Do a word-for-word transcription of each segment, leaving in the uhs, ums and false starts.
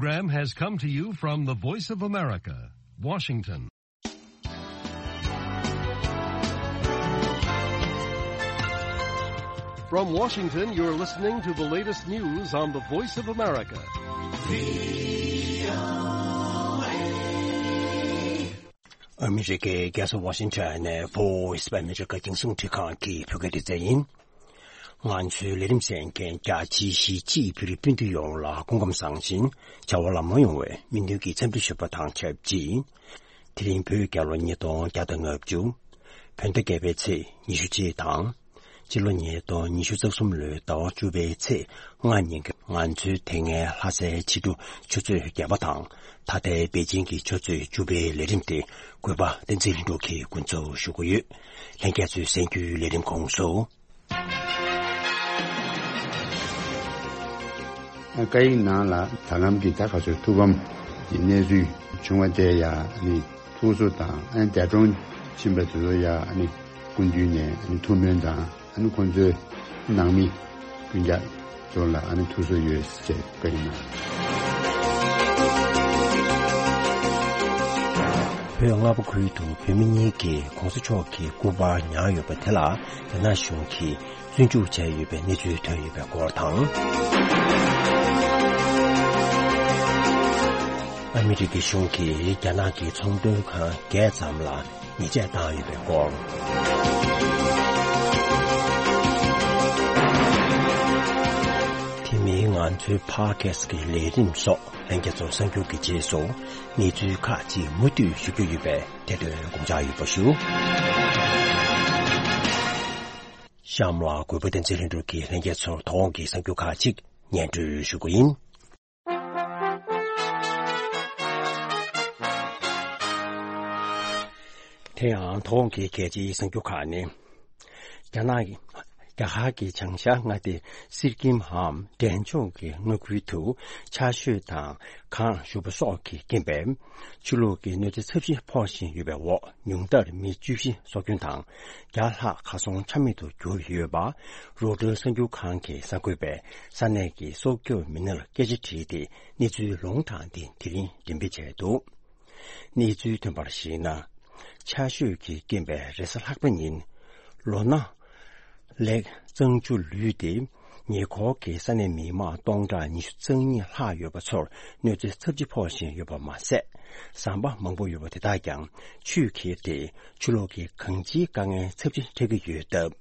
Program has come to you from the Voice of America, Washington. From Washington, you're listening to the latest news on the Voice of America. ཨ་མི་རི་ཀའི་རྒྱལ་ས་ཝ་ཤིང་ཊོན་ནས་Voice of America་རྒྱང་སྲིང་འཕྲིན་ཁང་གི་བོད་སྐད་སྡེ་ཚན་ཡིན། ང་ཚོའི་ལས་རིམ་གསན་མཁན་རྒྱ་ཆེའི་གཞིས་བྱེས་བོད་རིགས་སྤུན་ཟླ་ཡོངས་ལ་སྐུ་ཁམས་བཟང་ཞིང་བྱ་བ་ལམ་ལྷོང་ཡོང་བའི་སྨོན་འདུན་གྱི་འཚམས་འདྲི་ཞུ་བ་དང་ཆབས་ཅིག་དེ་རིང་བོད་རྒྱལ་ལོ་ཉིས་སྟོང་བརྒྱ་དང་ལྔ་བཅུ། བོད་ཟླ་བརྒྱད་པའི་ཚེས་ཉི་ཤུ་གཅིག་དང་། སྤྱི་ལོ་ཉིས་སྟོང་ཉི་ཤུ་རྩ་གསུམ་ལོའི་ཟླ་བ་བཅུ་པའི་ཚེས་ལྔ་ཉིན་གྱི་ང་ཚོའི་དེ་སྔའི་ལྷ་སའི་ཕྱི་དྲོ་ཆུ་ཚོད་བརྒྱད་པ་དང་ད་ལྟའི་པེ་ཅིང་གི་ཆུ་ཚོད་བཅུ་པའི་ལས་རིམ་དེ་གུས་པ་བསྟན་འཛིན་ལྷུན་གྲུབ་ཀྱིས་འགོ་འཛུགས་ཞུ་གི་ཡོད། ལྷན་རྒྱས་ཚོས་གསན་རྒྱུའི་ལས་རིམ་ཁོངས་སུ། བཀའ་ཡིག་ནང་ལ་ད་ལམ་གྱི་ད་ག་ཚོད་ཐུགས་ཕམ་གྱི་གནས་ཚུལ་བྱུང་བ་དེ་ཡ་ནི་ཐུགས་གསོ་དང་ཨ་ནི་འདས་གྲོངས་ཕྱིན་པ་དེ་ཚོ་ཡ་ནི་སྐུ་མདུན་ནས་ཨ་ནི་ཐུགས་སྨོན་དང་ཨ་ནི་ཁོང་ཚོའི་ནང་མི་སྤུན་ཀྱག་ཚོ་ལ་ཨ་ནི་ཐུགས་གསོ་ཡོད་ཅེས་བཀའ་ཡིག་ནང་། བོད་རྔ་པ་ཁུལ་དུ་བོད་མི་གཉིས་ཀྱིས་༸གོང་ས་མཆོག་གི་སྐུ་པར་ཉར་ཡོད་པ་དེ་ལ་རྒྱ་ནག་གཞུང་གིས་བཙོན་འཇུག་བྱས་ཡོད་པའི་གནས་ཚུལ་ཐོན་ཡོད་པའི་སྐོར་དང་། ཨ་མི་རི་ཀའི་གཞུང་གིས་རྒྱ་ནག་གི་ཚོང་དོན་ཁང་བརྒྱད་ཙམ་ལ་ཉེས་ཆད་བཏང་ཡོད་པའི་སྐོར། དེ་མིན་ང་ཚོའི་ཕོད་ཁ་སི་ཊི་གི་ལས་རིམ་སོགས་ལྷན་རྒྱས་ཚོར་གསར་འགྱུར་གྱི་རྗེས་སུ་གནས་ཚུལ་ཁག་ཅིག་མུ་མཐུད་ཞུ་རྒྱུ་ཡོད་པས་དེ་དོན་དགོངས་འཇགས་ཡོད་པ་ཞུ། གཤམ་ལ་གུས་པ་བསྟན་འཛིན་ལྷུན་གྲུབ་ཀྱིས་ལྷན་རྒྱས་ཚོར་དོ་དགོང་གི་གསར་འགྱུར་ཁག་ཅིག་སྙན་སྒྲོན་ཞུ་རྒྱུ་ཡིན། དེ་ཡང་དོ་དགོང་གི་གལ་ཆེའི་གསར་འགྱུར་ཁག་ནི། རྒྱ་ནག་གི་རྒྱ་གར་གྱི་བྱང་ཤར་མངའ་སྡེ་སིར་ཀིམ་འམ་འབྲས་ལྗོངས་ཀྱི་མངའ་ཁུལ་དུ་ཆར་ཞོད་དང་གངས་ཞུགས་པ་སོགས་ཀྱི་རྐྱེན་པས་ཆུ་ལོག་གི་གནོད་འཚེ་ཚབས་ཆེན་ཕོག་བཞིན་ཡོད་པའི་འོག་ཉུང་མཐར་མི་བཅུ་བཞི་སྲོག་སྐྱོན་དང་བརྒྱ་ལྷག་གར་སོང་ཆ་མེད་དུ་གྱུར་ཡོད་པ་རོའི་ཊར་གསར་འགྱུར་ཁང་གི་གསར་འགོད་པས་ས་གནས་ཀྱི་སྲོག་སྐྱོབ་མི་སྣར་སྐད་ཆ་དྲིས་ཏེ་གནས་ཚུལ་ལུང་དྲངས་ཏེ་དེ་རིང་འགྲེམས་སྤེལ་བྱས་འདུག་གནས་ཚུལ་ཐོན་པར་གཞིགས་ན། ཆར་ཞོད་ཀྱི་རྐྱེན་པས་རེས་གཟའ་ལྷག་པ་ཉིན། ལོ་ན། ལེགས་གཙང་ཆུ་ལུད་དེ། ཉེ་འཁོར་གྱི་ས་གནས་མི་མང་སྟོང་ཕྲག་ཉི་ཤུ་རྩ་གཉིས་ལྷག་ཡོད་པ་ཚོར་གནོད་འཚེ་ཚབས་ཆེ་ཕོག་བཞིན་ཡོད་པ་མ་ཟད། ཟམ་པ་མང་པོ་ཡོད་པ་དེ་དག་ཀྱང་ཆུས་ཁྱེར་ཏེ་ཆུ་ལོག་གི་གང་ཅིའི་དཀའ་ངལ་ཚབས་ཆེན་འཕྲད་ཀྱི་ཡོད་སྟབས།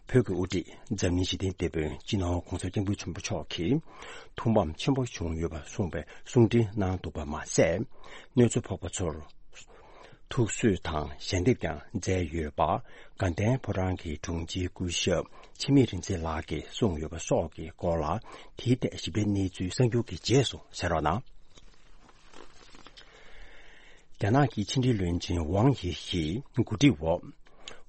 བོད་ཀྱི་དབུ་ཁྲིད་འཛམ་གླིང་ཞི་བདེའི་དེད་དཔོན་སྤྱི་ནོར་༸གོང་ས་༸སྐྱབས་མགོན་ཆེན་པོ་མཆོག་གིས་ཐུགས་ཕམ་ཆེན་པོ་བྱུང་ཡོད་པ་གསུངས་པའི་གསུང་འཕྲིན་གནང་འདུག་པ་མ་ཟད། གནོད་འཚེ་ཕོག་པ་ཚོར་ཐུགས་གསོ་དང་ཞལ་འདེབས་ཀྱང་མཛད་ཡོད་པ། དགའ་ལྡན་ཕོ་བྲང་གི་དྲུང་ཆེ་སྐུ་ཞབས་འཆི་མེད་རིག་འཛིན་ལགས་ཀྱིས་གསུངས་ཡོད་པ་སོགས་ཀྱི་སྐོར་ལ་དེའི་ཐད་ཞིབ་ཕྲའི་གནས་ཚུལ་གསར་འགྱུར་གྱི་རྗེས་སུ་གསན་རོགས་གནང་། རྒྱ་ནག་གི་ཕྱི་འབྲེལ་བློན་ཆེན་ཝང་ཡི་ཞིས་འགོ་ཁྲིད་འོག་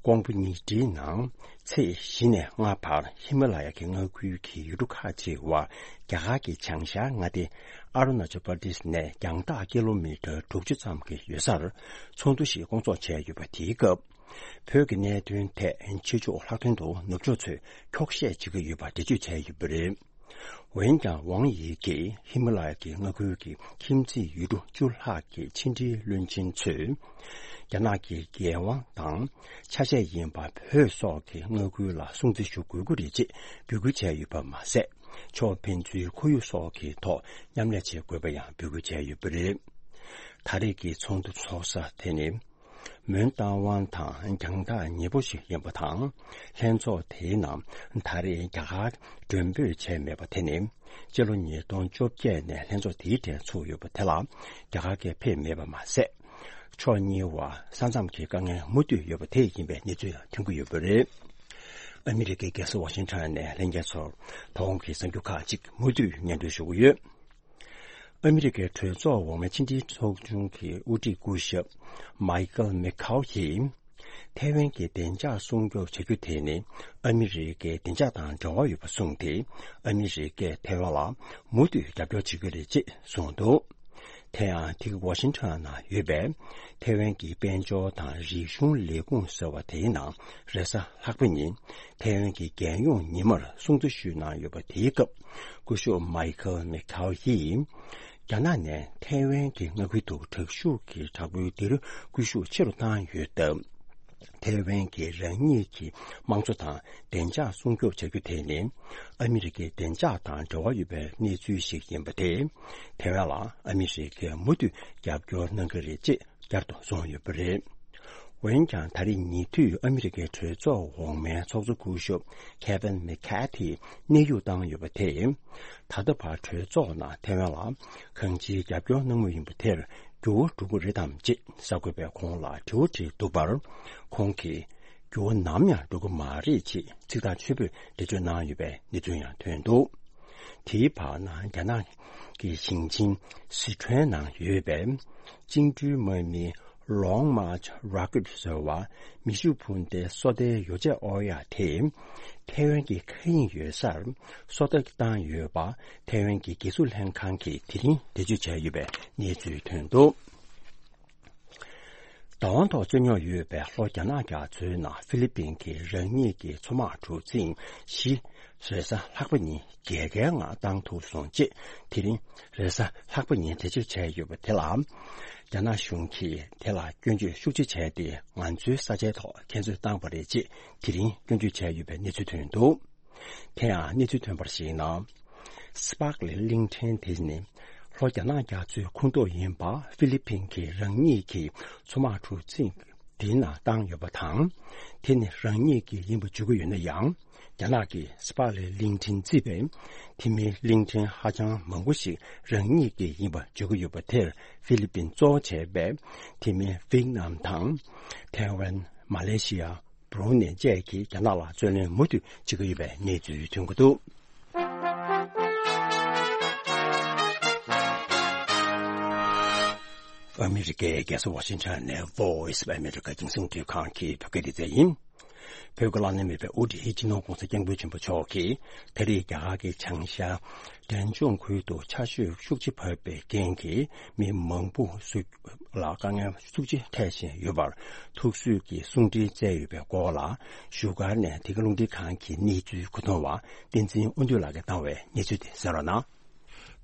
ཀོང་པོ་ཉིས་ཁྲིའི་ནང་ཚེས་བཞི་ནས་ལྔ་བར་ཧི་མ་ལ་ཡ་གི་མངའ་ཁུལ་གྱི་ཡུལ་གྲུ་ཁག་ཅིག་བར་རྒྱ་གར་གྱི་བྱང་ཤར་མངའ་སྡེ་ཨ་རུ་ན་ཅལ་པར་དིས་ནས་རྒྱང་ཐག་ཀི་ལོ་མི་ཊར་དྲུག་ཅུ་ཙམ་གྱི་ཡོད་སར་ཚོགས་འདུ་ཞིག་སྐོང་ཚོགས་བྱས་ཡོད་པ་དེའི་སྐབས། བོད་ཀྱི་གནད་དོན་ཐད་ཕྱི་ཕྱོགས་ལྷག་དོན་དུ་ནུབ་ཕྱོགས་ཚོས་འཁྱོག་བཤད་བྱེད་ཀྱི་ཡོད་པ་འགྲེལ་བརྗོད་བྱས་ཡོད་པ་རེད། འོན་ཀྱང་ཝང་ཡི་གིས་ཧི་མ་ལ་ཡ་གི་མངའ་ཁུལ་གྱི་ཁྱིམ་མཚེས་ཡུལ་གྲུ་བཅུ་ལྷག་གི་ཕྱི་འབྲེལ་བློན་ཆེན་ཚོས། རྒྱ་ནག་གི་འགན་དབང་དང་ཆ་ཤས་ཡིན་པ་བོད་སོགས་ཀྱི་མངའ་ཁུལ་ལ་སྲུང་བརྩི་ཞུ་དགོས་ཀྱི་རེད་ཅེས་འབོད་སྐུལ་བྱས་ཡོད་པ་མ་ཟད། ཕྱོགས་ཕན་ཚུན་ཁོར་ཡུག་སོགས་ཀྱི་ཐོག་མཉམ་ལས་བྱེད་དགོས་པ་ཡང་འབོད་སྐུལ་བྱས་ཡོད་པ་རེད། ད་རེས་ཀྱི་ཚོགས་འདུ་ཚོགས་ས་དེ་ནི། མོན་རྟ་དབང་དང་རྒྱང་ཐག་ཉེ་པོ་ཞིག་ཡིན་པ་དང་། ལྷན་ཚོགས་དེའི་ནང་ད་རེས་རྒྱ་གར་མགྲོན་འབོད་བྱས་མེད་པ་དེ་ནི། སྤྱི་ལོ་ཉིས་སྟོང་བཅོ་བརྒྱད་ནས་ལྷན་ཚོགས་དེའི་གྲས་ཚུགས་ཡོད་པ་དེ་ལ་རྒྱ་གར་གྱིས་ཕེབས་མེད་པ་མ་ཟད། ཕྱོགས་གཉིས་བར་ས་མཚམས་ཀྱི་དཀའ་ངལ་མུ་མཐུད་ཡོད་པ་དེ་ཡིན་པའི་གནས་ཚུལ་ཐོན་གྱི་ཡོད་པ་རེད། ཨ་མི་རི་ཀའི་རྒྱལ་ས་ཝ་ཤིང་ཊོན་ནས་ལྷན་རྒྱས་ཚོར་དོ་དགོང་གི་གསར་འགྱུར་ཁག་ཅིག་མུ་མཐུད་སྙན་སྒྲོན་ཞུ་གི་ཡོད། ཨ་མི་རི་ཀའི་གྲོས་ཚོགས་འོག་མའི་ཕྱི་འབྲེལ་ཚོགས་ཆུང་གི་དབུ་ཁྲིད་སྐུ་ཞབས་མའི་ཀལ་མེ་ཁའོ་ཡིས། ཐའེ་ཝན་གྱི་བདེ་འཇགས་སྲུང་སྐྱོབ་བྱ་རྒྱུ་དེ་ནི་ཨ་མི་རི་ཀའི་བདེ་འཇགས་དང་འབྲེལ་བ་ཡོད་པ་གསུངས་ཏེ། ཨ་མི་རི་ཀས་ཐའེ་ཝན་ལ་མུ་མཐུད་རྒྱབ་སྐྱོར་བྱེད་ཀྱི་རེད་ཅེས་གསུངས་འདུག་དེ་ཡང་དེ་ག་ཝ་ཤིང་ཊོན་ནང་ཡོད་པའི་ཐའེ་ཝན་གྱི་དཔལ་འབྱོར་དང་རིག་གཞུང་ལས་ཁུངས་ཟེར་བ་དེའི་ནང་རེས་གཟའ་ལྷག་པ་ཉིན་ཐའེ་ཝན་གྱི་རྒྱལ་ཡོངས་ཉི་མར་སྲུང་བརྩི་ཞུས་གནང་ཡོད་པ་དེའི་སྐབས། སྐུ་ཞབས་མའི་ཁལ་མེ་ཁའོ་ཡིས། རྒྱ་ནག་ནས་ཐའེ་ཝན་གྱི་མངའ་ཁུལ་དུ་དྲག་ཤུགས་ཀྱི་དྲག་པོའི་སྡེ་རུ་སྐུལ་ཤུགས་ཆེ་རུ་བཏང་ཡོད་སྟབས། ཐའེ་ཝན་གྱི་རང་ཉིད་ཀྱི་དམངས་གཙོ་དང་བདེ་འཇགས་སྲུང་སྐྱོབ་བྱ་རྒྱུ་དེ་ནི་ཨ་མི་རི་ཀའི་བདེ་འཇགས་དང་འབྲེལ་བ་ཡོད་པའི་གནས་ཚུལ་ཞིག་ཡིན་པ་དེས། ཐའེ་ཝན་ལ་ཨ་མི་རི་ཀས་མུ་མཐུད་རྒྱབ་སྐྱོར་གནང་གི་རེད་ཅེས་བསྐྱར་དུ་གསུངས་ཡོད་པ་རེད། འོན་ཀྱང་ད་རེས་ཉེ་དུས་ཨ་མི་རི་ཀའི་གྲོས་ཚོགས་འོག་མའི་ཚོགས་གཙོ་སྐུ་ཞབས་Kevin McCarthy་གནས་དབྱུང་བཏང་ཡོད་པ་དེས། ད་ལྟ་བར་གྲོས་ཚོགས་ནང་ཐའེ་ཝན་ལ་གང་ཅིའི་རྒྱབ་སྐྱོར་གནང་མུས་ཡིན་པ་དེར་འགྱུར་བ་འགྲོ་གི་རེད་དམ་ཅེས་གསར་འགོད་པས་ཁོང་ལ་དྲི་བ་དྲིས་འདུག་པར། ཁོང་གིས་འགྱུར་བ་ནམ་ཡང་འགྲོ་གི་མ་རེད་ཅེས་ཚིག་ཐག་ཆོད་པོས་འགྲེལ་བརྗོད་གནང་ཡོད་པའི་གནས་ཚུལ་ཡང་ཐོན་འདུག་དེའི་བར་ན་རྒྱ་ནག་གི་ཞིང་ཆེན་སི་ཁྲོན་ནང་ཡོད་པའི་བཅིངས་འགྲོལ་དམག་མི་Long March Rocket་ཟེར་བ་མེ་ཤུགས་འཕུར་མདའི་སོ་ལྟའི་ཡོ་བྱད་དབོར་ཡག་དེ་ཐའེ་ཝན་གྱི་མཁའ་དབྱིངས་ཡོད་སར་སོ་ལྟ་བཏང་ཡོད་པ་ཐའེ་ཝན་གྱི་རྒྱལ་སྲུང་ལྷན་ཁང་གིས་དེ་རིང་འགྲེལ་བརྗོད་བྱས་ཡོད་པའི་གནས་ཚུལ་ཐོན་འདུག་བདག་དབང་ཐོག་རྩོད་རྙོག་ཡོད་པའི་ལྷོ་རྒྱ་ནག་རྒྱ་མཚོའི་ནང་ཧྥི་ལི་པིན་གྱི་རང་ཉིད་ཀྱི་མཚོ་དམག་གྲུ་གཟིངས་བཞི་རེས་གཟའ་ལྷག་པ་ཉིན་རྒྱལ་ཁའི་ངང་བཏང་ཐུབ་སོང་ཅེས་དེ་རིང་རེས་གཟའ་ལྷག་པ་ཉིན་འགྲེལ་བརྗོད་བྱས་ཡོད་པ་དེ་ལ། རྒྱ་ནག་གཞུང་གིས་དེ་ལ་སྐྱོན་བརྗོད་ཤུགས་ཆེ་བྱས་ཏེ་ང་ཚོའི་ས་ཆའི་ཐོག་ཁྱེད་ཚོས་བཏང་པ་རེད་ཅེས་དེ་རིང་སྐྱོན་བརྗོད་བྱས་ཡོད་པའི་གནས་ཚུལ་ཐོན་འདུག་དེ་ཡང་གནས་ཚུལ་ཐོན་པར་གཞིགས་ན། སི་པག་ལི་གླིང་ཕྲན་དེ་ནི་ལྷོ་རྒྱ་ནག་རྒྱ་མཚོའི་ཁོངས་གཏོགས་ཡིན་པ་ཧྥི་ལི་པིན་གྱི་རང་ཉིད་ཀྱི་མཚོ་དམག་གྲུ་གཟིངས་དེའི་ནང་བཏང་ཡོད་པ་དང་། དེ་ནི་རང་ཉིད་ཀྱི་ཡིན་པ་བརྗོད་ཀྱི་ཡོད་ན་ཡང་། རྒྱ་ནག་གིས་སི་པག་ལའི་གླིང་ཕྲན་བརྩིས་པས། དེ་མིན་གླིང་ཕྲན་ཧ་ཅང་མང་པོ་ཞིག་རང་ཉིད་ཀྱི་ཡིན་པ་བརྗོད་ཀྱི་ཡོད་པ་དེར་ཧྥི་ལི་པིན་གཙོ་བོ་བྱས་པའི་དེ་མིན་ཝིག་ནམ་དང་། ཐའེ་ཝན། མ་ལེ་ཤི་ཡ། བྷུ་རུ་ནེ་བཅས་ཀྱིས་རྒྱ་ནག་ལ་རྩོད་ལེན་མུ་མཐུད་བྱེད་ཀྱི་ཡོད་པའི་གནས་ཚུལ་ཐོན་གྱི་འདུག་ཨ་མི་རི་ཀའི་རྒྱལ་ས་ཝ་ཤིང་ཊོན་ནས་Voice of America་རྒྱང་སྲིང་རླུང་འཕྲིན་ཁང་གི་བོད་སྐད་སྡེ་ཚན་ཡིན། བོད་ཀྱི་བླ་ན་མེད་པའི་དབུ་ཁྲིད་སྤྱི་ནོར་༸གོང་ས་༸སྐྱབས་མགོན་ཆེན་པོ་མཆོག་གིས་ད་རེས་རྒྱ་གར་གྱི་བྱང་ཤར་འབྲས་ལྗོངས་ཁུལ་དུ་ཆར་ཞོད་ཤུགས་ཆེ་བབས་པའི་རྐྱེན་གྱིས་མི་མང་པོ་ལ་དཀའ་ངལ་ཤུགས་ཆེ་འཕྲད་བཞིན་ཡོད་པར་ཐུགས་གསོས་ཀྱི་གསུང་འཕྲིན་བསྩལ་ཡོད་པའི་སྐོར་ལ། བཞུགས་སྒར་ནས་དེ་ག་རླུང་འཕྲིན་ཁང་གི་གནས་ཚུལ་གོ་བསྡུར་བ་བསྟན་འཛིན་དབང་འདུས་ལགས་ཀྱིས་བཏང་བའི་གནས་ཚུལ་དེ་གསན་རོགས་གནང་།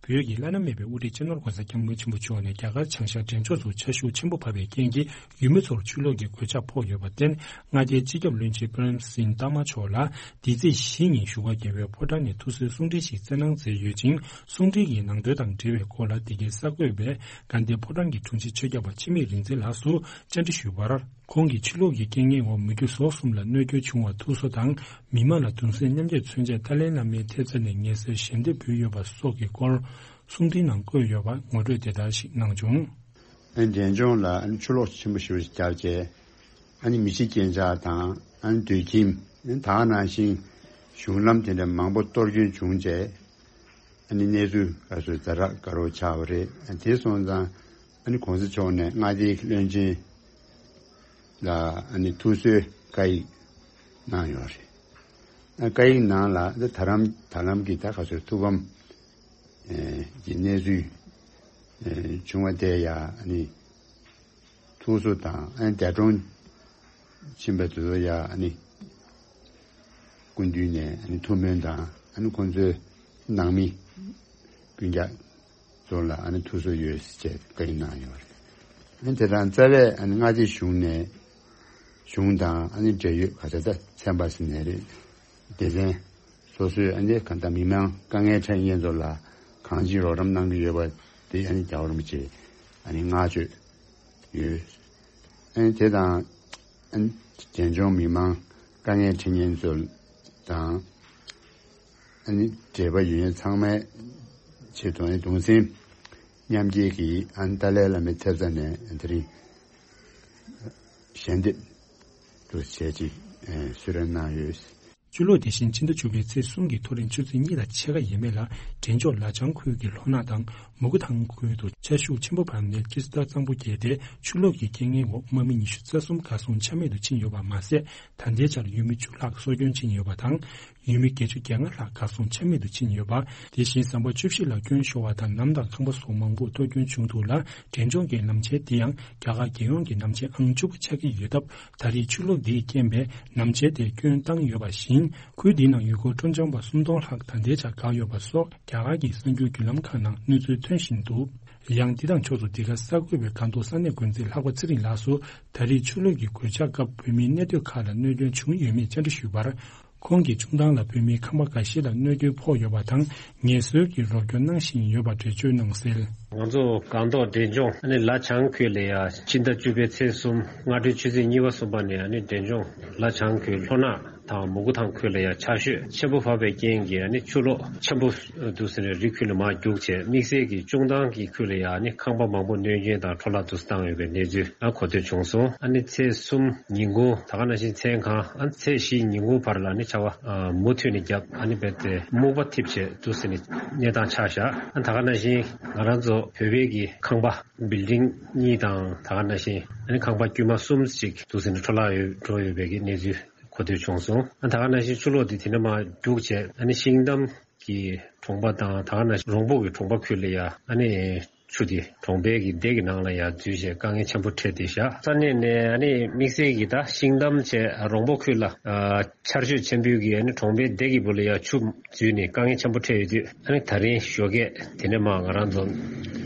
བོད་ཀྱི་བླ་ན་མེད་པའི་དབུ་ཁྲིད་སྤྱི་ནོར་༸གོང་ས་༸སྐྱབས་མགོན་ཆེན་པོ་མཆོག་ནས་རྒྱ་གར་བྱང་ཤར་འབྲས་ལྗོངས་སུ་ཆར་ཤུགས་ཆེན་པོ་བབས་པའི་རྐྱེན་གྱིས། ཡུལ་མི་ཚོར་ཆུ་ལོག་གི་གོད་ཆག་ཕོག་ཡོད་པར་བརྟེན། མངའ་སྡེའི་སྤྱི་ཁྱབ་བློན་ཆེན་པྲེམ་སིང་ཏཱ་མ་མཆོག་ལ་འདི་ཚེས་བཞི་ཉིན་བཞུགས་སྒར་རྒྱལ་བའི་ཕོ་བྲང་ནས་ཐུགས་གསོའི་གསུང་འཕྲིན་ཞིག་བསྩལ་གནང་མཛད་ཡོད་ཅིང་། གསུང་འཕྲིན་གྱི་ནང་དོན་དང་འབྲེལ་བའི་སྐོར་ལ་འདི་གའི་གསར་འགོད་པས་དགའ་ལྡན་ཕོ་བྲང་གི་དྲུང་ཆེ་ཆོས་སྐྱབས་པ་འཆི་མེད་རིག་འཛིན་ལགས་སུ་བཅར་འདྲི་ཞུས་པར། ཁོང་གིས་ཆུ་ལོག་གི་རྐྱེན་ངན་འོག་མི་རྒྱུ་ཟོག་གསུམ་ལ་གནོད་སྐྱོན་བྱུང་བར་ཐུགས་གསོ་དང་། མི་མང་ལ་གདུང་སེམས་མཉམ་སྐྱེད་མཚོན་ཆེད་ཏཱ་ལའི་བླ་མའི་ཐེབས་རྩ་ནས་ངལ་གསོའི་ཞལ་འདེབས་ཕུལ་ཡོད་པ་སོགས་ཀྱི་སྐོར་གསུང་འཕྲིན་ནང་བཀོད་ཡོད་པ་ངོ་སྤྲོད་དེ་ལྟར་ཞིག་གནང་བྱུང་། ཨ་ནི་འབྲས་ལྗོངས་ལ་ཨ་ནི་ཆུ་ལོག་ཆེན་པོ་ཞེ་པོ་ཞིག་བརྒྱབ་རྗེས། ཨ་ནི་མི་ཤི་རྐྱེན་ཆག་དང་ཨ་ནི་སྡོད་ཁྱིམ། ཨ་ནི་ད་ག་ནང་བཞིན་གཞུང་ལམ་དེ་འདྲ་མང་པོ་གཏོར་སྐྱོན་བྱུང་རྗེས། ཨ་ནི་གནས་ཚུལ་ག་ཚོད་ཛ་དྲག་དགའ་རབ་ཆགས་པ་རེད། ཨ་དེ་སོང་ཙང་ཨ་ནི་གོང་ས་མཆོག་ནས་མངའ་སྡེའི་བློན་ཆེན་ལ་ཨ་ནི་ཐུགས་གསོའི་བཀའ་ཡིག་གནང་ཡོད་རེད། ཨ་བཀའ་ཡིག་ནང་ལ་ད་ལམ་ད་ལམ་གྱི་ད་ག་ཚོད་ཐུགས་ཕམ་ཨེ་གྱི་གནས་ཚུལ་ཨེ་བྱུང་བ་དེ་ཡང་ཨ་ནི་ཐུགས་གསོ་དང་ཨ་ནི་འདས་གྲོངས་ཕྱིན་པ་དེ་ཚོ་ཡང་ཨ་ནི་སྐུ་མདུན་ནས་ཨ་ནི་ཐུགས་སྨོན་དང་ཨ་ནི་ཁོང་ཚོའི་ནང་མི་སྤུན་ཀྱག་ཚོ་ལ་ཨ་ནི་ཐུགས་གསོ་ཡོད་ཅེས་བཀའ་ཡིག་གནང་ཡོད་རེད། ཨ་ནི་དེ་དང་རྩ་བའི་ཨ་ནི་མངའ་སྡེ་གཞུང་ནས་གཞུང་དང་ཨ་ནི་འབྲེལ་ཡོད་ག་ཚད་ད་ཚན་པ་ཟེར་ནའི་རེད། སྡེ་ཚན་སོ་སོས་ཨ་ནི་གང་ལྟར་མི་མང་དཀའ་ངལ་འཕྲད་མཁན་ཚོ་ལ་གང་ཅི་རོགས་རམ་གནང་གི་ཡོད་པ་དེ་ཨ་ནི་རྒྱལ་བ་རིན་པོ་ཆེ་ཨ་ནི་བསྔགས་བརྗོད་ཡོད། ཨ་ནི་དེ་དང་ཨ་ནི་འབྲས་ལྗོངས་མི་མང་དཀའ་ངལ་འཕྲད་མཁན་ཚོ་དང་ཨ་ནི་འབྲེལ་བ་ཡོད་མཁན་ཚང་མའི་ཆེད་དུ་ཨ་ནི་གདུང་སེམས་མཉམ་སྐྱེད་ཀྱིས་ཨ་ནི་ཏཱ་ལའི་བླ་མའི་ཐེབས་རྩ་ནས་དེ་རིང་ཞལ་འདེབས་དུ་བྱས་ཅིག་གསོལ་རས་གནང་ཡོད། ཆུ་ལོག་དེ་བཞིན་ཕྱི་ཟླ་བཅུ་པའི་ཚེས་གསུམ་གྱི་མཐོ་རིམ་ཆུ་ཚོད་གཉིས་དང་ཕྱེད་ཀ་ཡས་མས་ལ་འབྲས་ལྗོངས་ལ་ལྗང་ཁུལ་གྱི་ལྷོ་ནག་དང་མུ་གུ་ཐང་ཁུལ་དུ་ཆར་ཤུགས་ཆེན་པོ་བབས་ནས་ཀི་སི་ཏ་གཙང་པོ་རྒྱས་ཏེ། ཆུ་ལོག་གི་རྐྱེན་ངན་འོག་དམག་མི་ཉི་ཤུ་རྩ་གསུམ་གར་སོང་ཆ་མེད་དུ་ཕྱིན་ཡོད་པ་མ་ཟད། ད་ལྟའི་ཆར་ཡུལ་མི་བཅུ་ལྷག་སྲོག་སྐྱོན་ཕྱིན་ཡོད་པ་དང་། ཡུལ་མི་བརྒྱད་ཅུ་གྱ་ལྔ་ལྷག་གར་སོང་ཆ་མེད་དུ་ཕྱིན་ཡོད་པ། དེ་བཞིན་ཟམ་པ་བཅུ་བཞི་ལ་སྐྱོན་ཤོར་བ་དང་། ལམ་དང་ཁང་པ་སོགས་མང་པོར་གཏོར་སྐྱོན་བྱུང་འདུག་ལ། འབྲས་ལྗོངས་ཀྱི་ལམ་ཆེན་འདི་ཡང་རྒྱ་གར་རྒྱལ་ཡོངས་ཀྱི་ལམ་ཆེན་ཨང་བཅུ་པ་ཆགས་ཀྱི་ཡོད་སྟབས། ད་རེས་ཆུ་ལོག་འདིའི་རྐྱེན་པས་ལམ་ཆེན་དེ་སྐྱོན་བཏང་ཡོད་པ་བཞིན། ཁུལ་འདི་ནང་ཡུལ་སྐོར་སྤྲོ་འཆམ་པ་སུམ་སྟོང་ལྷག་ད་ལྟའི་ཆར་འགག་ཡོད་པ་སོགས་རྒྱ་གར་གྱི་གསར་འགྱུར་བརྒྱུད་ལམ་ཁག་ནང་གནས་ཚུལ་ཐོན་བཞིན་འདུག། ཡང་འདི་དང་ཕྱོགས་སུ་འདི་ག་གསར་འགོད་པས་སྒང་ཏོག་ས་གནས་འགོ་འཛིན་ལྷག་པ་ཚེ་རིང་ལགས་སུ་ད་རེས་ཆུ་ལོག་གི་གོད་ཆག་སྐབས་བོད་མིའི་གནས་སྡོད་ཁག་ལ་གནོད་སྐྱོན་བྱུང་ཡོད་མེད་བཅར་འདྲི་ཞུས་པར། ཁོང་གིས་ཆུང་ཐང་ལ་བོད་མིའི་ཁང་པ་འགའ་ཤས་ལ་གནོད་སྐྱོན་ཕོག་ཡོད་པ་དང་། ངལ་གསོའི་གི་རོགས་སྐྱོར་གནང་བཞིན་ཡོད་པ་འགྲེལ་བརྗོད་གནང་གསལ། ང་ཚོ་སྒང་ཏོག་འབྲས་ལྗོངས་ཨ་ནི་ལ་བྱང་ཁུལ་ལ་ཡ་ཕྱི་ཟླ་བཅུ་པའི་ཚེས་གསུམ་སྔ་དྲོའི་ཆུ་ཚོད་གཉིས་པ་གསུམ་པ་ནས་ཨ་ནི་འབྲས་ལྗོངས་ལ་བྱང་ཁུལ་ལྷོ་ནག་དང་མུ་གུ་ཐང་ཁུལ་ལ་ཡ་ཆར་ཞོད་ཆེན་པོ་བབས་པའི་རྐྱེན་གྱིས་ཨ་ནི་ཆུ་ལོག་ཆེན་པོ་འདུག་ཟེར་ནས་རི་ཁུལ་ལ་མར་རྒྱུགས་བྱས། དམིགས་བསལ་གྱི་ཆུང་ཐང་གི་ཁུལ་ལ་ཡ་ཨ་ནི་ཁང་པ་མང་པོ་གནོད་སྐྱོན་དང་འཕྲོ་བརླག་འདུག་སེ་བཏང་ཡོད་པའི་གནས་ཚུལ་ཨ་གོ་ཐོས་བྱུང་སོང་། ཨ་ནི་ཚེས་གསུམ་ཉིན་གུང་ད་ག་ནང་བཞིན་མཚན་གང་ཨ་ནི་ཚེས་བཞི་ཉིན་གུང་བར་ལ་ཨ་ནི་ཆར་པ་ཨ་མུ་མཐུད་ནས་བརྒྱབ། ཨ་ནི་རྦད་དེ་སྨུག་པ་འཐིབས་བྱས་འདུག་ཟེར་ནས་གནས་སྟངས་ཆགས་བཞག་ཨ་ནི་ད་ག་ནང་བཞིན་ང་རང་ཚོ་བོད་པའི་གི་ཁང་པ་བིལ་ཌིང་གཉིས་དང་ད་ག་ནང་བཞིན་ཨ་ནི་ཁང་པ་དཀྱུས་མ་གསུམ་ཞིག་འདུག་ཟེར་ནས་འཕྲོ་བརླག་ཡོད་འགྲོ་ཡོད་པའི་གི་གནས་ཚུལ་གོ་ཐོས་བྱུང་སོང་། ཨ་ད་ག་ནང་བཞིན་ཆུ་ལོག་འདི་དེ་ནས་མར་རྒྱུགས་བྱས་ཨ་ནི་ཤིང་འདམ་གྱི་གྲོང་པ་དང་ད་ག་ནང་བཞིན་རོང་པོ་གི་གྲོང་པ་ཁུལ་ལ་ཡ་ཨ་ནི་ཆུ་དེ་གྲོང་པའི་གི་སྡེ་གི་ནང་ལ་ཡ་འཛུལ་བྱས་དཀའ་ངལ་ཆེན་པོ་འཕྲད་དེ་བཞག་ས་གནས་ནས་ཨ་ནི་དམིགས་བསལ་གྱི་ད་ཤིང་འདམ་བྱས་རོང་པོ་ཁུལ་ལ་ཨ་ཆར་ཞོད་ཆེན་པོའི་གི་ཨ་ནི་གྲོང་པའི་སྡེ་གི་བུ་ལ་ཡ་ཆུ་འཛུལ་ནས་དཀའ་ངལ་ཆེན་པོ་འཕྲད་ཡོད་དུས། ཨ་ནི་ད་རིང་ཞོགས་ཀས་དེ་ནས་མར་ང་རང་ཚོ་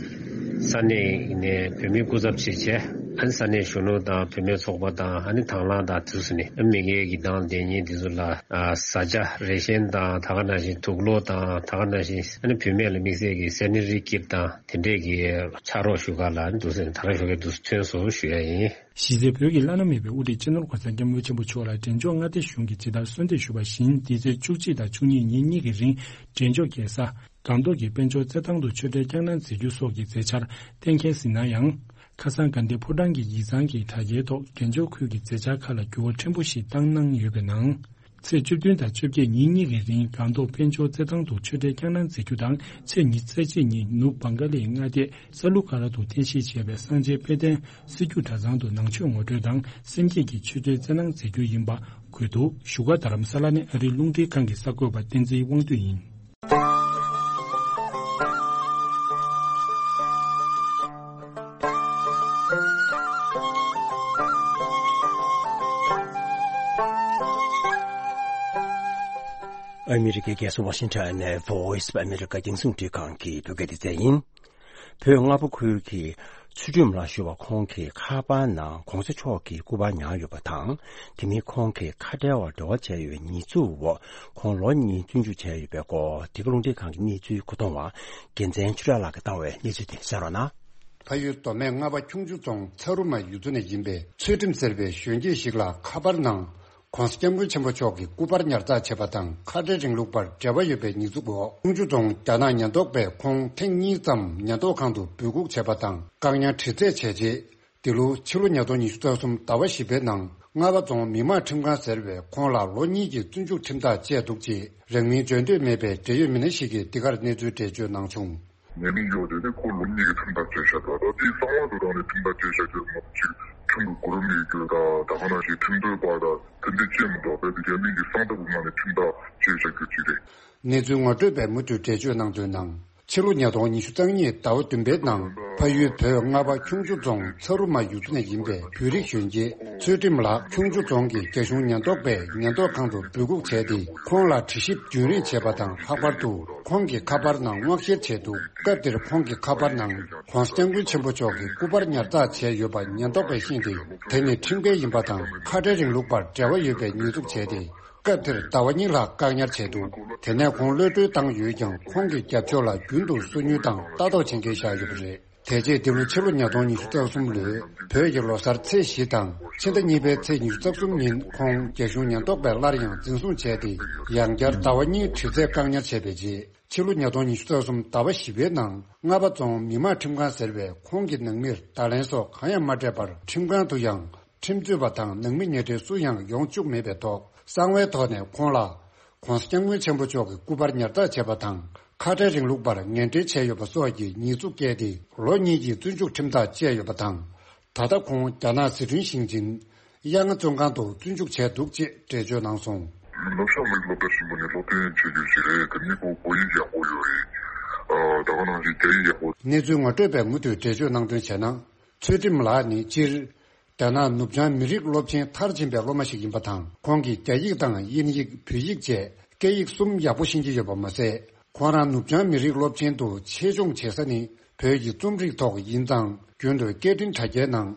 ས་གནས་ནས་བོད་མིའི་སྐུ་ཚབ་ཞིག་བྱས། ཨ་ནི་ས་གནས་གཞོན་ནུ་དང་བུད་མེད་ཚོགས་པ་དང་ཨ་ནི་དང་བླངས་དང་དུས་སུ་ནས་མི་སྒེར་གྱི་དང་ལྡན་ཉིན་དེ་ཚོ་ལ་ཨ་བཟའ་བཅའ་རེ་ཤན་དང་ད་ག་ནང་བཞིན་དུག་ལོག་དང་ད་ག་ནང་བཞིན་ཨ་ནི་བུད་མེད་ལ་དམིགས་བསལ་གྱི་སེ་ནི་རི་ཀིཊ་དང་དེ་འདྲས་ཀྱི་ཕྱག་རོགས་ཞུ་ག་ལ་འདུག་ཟེར་ད་རང་ཞོགས་ཀས་འདུག་ཐོན་སོང་ཞུ་ཡ་ཡིན། གཞི་རྩའི་བོད་ཀྱི་བླ་ན་མེད་པའི་དབུ་ཁྲིད་སྤྱི་ནོར་གོང་ས་སྐྱབས་མགོན་ཆེན་པོ་མཆོག་ལ་འབྲས་ལྗོངས་མངའ་སྡེ་གཞུང་གིས་ཇི་ལྟར་གསོལ་འདེབས་ཞུས་པ་བཞིན། འདི་ཚེས་བཅུ་གཅིག་དང་བཅུ་གཉིས་ཉིན་གཉིས་ཀྱི་རིང་འབྲས་ལྗོངས་རྒྱལ་ས་སྒང་ཏོག་གི་དཔལ་འབྱོར་རྩེད་ཐང་དུ་ཆོས་འབྲེལ་བསྐྱངས་གནང་མཛད་རྒྱུ་སོགས་ཀྱི་མཛད་འཆར་གཏན་འཁེལ་ཟིན་ན་ཡང་། ཁ་སང་དགའ་ལྡན་ཕོ་བྲང་གི་ཡིག་ཚང་གི་དྲ་རྒྱའི་ཐོག་འབྲས་ལྗོངས་ཁུལ་གྱི་མཛད་འཆར་ཁག་ལ་འགྱུར་བ་ཕྲན་བུ་ཞིག་བཏང་གནང་ཡོད་པའི་ནང་། ཚེས་བཅུ་བདུན་དང་བཅོ་བརྒྱད་ཉིན་གཉིས་ཀྱི་རིང་སྒང་ཏོག་དཔལ་འབྱོར་རྩེད་ཐང་དུ་ཆོས་འབྲེལ་བསྐྱངས་གནང་མཛད་རྒྱུ་དང་། ཚེས་ཉི་ཤུ་རྩ་གཅིག་ཉིན་ནུབ་བང་ག་ལའི་མངའ་སྡེ་ས་ལུ་ཀ་ར་དུ་རྟེན་གཞི་བྱས་པའི་སངས་རྒྱས་དཔལ་ལྡན་སི་ཀྱུ་གྲྭ་ཚང་དུ་ནང་ཆོས་ངོ་སྤྲོད་དང་སེམས་བསྐྱེད་ཀྱི་ཆོས་འབྲེལ་རྩེད་གནང་མཛད་རྒྱུ་ཡིན་པ་འགོད་འདུག་བཞུགས་སྒར་རྡ་རམ་ས་ལ་ནས་ཨ་རིའི་རླུང་འཕྲིན་ཁང་གི་གསར་འགོད་པ་བསྟན་འཛིན་དབང་འདུས་ཡིན། ཨ་མི་རི་ཀའི་རྒྱལ་ས་ཝ་ཤིང་ཊོན་ནས་Voice of America རྒྱང་སྲིང་འཕྲིན་ཁང་གི་བོད་སྐད་སྡེ་ཚན་ཡིན། བོད་རྔ་པ་ཁུལ་གྱི་ཚུལ་ཁྲིམས་ལགས་ཞུ་བ་ཁོང་གི་ཁ་པར་ནང་གོང་ས་མཆོག་གི་སྐུ་པར་ཉར་ཡོད་པ་དང་། དེ་མིན་ཁོང་གིས་ཁ་བྲལ་བར་འབྲེལ་བ་བྱས་ཡོད་པའི་ཉེས་འཛུགས་འོག་ཁོང་ལོ་གཉིས་བཙོན་འཇུག་བྱས་ཡོད་པའི་སྐོར། འདི་ག་རླུང་འཕྲིན་ཁང་གི་གནས་ཚུལ་གོ་མཐོང་བ་རྒྱལ་མཚན་ཆོས་གྲགས་ལགས་ཀྱིས་བཏང་བའི་གནས་ཚུལ་དེ་གསན་རོགས་གནང་། ཕ་ཡུལ་མདོ་སྨད་རྔ་པ་ཁྱུང་མཆུ་རྫོང་ཚ་རུ་མ་ཡུལ་ཚོ་ནས་ཡིན་པའི་ཚུལ་ཁྲིམས་ཟེར་བའི་གཞོན་སྐྱེས་ཤིག་ལ་ཁ་པར་ནང་། ༸གོང་ས་༸སྐྱབས་མགོན་ཆེན་པོ་མཆོག་གི་སྐུ་པར་ཉར་ཚགས་བྱས་པ་དང་ཁ་བྲལ་རིང་ལུགས་པར་འབྲེལ་བ་ཡོད་པའི་ཉེས་འཛུགས་འོག་ཁྱུང་མཆུ་རྫོང་རྒྱ་ནག་ཉེན་རྟོག་པས་ཁོང་ཐེངས་གཉིས་ཙམ་ཉེན་རྟོག་ཁང་དུ་འབོད་འགུག་བྱས་པ་དང་བཀག་ཉར་དྲི་རྩད་བྱས་རྗེས། འདི་ལོ་ཕྱི་ལོ་ཉིས་སྟོང་ཉི་ཤུ་རྩ་གསུམ་ཟླ་བ་བཞི་པའི་ནང་རྔ་པ་རྫོང་མི་དམངས་ཁྲིམས་ཁང་ཟེར་བས་ཁོང་ལ་ལོ་གཉིས་ཀྱི་བཙོན་འཇུག་ཁྲིམས་ཐག་བཅད་འདུག་ཅེས་རང་མིང་བརྗོད་འདོད་མེད་པའི་འབྲེལ་ཡོད་མི་སྣ་ཞིག་གིས་འདི་གར་གནས་ཚུལ་འགྲེལ་བརྗོད་གནང་བྱུང་། ཉེས་མིང་གཡོག་དེ་ནི་ཁོ་ལོ་གཉིས་ཀྱི་ཁྲིམས་ཐག་བཅད་བཞག་འདུག་ད་དེའི་གསང་བ་དུ་བཏང་ནས་ཁྲིམས་ཐག་བཅད་བཞག་རྒྱུ་མ་གཅིག་ཁྲིམས་ཀྱི་གོ་རིམ་ཡོད་རྒྱུ་དང་ད་ག་ནང་བཞིན་ཁྲིམས་དོན་པ་དང་དེ་འདྲ་བཅད་མི་འདུག་རྦད་དེ་རྒྱ་མིང་གི་གསང་ཐབས་ཀྱི་ངང་ནས་ཁྲིམས་ཐག་བཅད་བཞག་རྒྱུ་ཅིག་རེད། གནས་ཚུལ་ངོ་སྤྲོད་པས་མུ་མཐུད་འགྲེལ་བརྗོད་གནང་དོན་ནང་། ཕྱི་ལོ་ཉིས་སྟོང་ཉི་ཤུ་རྩ་གཉིས་ཟླ་བ་བདུན་པའི་ནང་ཕ་ཡུལ་བོད་རྔ་པ་ཁྱུང་མཆུ་རྫོང་ཚ་རུ་མ་ཡུལ་ཚོ་ནས་ཡིན་པའི་བོད་རིགས་གཞོན་སྐྱེས་ཚུལ་ཁྲིམས་ལགས་ཁྱུང་མཆུ་རྫོང་གི་རྒྱ་གཞུང་ཉེན་རྟོག་པས་ཉེན་རྟོག་ཁང་དུ་འབོད་འགུག་བྱས་ཏེ་ཁོང་ལ་དྲི་ཞིབ་རྒྱུན་རིང་བྱས་པ་དང་ལྷག་པར་དུ། ཁོང་གི་ཁ་པར་ནང་མངགས་བཤེར་བྱས་འདུག་སྐབས་དེར་ཁོང་གི་ཁ་པར་ནང་༸གོང་ས་༸སྐྱབས་མགོན་ཆེན་པོ་མཆོག་གི་སྐུ་པར་ཉར་ཚགས་བྱས་ཡོད་པ་ཉེན་རྟོག་པས་ཤེས་ཏེ། དེ་ནི་ཁྲིམས་འགལ་ཡིན་པ་དང་ཁ་བྲལ་རིང་ལུགས་པར་འབྲེལ་བ་ཡོད་པའི་ཉེས་འཛུགས་བྱས་ཏེ། སྐབས་དེར་ཟླ་བ་གཉིས་ལྷག་བཀག་ཉར་བྱས་འདུག་དེ་ནས་ཁོང་གློད་གྲོལ་བཏང་ཡོད་ཀྱང་ཁོང་གི་རྒྱབ་ཕྱོགས་ལ་རྒྱུན་དུ་སོ་ཉུལ་དང་ལྟ་རྟོག་བྱེད་མཁན་བཞག་ཡོད་པ་རེད། དེ་རྗེས་འདི་ལོ་ཕྱི་ལོ་ཉིས་སྟོང་ཉི་ཤུ་རྩ་གསུམ་ལོའི་བོད་ཀྱི་ལོ་གསར་ཚེས་བཞི་དང་ཕྱི་ཟླ་གཉིས་པའི་ཚེས་ཉི་ཤུ་རྩ་གསུམ་ཉིན་ཁོང་རྒྱ་གཞུང་ཉེན་རྟོག་པས་སླར་ཡང་འཛིན་བཟུང་བྱས་ཏེ་ཡང་བསྐྱར་ཟླ་བ་གཉིས་དྲི་རྩད་བཀག་ཉར་བྱས་པའི་རྗེས། ཕྱི་ལོ་ཉིས་སྟོང་ཉི་ཤུ་རྩ་གསུམ་ཟླ་བ་བཞི་པའི་ནང་རྔ་པ་རྫོང་མི་དམངས་ཁྲིམས་ཁང་ཟེར་བས་ཁོང་གི་ནང་མིར་བརྡ་ལན་སོགས་གང་ཡང་མ་སྤྲད་པར་ཁྲིམས་ཁང་དུ་ཡང་ཁྲིམས་རྩོད་པ་དང་ནང་མི་ཉེ་འབྲེལ་སུ་ཡང་ཡོང་བཅུག་མེད་པའི་ཐོག་གསང་བའི་ཐོག་ནས་ཁོང་ལ་༸གོང་ས་༸སྐྱབས་མགོན་ཆེན་པོ་མཆོག་གི་སྐུ་པར་ཉར་ཚགས་བྱས་པ་དང་ཁ་བྲལ་རིང་ལུགས་པར་ངན་འབྲེལ་བྱས་ཡོད་པ་སོགས་ཀྱི་ཉེས་འཛུགས་བཀལ་ཏེ་ལོ་གཉིས་ཀྱི་བཙོན་འཇུག་ཁྲིམས་ཐག་བཅད་ཡོད་པ་དང་། ད་ལྟ་ཁོང་རྒྱ་ནག་ཟི་ཁྲོན་ཞིང་ཆེན་གཡག་རྔ་བཙོན་ཁང་དུ་བཙོན་འཇུག་བྱས་འདུག་ཅེས་འགྲེལ་བརྗོད་གནང་སོང་། ནུབ་བྱང་མི་རིགས་སློབ་གྲྭ་ཆེན་པོ་ནས་སློབ་ཐོན་བྱེད་རྒྱུ་ཞིག་རེད། དེ་ནི་ཁོ་བོད་ཡིག་ཡག་པོ་ཡོད་རེད། ཨ་ད་ག་ནང་བཞིན་རྒྱ་ཡིག་ཡག་པོ། གནས་ཚུལ་ངོ་སྤྲོད་པས་མུ་མཐུད་འགྲེལ་བརྗོད་གནང་དོན་བྱས་ན། ཚུལ་ཁྲིམས་ལགས་ནི་སྤྱིར། རྒྱ་ནག་ནུབ་བྱང་མི་རིགས་སློབ་ཆེན་མཐར་ཕྱིན་པའི་སློབ་མ་ཞིག་ཡིན་པ་དང་། ཁོང་གིས་རྒྱ་ཡིག་དང་དབྱིན་ཡིག་བོད་ཡིག་བཅས་སྐད་ཡིག་གསུམ་ཡག་པོ་ཤེས་ཀྱི་ཡོད་པ་མ་ཟད། ཁོང་རང་ནུབ་བྱང་མི་རིགས་སློབ་ཆེན་དུ་ཆེད་སྦྱོང་བྱེད་ས་ནི་ བོད་ཀྱི་རྩོམ་རིག་ཐོག་ཡིན་ཙང་རྒྱུན་དུ་སྐད་འཕྲིན་དྲ་རྒྱའི་ནང་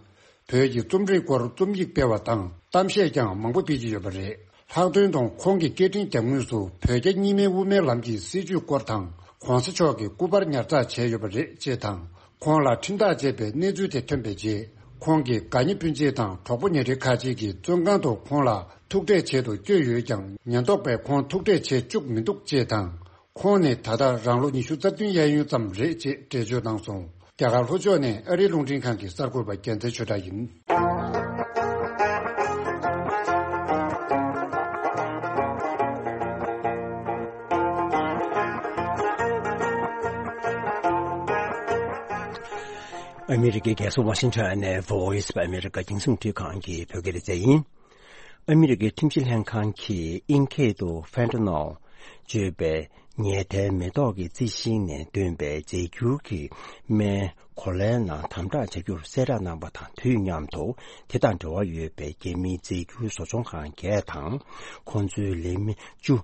བོད་ཀྱི་རྩོམ་རིག་སྐོར་རྩོམ་ཡིག་སྤེལ་བ་དང་གཏམ་བཤད་ཀྱང་མང་པོ་སྤེལ་གྱི་ཡོད་པ་རེད། ལྷག་དོན་དུ་ཁོང་གི་སྐད་འཕྲིན་རྒྱབ་ངོས་སུ་བོད་རྒྱ་གཉིས་སྨན་དབུ་མའི་ལམ་གྱི་སྲིད་བྱུས་སྐོར་དང་གོང་ས་མཆོག་གི་སྐུ་པར་ཉར་ཚགས་བྱས་ཡོད་པ་རེད་ཅེས་དང་། ཁོང་ལ་ཁྲིམས་ཐག་བཅད་པའི་གནས་ཚུལ་དེ་ཐོན་པའི་རྗེས། ཁོང་གི་དགའ་ཉེ་སྤུན་མཆེད་དང་གྲོགས་པོ་ཉེ་འབྲེལ་ཁག་ཅིག་གིས་བཙོན་ཁང་དུ་ཁོང་ལ་ཐུག་འཕྲད་བྱེད་དུ་བསྐྱོད་ཡོད་ཀྱང་། ཉེན་རྟོག་པས་ཁོང་ཐུག་འཕྲད་བྱེད་བཅུག་མི་འདུག་ཅེས་དང་། ཁོང་ནི་ད་ལྟ་རང་ལོ་ཉི་ཤུ་རྩ་བདུན་གཡས་གཡོན་ཙམ་རེད་ཅེས་འགྲེལ་བརྗོད་གནང་སོང་། རྒྱ་གར་ལྷོ་ཕྱོགས་ནས་ཨ་རིའི་རླུང་འཕྲིན་ཁང་གི་གསར་འགོད་པ་རྒྱལ་མཚན་ཆོས་གྲགས་ཡིན། ཨ་མི་རི་ཀའི་རྒྱལ་ས་ཝ་ཤིང་ཊོན་ནས་Voice of America རྒྱང་སྲིང་འཕྲིན་ཁང་གི་བོད་སྐད་སྡེ་ཚན་ཡིན། ཨ་མི་རི་ཀའི་ཁྲིམས་ཞིབ་ལྷན་ཁང་གིས་དབྱིན་སྐད་དུ་Fentanyl བརྗོད་པའི་ཉལ་ཐའི་མེ་ཏོག་གི་རྩི་ཤིང་ནས་བཏོན་པའི་རྫས་འགྱུར་གྱི་སྨན་གོ་ལའི་ནང་དམ་དྲག་བྱ་རྒྱུར་གསལ་བསྒྲགས་གནང་བ་དང་དུས་མཉམ་དུ། དེ་དང་འབྲེལ་བ་ཡོད་པའི་རྒྱ་མིའི་རྫས་འགྱུར་བཟོ་ཚོང་ཁང་བརྒྱད་དང་། ཁོང་ཚོའི་ལས་མི་བཅུ་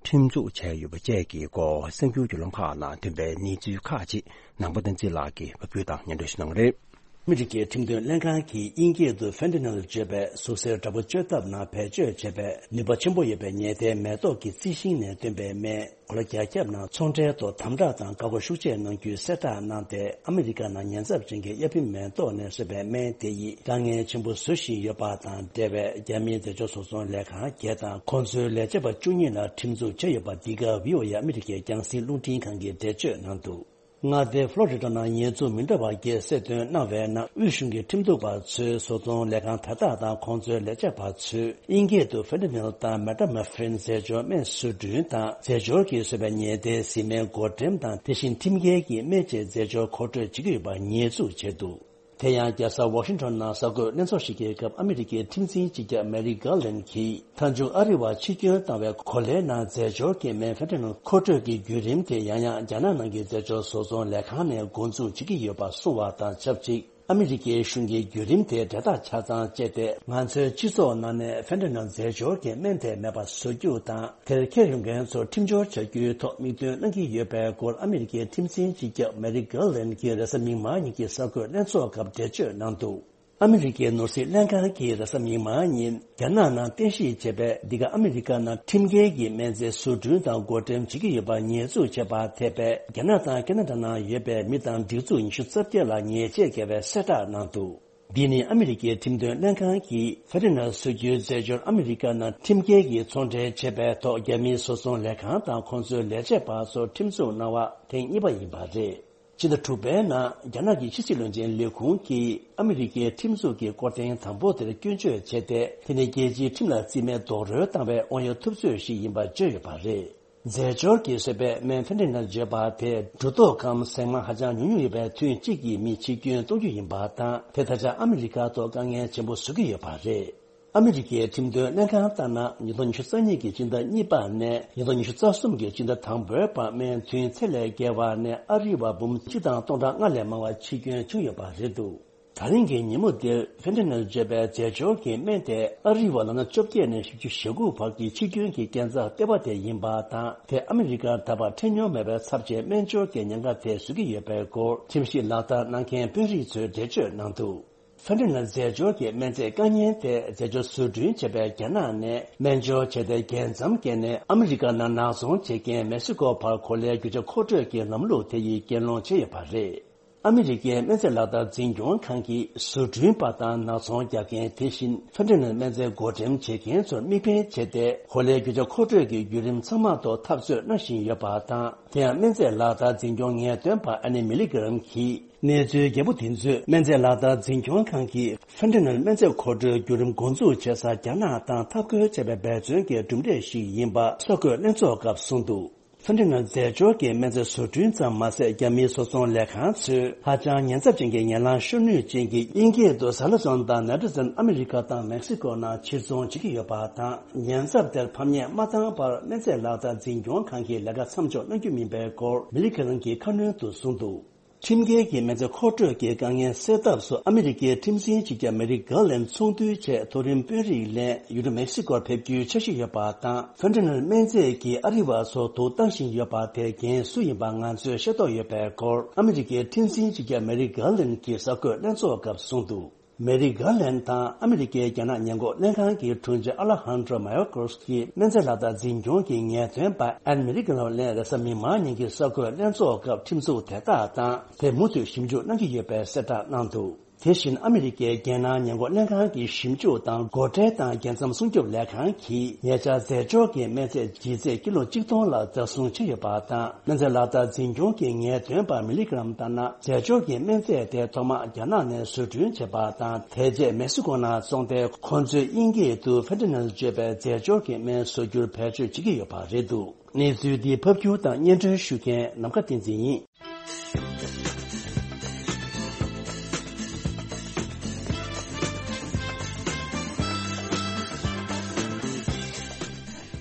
ཁྲིམས་འཛུགས་བྱས་ཡོད་པ་བཅས་ཀྱི་སྐོར་གསར་འགྱུར་བརྒྱུད་ལམ་ཁག་ནང་ཐོན་པའི་གནས་ཚུལ་ཁག་ཅིག་ནང་པ་བསྟན་འཛིན་ལགས་ཀྱིས་ཕབ་སྒྱུར་དང་སྙན་སྒྲོན་ཞུ་གནང་གི་རེད། ཨ་མི་རི་ཀའི་ཁྲིམས་དོན་ལྷན་ཁང་གིས་དབྱིན་སྐད་དུ་Fentanyl བརྗོད་པའི་ཟུག་གཟེར་འདྲ་པོ་བཅོས་ཐབས་ནང་བེད་སྤྱོད་བྱས་པའི་ནུས་པ་ཆེན་པོ་ཡོད་པའི་ཉལ་ཐའི་མེ་ཏོག་གི་རྩི་ཤིང་ནས་བཏོན་པའི་སྨན་གོ་ལ་རྒྱ་ཁྱབ་ནང་ཚོང་འབྲེལ་ཐོག་དམ་དྲག་དང་བཀག་འགོག་ཤུགས་ཆེ་གནང་རྒྱུའི་གསལ་བསྒྲགས་གནང་སྟེ། ཨ་མི་རི་ཀ་ནང་ཉེན་ཚབས་ཅན་གྱི་གཡའ་ཕིང་མེ་ཏོག་ནས་བཟོས་པའི་སྨན་དེ་ཡིས་དཀའ་ངལ་ཆེན་པོ་བཟོ་བཞིན་ཡོད་པ་དང་འབྲེལ་བའི་རྒྱ་མིའི་རྫས་སྦྱོར་བཟོ་ཚོང་ལས་ཁང་བརྒྱད་དང་ཁོང་ཚོའི་ལས་བྱེད་པ་བཅུ་གཉིས་ལ་ཁྲིམས་འཛུགས་བྱས་ཡོད་པ། འདི་ག་བྷི་ཨོ་ཨེ་ཨ་མི་རི་ཀའི་རྒྱང་སྲིང་རླུང་འཕྲིན་ཁང་གིས་འགྲེལ་བརྗོད་གནང་འདུག་མངའ་སྡེ་ཕློ་རི་ཌ་ནང་ཉེས་འཛུགས་མི་འདྲ་བ་བརྒྱད་གསལ་སྟོན་གནང་བའི་ནང་། དབུས་གཞུང་གི་ཁྲིམས་གཏུག་པ་ཚོས་བཟོ་ཚོང་ལས་ཁང་དེ་དག་དང་ཁོང་ཚོའི་ལས་བྱེད་པ་ཚོས་དབྱིན་སྐད་དུ་Fentanyl དང་Methamphetamine རྫས་སྦྱོར་སྨན་བཟོ་སྐྲུན་དང་རྫས་སྦྱོར་གྱིས་བཟོས་པའི་ཉལ་ཐའི་བཟི་སྨན་བགོ་འགྲེམས་དང་། དེ་བཞིན་ཁྲིམས་འགལ་གྱི་སྨན་དཔྱད་རྫས་སྦྱོར་མཁོ་སྤྲོད་བྱེད་ཀྱི་ཡོད་པ་ཉེས་འཛུགས་བྱས་འདུག་དེ་ཡང་རྒྱལ་ས་ཝ་ཤིང་ཊོན་ནང་གསར་འགོད་ལྷན་ཚོགས་ཤིག་གི་སྐབས། ཨ་མི་རི་ཀའི་ཁྲིམས་འཛིན་སྤྱི་ཁྱབ་མེ་རིག་གྷར་ལན་གྱིས། མཐའ་མཇུག་ཨ་རི་བ་ཕྱིར་སྐྱོན་བཏང་བའི་གོ་ལའི་ནང་རྫས་སྦྱོར་གྱི་སྨན་Fentanyl མཁོ་སྤྲོད་ཀྱི་བརྒྱུད་རིམ་དེ་ཡང་ཡང་རྒྱ་ནག་ནང་གི་རྫས་སྦྱོར་བཟོ་ཚོང་ལས་ཁང་ནས་འགོ་འཛུགས་བྱེད་ཀྱི་ཡོད་པ་གསུངས་བ་དང་ཆབས་ཅིག་ཨ་མི་རི་ཀའི་གཞུང་གིས་བརྒྱུད་རིམ་དེ་འབྲེལ་ཐག་ཆ་ཚང་བཅད་དེ། ང་ཚོའི་སྤྱི་ཚོགས་ནང་ནས་Fentanyl རྫས་སྦྱོར་གྱི་སྨན་དེ་མེད་པ་བཟོ་རྒྱུ་དང་། དེར་འཁྱེར་ཡོང་མཁན་ཚོར་ཁྲིམས་སྦྱོར་བྱ་རྒྱུའི་ཐོག་དམིགས་འདུན་གནང་གི་ཡོད་པའི་སྐོར། ཨ་མི་རི་ཀའི་ཁྲིམས་འཛིན་སྤྱི་ཁྱབ་མེ་རིག་གྷར་ལན་གྱིས་རེས་གཟའ་མིག་དམར་ཉིན་གྱི་གསར་འགོད་ལྷན་ཚོགས་སྐབས་འགྲེལ་བརྗོད་གནང་འདུག་ཨ་མི་རི་ཀའི་ནོར་སྲིད་ལྷན་ཁང་གིས་རེས་གཟའ་མིག་དམར་ཉིན། རྒྱ་ནག་ནང་རྟེན་གཞི་བྱས་པའི་འདི་ག་ཨ་མི་རི་ཀ་ནང་ཁྲིམས་འགལ་གྱི་སྨན་རྫས་བཟོ་སྐྲུན་དང་བགོ་འགྲེམས་བྱེད་ཀྱི་ཡོད་པར་ཉེས་འཛུགས་བྱས་པར་ཐེ་བའི་རྒྱ་ནག་དང་ཁེ་ན་ཌ་ནང་ཡོད་པའི་མི་དང་སྒྲིག་འཛུགས་ཉི་ཤུ་རྩ་བརྒྱད་ལ་ཉེས་ཆད་བཀལ་བའི་གསལ་བསྒྲགས་གནང་འདུག་འདི་ནི་ཨ་མི་རི་ཀའི་ཁྲིམས་དོན་ལྷན་ཁང་གིས་Fentanyl བཟོ་རྒྱུའི་རྫས་སྦྱོར་ཨ་མི་རི་ཀ་ནང་ཁྲིམས་འགལ་གྱིས་ཚོང་འབྲེལ་བྱས་པའི་ཐོག་རྒྱ་མིའི་བཟོ་ཚོང་ལས་ཁང་དང་ཁོང་ཚོའི་ལས་བྱེད་པ་ཚོར་ཁྲིམས་འཛུགས་གནང་བ་ཐེངས་གཉིས་པ་ཡིན་པ་རེད། ཕྱི་ཟླ་དྲུག་པའི་ནང་རྒྱ་ནག་གི་ཕྱི་སྲིད་བློན་ཆེན་ལས་ཁུངས་ཀྱིས་ཨ་མི་རི་ཀའི་ཁྲིམས་འཛུགས་ཀྱི་སྐོར་ཐེངས་དང་པོ་དེར་སྐྱོན་བརྗོད་བྱས་ཏེ། དེ་ནི་རྒྱལ་སྤྱིའི་ཁྲིམས་ལ་རྩིས་མེད་རྡོག་རོལ་བཏང་བའི་དབང་ཡོད་ཐུབ་ཚོད་ཞིག་ཡིན་པར་བརྗོད་ཡོད་པ་རེད། རྫས་སྦྱོར་གྱིས་བཟོས་པའི་སྨན་Fentanyl བརྗོད་པ་དེ་འབྲུ་རྡོག་གམ་ཟེགས་མ་ཧ་ཅང་ཉུང་ཉུང་ཡོད་པའི་ཐུན་གཅིག་གིས་མི་འཆི་སྐྱོན་གཏོང་རྒྱུ་ཡིན་པ་དང་། དེ་ད་ཆ་ཨ་མི་རི་ཀ་ཐོག་དཀའ་ངལ་ཆེན་པོ་བཟོ་གི་ཡོད་པ་རེད། ཨ་མི་རི་ཀའི་ཁྲིམས་དོན་ལྷན་ཁང་ལྟར་ན། ཉིས་སྟོང་ཉི་ཤུ་རྩ་གཉིས་ཀྱི་སྤྱི་ཟླ་གཉིས་པ་ནས་ཉིས་སྟོང་ཉི་ཤུ་རྩ་གསུམ་གྱི་སྤྱི་ཟླ་དང་པོའི་བར། སྨན་ཐུན་ཚད་ལས་བརྒལ་བ་ནས་ཨ་རི་བ་འབུམ་གཅིག་དང་སྟོང་ཕྲག་ལྔ་ལས་མང་བ་འཆི་སྐྱོན་བྱུང་ཡོད་པ་རེད་འདུག་ད་རིང་གི་ཉིན་མོ་འདིར་Fentanyl བརྗོད་པའི་རྫས་སྦྱོར་གྱི་སྨན་དེ་ཨ་རི་བ་ལོ་ན་བཅོ་བརྒྱད་ནས་བཞི་བཅུ་ཞེ་དགུ་བར་གྱི་འཆི་སྐྱོན་གྱི་རྐྱེན་རྩ་ལྟེ་བ་དེ་ཡིན་པ་དང་། དེ་ཨ་མི་རི་ཀར་ད་བར་འཕྲད་མྱོང་མེད་པའི་ཚབས་ཆེའི་སྨན་སྦྱོར་གྱི་ཉེན་ཁ་དེ་བཟོ་གི་ཡོད་པའི་སྐོར། ཁྲིམས་ཞིབ་ལག་བསྟར་གནང་མཁན་དཔོན་རིགས་ཚོས་འགྲེལ་བརྗོད་གནང་འདུག Fentanyl རྫས་སྦྱོར་གྱི་སྨན་རྫས་དཀའ་ངལ་དེ་རྫས་སྦྱོར་བཟོ་སྐྲུན་བྱས་པའི་རྒྱ་ནག་ནས་སྨན་སྦྱོར་བྱས་ཏེ། རྒྱལ་མཚམས་བརྒལ་ནས་ཨ་མི་རི་ཀ་ནང་ནག་ཚོང་བྱེད་མཁན་མེག་སི་ཀོ་བར་གོ་ལའི་རྒྱུ་ཆ་མཁོ་སྤྲོད་ཀྱི་ལམ་ལུགས་དེ་ཡིས་གྱེན་ལོག་བྱས་ཡོད་པ་རེད། ཨ་མི་རི་ཀའི་སྨན་རྫས་ལག་བསྟར་འཛིན་སྐྱོང་ཁང་གིས་བཟོ་སྐྲུན་པ་དང་ནག་ཚོང་རྒྱག་མཁན། དེ་བཞིན་Fentanyl སྨན་རྫས་བགོ་འགྲེམས་བྱེད་མཁན་ཚོར་མིག་དཔེ་བྱས་ཏེ། གོ་ལའི་རྒྱུ་ཆ་མཁོ་སྤྲོད་ཀྱི་བརྒྱུད་རིམ་ཚང་མ་ཐོག་འཐབ་རྩོད་གནང་བཞིན་ཡོད་པ་དང་། དེ་ཡང་སྨན་རྫས་ལག་བསྟར་འཛིན་སྐྱོང་ངེས་སྟོན་པ་Annie Milgram གྱིས། གནས་ཚུལ་རྒྱས་པོ་དེ་ཚོས་སྨན་རྫས་ལག་བསྟར་འཛིན་སྐྱོང་ཁང་གིས་Fentanyl སྨན་རྫས་མཁོ་སྤྲོད་བརྒྱུད་རིམ་འགོ་འཛུགས་བྱེད་སར་རྒྱ་ནག་དང་འཐབ་རྒོལ་བྱས་པའི་འབད་བརྩོན་གྱི་གྲུབ་འབྲས་ཤིག་ཡིན་པ་གསར་འགོད་ལྷན་ཚོགས་སྐབས་གསུངས་འདུག Fentanyl རྫས་སྦྱོར་གྱི་སྨན་རྫས་བཟོ་སྐྲུན་ཙམ་མ་ཟད། རྒྱ་མིའི་བཟོ་ཚོང་ལས་ཁང་ཚོས་ཧ་ཅང་ཉེན་ཚབས་ཅན་གྱི་ངན་ལྷད་ཤོར་ནུས་ཅན་གྱི་དབྱིན་སྐད་དུ་Xylazine དང་Naltrexone ཨ་མི་རི་ཀ་དང་མེག་སི་ཀོ་ནང་ཕྱིར་ཚོང་བྱེད་ཀྱི་ཡོད་པ་དང་། ཉེན་ཚབས་དེར་ཕམ་ཉེས་མ་བཏང་བར་སྨན་རྫས་ལག་བསྟར་འཛིན་སྐྱོང་ཁང་གིས་ལས་ཀ་མཚམས་འཇོག་གནང་རྒྱུ་མིན་པའི་སྐོར་Milgram གྱིས་ཁ་སྣོན་དུ་གསུངས་འདུག་ཁྲིམས་འགལ་གྱི་སྨན་རྫས་མཁོ་སྤྲོད་ཀྱི་དཀའ་ངལ་སེལ་ཐབས་སུ་ཨ་མི་རི་ཀའི་ཁྲིམས་འཛིན་སྤྱི་ཁྱབ་མེ་རིག་གྷར་ལན་ཚོགས་འདུའི་ཆེད་མཐོ་རིམ་དཔོན་རིགས་ལེན་ཡུལ་གྲུ་མེག་སི་ཀོར་ཕེབས་རྒྱུའི་འཆར་གཞི་ཡོད་པ་དང་། ཕེན་ཏ་ནེལ་སྨན་རྫས་ཀྱིས་ཨ་རི་བ་ཚོ་དུག་བཏང་བཞིན་ཡོད་པ་དེ་རྐྱེན་སུ་ཡིན་པ་ང་ཚོས་ཤེས་རྟོགས་ཡོད་པའི་སྐོར་ཨ་མི་རི་ཀའི་ཁྲིམས་འཛིན་སྤྱི་ཁྱབ་མེ་རིག་གྷར་ལན་གྱིས་གསར་འགོད་ལྷན་ཚོགས་སྐབས་གསུངས་འདུག་མེ་རི་གྷར་ལན་དང་ཨ་མི་རི་ཀའི་རྒྱ་ནག་ཉེན་འགོག་ལྷན་ཁང་གི་དྲུང་ཆེ་ཨ་ལ་ཧན་ཌྲོ་མ་ཡོ་ཀོ་སི་ཀྱིས་སྨན་རྫས་ལག་བསྟར་འཛིན་སྐྱོང་གི་ངེས་སྟོན་པ་ཨན་མེ་རི་ཀ་ནོ་ལན་རེས་གཟའ་མིག་དམར་ཉིན་གྱི་གསར་འགོད་ལྷན་ཚོགས་སྐབས་ཁྲིམས་འཛུགས་དེ་དག་དང་དེ་མུ་མཐུད་ཞིབ་འཇུག་གནང་གི་ཡོད་པའི་གསལ་བསྒྲགས་གནང་འདུག་དེ་བཞིན་ཨ་མི་རི་ཀའི་རྒྱལ་ནང་ཉེན་འགོག་ལྷན་ཁང་གི་ཞིབ་འཇུག་དང་སྒོ་ཁྲལ་དང་རྒྱལ་མཚམས་སྲུང་སྐྱོབ་ལས་ཁང་གིས་ཉེ་ཆར་རྫས་སྦྱོར་གྱི་སྨན་རྫས་ལྗིད་ཚད་ཀི་ལོ་གཅིག་སྟོང་ལ་བདག་བཟུང་བྱས་ཡོད་པ་དང་། སྨན་རྫས་ལག་བསྟར་འཛིན་སྐྱོང་གི་ངེས་སྟོན་པ་མི་ལི་གྷི་རམ་ལྟར་ན། རྫས་སྦྱོར་གྱི་སྨན་རྫས་དེ་ཐོག་མར་རྒྱ་ནག་ནས་བཟོ་སྐྲུན་བྱས་པ་དང་། དེ་རྗེས་མེག་སི་ཀོ་ནང་བཙོངས་ཏེ། ཁོ་ཚོས་དབྱིན་སྐད་དུ་ཕེན་ཏ་ནེལ་བརྗོད་པའི་རྫས་སྦྱོར་གྱི་སྨན་བཟོ་རྒྱུར་བེད་སྤྱོད་བྱེད་ཀྱི་ཡོད་པ་རེད་འདུག་གནས་ཚུལ་འདི་ཕབ་སྒྱུར་དང་སྙན་སྒྲོན་ཞུ་མཁན་ནམ་མཁའ་བསྟན་འཛིན་ཡིན།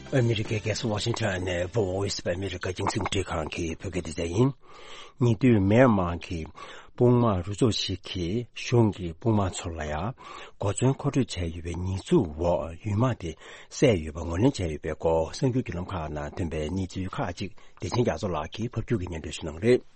ཨ་མི་རི་ཀའི་རྒྱལ་ས་ཝ་ཤིང་ཊོན་ནས་Voice of America་རྒྱང་སྲིང་རླུང་འཕྲིན་ཁང་གི་བོད་སྐད་སྡེ་ཚན་ཡིན། ཉེ་དུས་མེན་མར་གྱི་དཔུང་དམག་རུ་ཚོགས་ཤིག་གིས་གཞུང་གི་དཔུང་དམག་ཚོ་ལ་ཡང་གོ་མཚོན་མཁོ་སྤྲོད་བྱས་ཡོད་པའི་ཉེས་འཛུགས་འོག་ཡུལ་དམག་དེ་བསད་ཡོད་པ་ངོས་ལེན་བྱས་ཡོད་པའི་སྐོར་གསར་འགྱུར་བརྒྱུད་ལམ་ཁག་ནང་ཐོན་པའི་གནས་ཚུལ་ཁག་ཅིག་བདེ་ཆེན་རྒྱ་མཚོ་ལགས་ཀྱིས་ཕབ་སྒྱུར་གྱིས་སྙན་སྒྲོན་ཞུ་གནང་གི་རེད།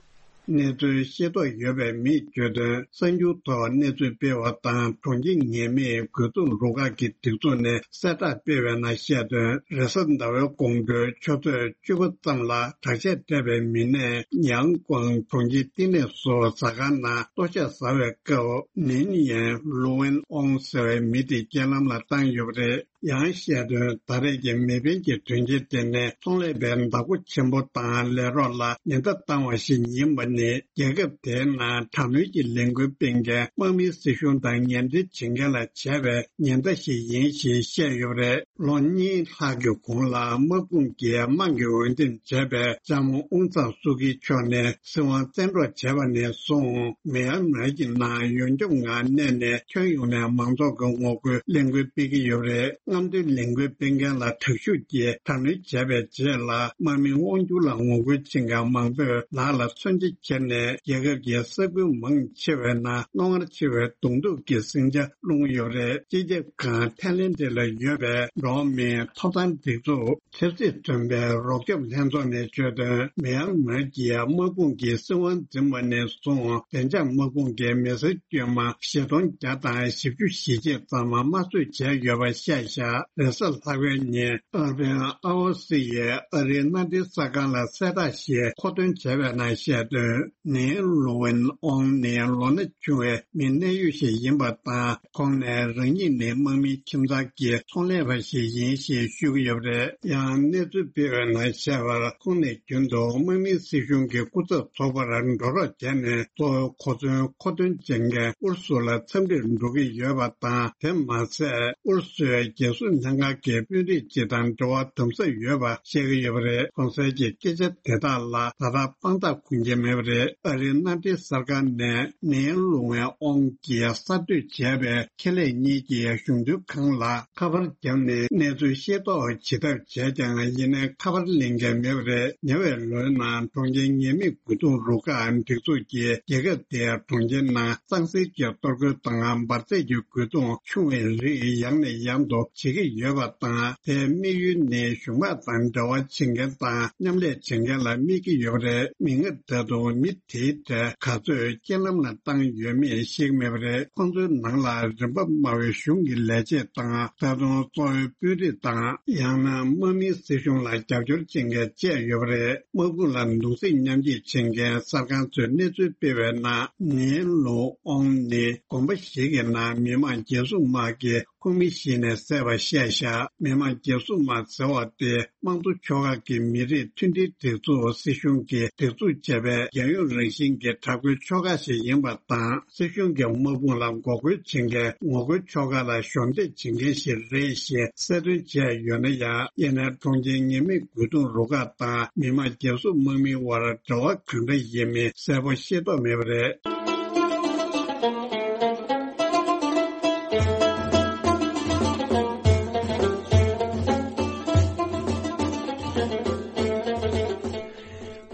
གནས་ཚུལ་ཤེས་རྟོགས་ཡོད་པའི་མིས་བརྗོད་དོན། གསར་འགྱུར་ཐོག་གནས་ཚུལ་སྤེལ་བ་དང་། གྲོང་ཁྱེར་ངེས་མེད་རྒོལ་རྡུང་རུ་ཁག་གི་སྒྲིག་འཛུགས་ནས་གསལ་བསྒྲགས་སྤེལ་བའི་ནང་བཤད་དོན། རེས་གཟའ་ཟླ་བའི་དགོང་དྲོའི་ཆུ་ཚོད་བཅུ་པ་ཙམ་ལ་དྲག་ཆས་སྤྲས་པའི་མི་སྣས་ཡང་ཀོང་གྲོང་ཁྱེར་བསྟི་གནས་སུ་ཟ་ཁང་ནང་ལྟོ་ཆས་ཟ་བའི་སྐབས། ནིན་ཡན་ལུ་ཝེན་ཨོང་ཟེར་བའི་མི་དེ་རྐྱེན་ལམ་ལ་བཏང་ཡོད་པ་རེད། ཡང་བཤད་དོན། ད་རེས་ཀྱི་མེ་འཕེན་གྱི་དོན་རྐྱེན་དེ་ནི་ཚོང་ལས་པའི་བདག་པོ་ཆེན་པོ་དང་ལས་རོགས་ལ་ཉེན་བརྡ་བཏང་བ་ཞིག་ཡིན་པ་ནི། རྒྱལ་ཁབ་དེའི་ནང་དྲག་གནོན་གྱི་ལས་འགུལ་སྤེལ་མཁན་དམག་མིའི་སྲིད་གཞུང་དང་ངན་འབྲེལ་བྱེད་མཁན་ལ་བྱས་པའི་ཉེན་བརྡ་ཞིག་ཡིན་ཞེས་བཤད་ཡོད་པ་རེད། ལོ་གཉིས་ལྷག་གི་གོང་ལ་དམག་དཔུང་གིས་དམངས་ཀྱི་འོས་འདེམས་བྱས་པའི་ལྕམ་ཨུང་ཚང་སུའུ་ཀི་མཆོག་ནི་སྲིད་དབང་བཙན་འཕྲོག་བྱས་པ་ནས་བཟུང་། མེན་མར་གྱི་ནང་ཡོངས་ཁྱབ་ངང་གནས་ནས་ཁྱོན་ཡོངས་ནས་མང་ཚོགས་ཀྱི་ངོ་རྒོལ་ལས་འགུལ་སྤེལ་གྱི་ཡོད་པ་རེད། རྔམ་སྟོན་ལས་འགུལ་སྤེལ་མཁན་ལ་དྲག་ཤུགས་ཀྱིས་དྲག་གནོན་བྱས་པའི་རྗེས་ལ། དམག་མིའི་དབང་སྒྱུར་ལ་ངོ་རྒོལ་བྱེད་མཁན་མང་པོས་ལག་ལ་མཚོན་ཆ་ཁྱེར་ནས། རྒྱལ་ཁབ་ཀྱི་ས་ཁུལ་མང་ཆེ་བའི་ནང་རྣོ་ངར་ཆེ་བའི་གདོང་ཐུག་གི་ཟིང་ཆ་སློང་གི་ཡོད་པ་རེད། སྤྱི་ཁྱབ་ཁང་ཐའི་ལེན་ཌི་ལ་ཡོད་པའི་འགྲོ་བ་མིའི་ཐོབ་ཐང་སྒྲིག་འཛུགས། ཆབ་སྲིད་མཐུན་པའི་རོགས་སྐྱོབ་ལྷན་ཚོགས་ནས་བརྗོད་དོན། མེན་མར་གྱི་དམག་དཔུང་གིས་སྲིད་དབང་འཛིན་པ་ནས་བཟུང་། བདེ་འཇགས་དམག་དཔུང་གིས་མི་སེར་དཀྱུས་མ་བཞི་སྟོང་བརྒྱ་དང་བཞི་བཅུ་ཞེ་གཅིག་ཙམ་དམར་གསོད་བྱས་ཡོད་པ་བཤད་བཞག་རེས་གཟའ་ལྷག་པའི་ཉིན་ཨར་པན་ཨ་ཨོ་སི་ཡིས་ཨ་རིའི་མནའ་འབྲེལ་གསར་ཁང་ལ་གསལ་བསྒྲགས་ཤིག་མཁོ་འདོན་བྱས་པའི་ནང་བཤད་དོན། ནིན་ལུ་ཝེན་ཨོང་ནི་ལོ་ན་ཆུང་བའི་མི་གནད་ཡོད་ཞིག་ཡིན་པ་དང་། ཁོང་ནི་རང་ཉིད་ནི་དམག་མིའི་ཁྱིམ་ཚང་གི་ཚོང་ལས་པ་ཞིག་ཡིན་ཞེས་ཞུ་གི་ཡོད་པ་རེད། ཡང་གནས་ཚུལ་སྤེལ་བའི་ནང་བཤད་པར། ཁོང་ནི་རྒྱུན་དུ་དམག་མིའི་སྲིད་གཞུང་གི་སྐུ་ཚབ་ཚོགས་པར་འགྲོ་རོགས་བྱས་ནས། གཙོ་བོའི་གོ་མཚོན་མཁོ་འདོན་བྱེད་མཁན་ཨུ་རུ་སུ་ལ་འཚམས་འདྲིར་འགྲོ་གི་ཡོད་པ་དང་། དེ་མ་ཟད། ཨུ་རུ་སུའི་རྒྱལ་སྲུང་ལྷན་ཁང་གི་དཔོན་རིགས་སྤྱི་དང་འབྲེལ་བ་དམ་ཟབ་ཡོད་པ་བཤད་ཀྱི་ཡོད་པ་རེད། གོང་གསལ་གྱི་སྐད་ཆ་དེ་དག་ལ་ད་ལྟ་དཔང་རྟགས་འཁོར་གྱི་མེད་པ་རེད། ཨ་རིའི་མནའ་འབྲེལ་གསར་ཁང་ནས་ནིན་ལུང་ཝེ་ཨོང་གིས་གསར་གཏོད་བྱས་པའི་ཁེ་ལས་གཉིས་ཀྱི་གཞུང་དོན་ཁང་ལ་ཁ་པར་བརྒྱབ་ནས་གནས་ཚུལ་ཤེས་རྟོགས་བྱེད་ཐབས་བྱས་ཀྱང་། ཡིན་ནའི་ཁ་པར་ལེན་མཁན་མེད་པ་རེད། ཉེ་བའི་ལོའི་ནང་གྲོང་ཁྱེར་ངེས་མེད་རྒོལ་རྡུང་རུ་ཁག་སྒྲིག་འཛུགས་ཀྱིས་རྒྱལ་ཁབ་དེའི་གྲོང་ཁྱེར་ནང་གཙང་སེལ་གྱི་གཏོར་རྒོལ་དང་འབར་རྫས་ཀྱི་རྒོལ་རྡུང་ཆུང་བའི་རིགས་ཡང་ནས་ཡང་དུ་བྱེད་ཀྱི་ཡོད་པ་དང་། དེའི་དམིགས་ཡུལ་ནི་གཞུང་དམག་དང་འབྲེལ་བ་བྱེད་མཁན་དང་མཉམ་ལས་བྱེད་མཁན་ལ་དམིགས་ཀྱི་ཡོད་པ་རེད། མིག་སྔར་ད་དུང་མི་དེའི་གྲས་ག་ཚོད་རྐྱེན་ལམ་ལ་བཏང་ཡོད་མེད་ཤེས་ཀྱི་མེད་པ་རེད། ཁོང་ཚོའི་ནང་ལ་རིམ་པ་དམའ་བའི་གཞུང་གི་ལས་བྱེད་དང་། ད་དུང་གཙོ་བོའི་དཔོན་རིགས་དང་། ཡང་ན་དམག་མིའི་སྲིད་གཞུང་ལ་རྒྱབ་སྐྱོར་བྱེད་མཁན་བཅས་ཡོད་པ་རེད། དམག་དཔུང་ལ་གདུང་སེམས་མཉམ་སྐྱེད་བྱེད་མཁན་གསར་ཁང་ཚོས་གནས་ཚུལ་སྤེལ་བའི་ནང་། ནིན་ལུ་ཨོང་ནི་དགོན་པ་ཞིག་གི་ནང་མི་དམངས་རྒྱལ་སྲུང་དམག་གིས་ཁོང་མི་ཞིག་ནས་བསད་པ་བཤད་བཞག་མི་དམངས་རྒྱལ་སྲུང་དམག་ཟེར་བ་དེ་དམངས་གཙོ་ཕྱོགས་ཁག་གི་མི་རིགས་མཐུན་སྒྲིལ་སྒྲིག་འཛུགས་སྲིད་གཞུང་གིས་སྒྲིག་འཛུགས་བྱས་པའི་རྒྱལ་ཡོངས་རང་བཞིན་གྱི་དྲག་རྒོལ་ཕྱོགས་ཁག་ཞིག་ཡིན་པ་དང་། སྲིད་གཞུང་གི་དམག་དཔུང་ལ་འགོག་རྒོལ་བྱེད་མཁན་ངོ་རྒོལ་ཕྱོགས་ཁག་ལ་གཞོགས་འདེགས་བྱེད་མཁན་ཞིག་རེད་ཞེས་གསལ་སྟོན་བྱས་ཡོད་ན་ཡང་། ཡིན་ནའི་གྲོང་ཁྱེར་ངེས་མེད་རྒོལ་རྡུང་རུ་ཁག་དང་མི་དམངས་རྒྱལ་སྲུང་དམག་མིའི་དབར་འབྲེལ་བ་གང་འདྲ་ཡིན་མིན་གསལ་པོ་ཤེས་རྟོགས་མེད་པ་རེད།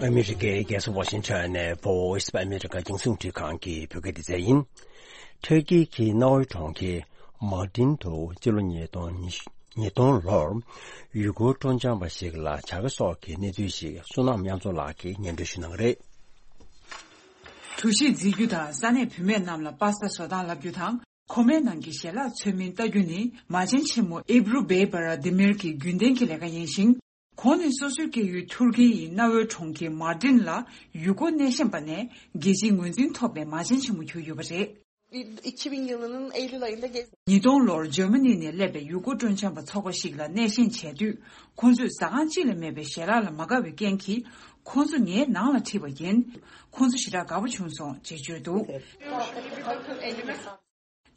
ཨ་ ཨ་མི་རི་ཀའི་རྒྱལ་ས་ཝ་ཤིང་ཊོན་ནས་Voice of America རྒྱང་སྲིང་རླུང་འཕྲིན་ཁང་གི་བོད་སྐད་སྡེ་ཚན་ཡིན། ཐུར་ཀི་གི་གནའ་བོའི་གྲོང་ཁྱེར་མར་ཏིན་དུ་སྤྱི་ལོ་ཉིས་སྟོང་ཉི་སྟོང་ལོར་ཡུལ་སྐོར་སྤྲོ་འཆམ་པ་ཞིག་ལ་བྱ་དགའ་སོགས་ཀྱི་གནས་ཚུལ་ཞིག་བསོད་ནམས་དབྱངས་མཚོ་ལགས་ཀྱིས་སྙན་སྒྲོན་ཞུ་གནང་གི་རེད། གྲུ་བཞི་འཛིན་རྒྱུ་དང་ས་གནས་བུད་མེད་རྣམས་ལ་པ་སྟ་བཟོ་སྟངས་བསླབ་རྒྱུ་དང་། ཁོ་མའི་ནང་གི་ཞལ་ལག་ཚོད་མིན་ལྟ་རྒྱུ་ནི་མ་བྱན་ཆེན་མོ་ཨེབ་རུ་བེ་བྷ་ར་དི་མིར་གྱི་རྒྱུན་ལྡན་གྱི་ལས་ཀ་ཡིན་ཞིང་། ཁོང་ནི་སོ་སོའི་སྐྱེས་ཡུལ་ཐུར་ཀི་ཡི་གནའ་བོའི་གྲོང་ཁྱེར་མར་ཏིན་ལ་ཡུལ་སྐོར་སྣེ་ཤན་པ་ནས་རྒྱལ་སྤྱིའི་ངོས་འཛིན་ཐོབ་པའི་མ་བྱན་ཆེན་མོ་གྱུར་ཡོད་པ་རེད། iki bin yılının Eylül ayında gez- ཉིས་སྟོང་ལོར་འཇར་མ་ནི་ནས་སླེབས་པའི་ཡུལ་སྐོར་སྤྲོ་འཆམ་པ་ཚོགས་པ་ཞིག་ལ་སྣེ་ཤན་བྱས་དུས། ཁོང་ཚོས་ཟ་ཁང་གཅིག་ལས་མེད་པའི་ཞལ་ལག་ལ་མ་དགའ་བའི་རྐྱེན་གྱིས། ཁོང་ཚོ་ངའི་ནང་ལ་ཁྲིད་པ་ཡིན། ཁོང་ཚོ་ཞེ་དྲག་དགའ་པོ་བྱུང་སོང་ཅེས་བརྗོད་འདུག་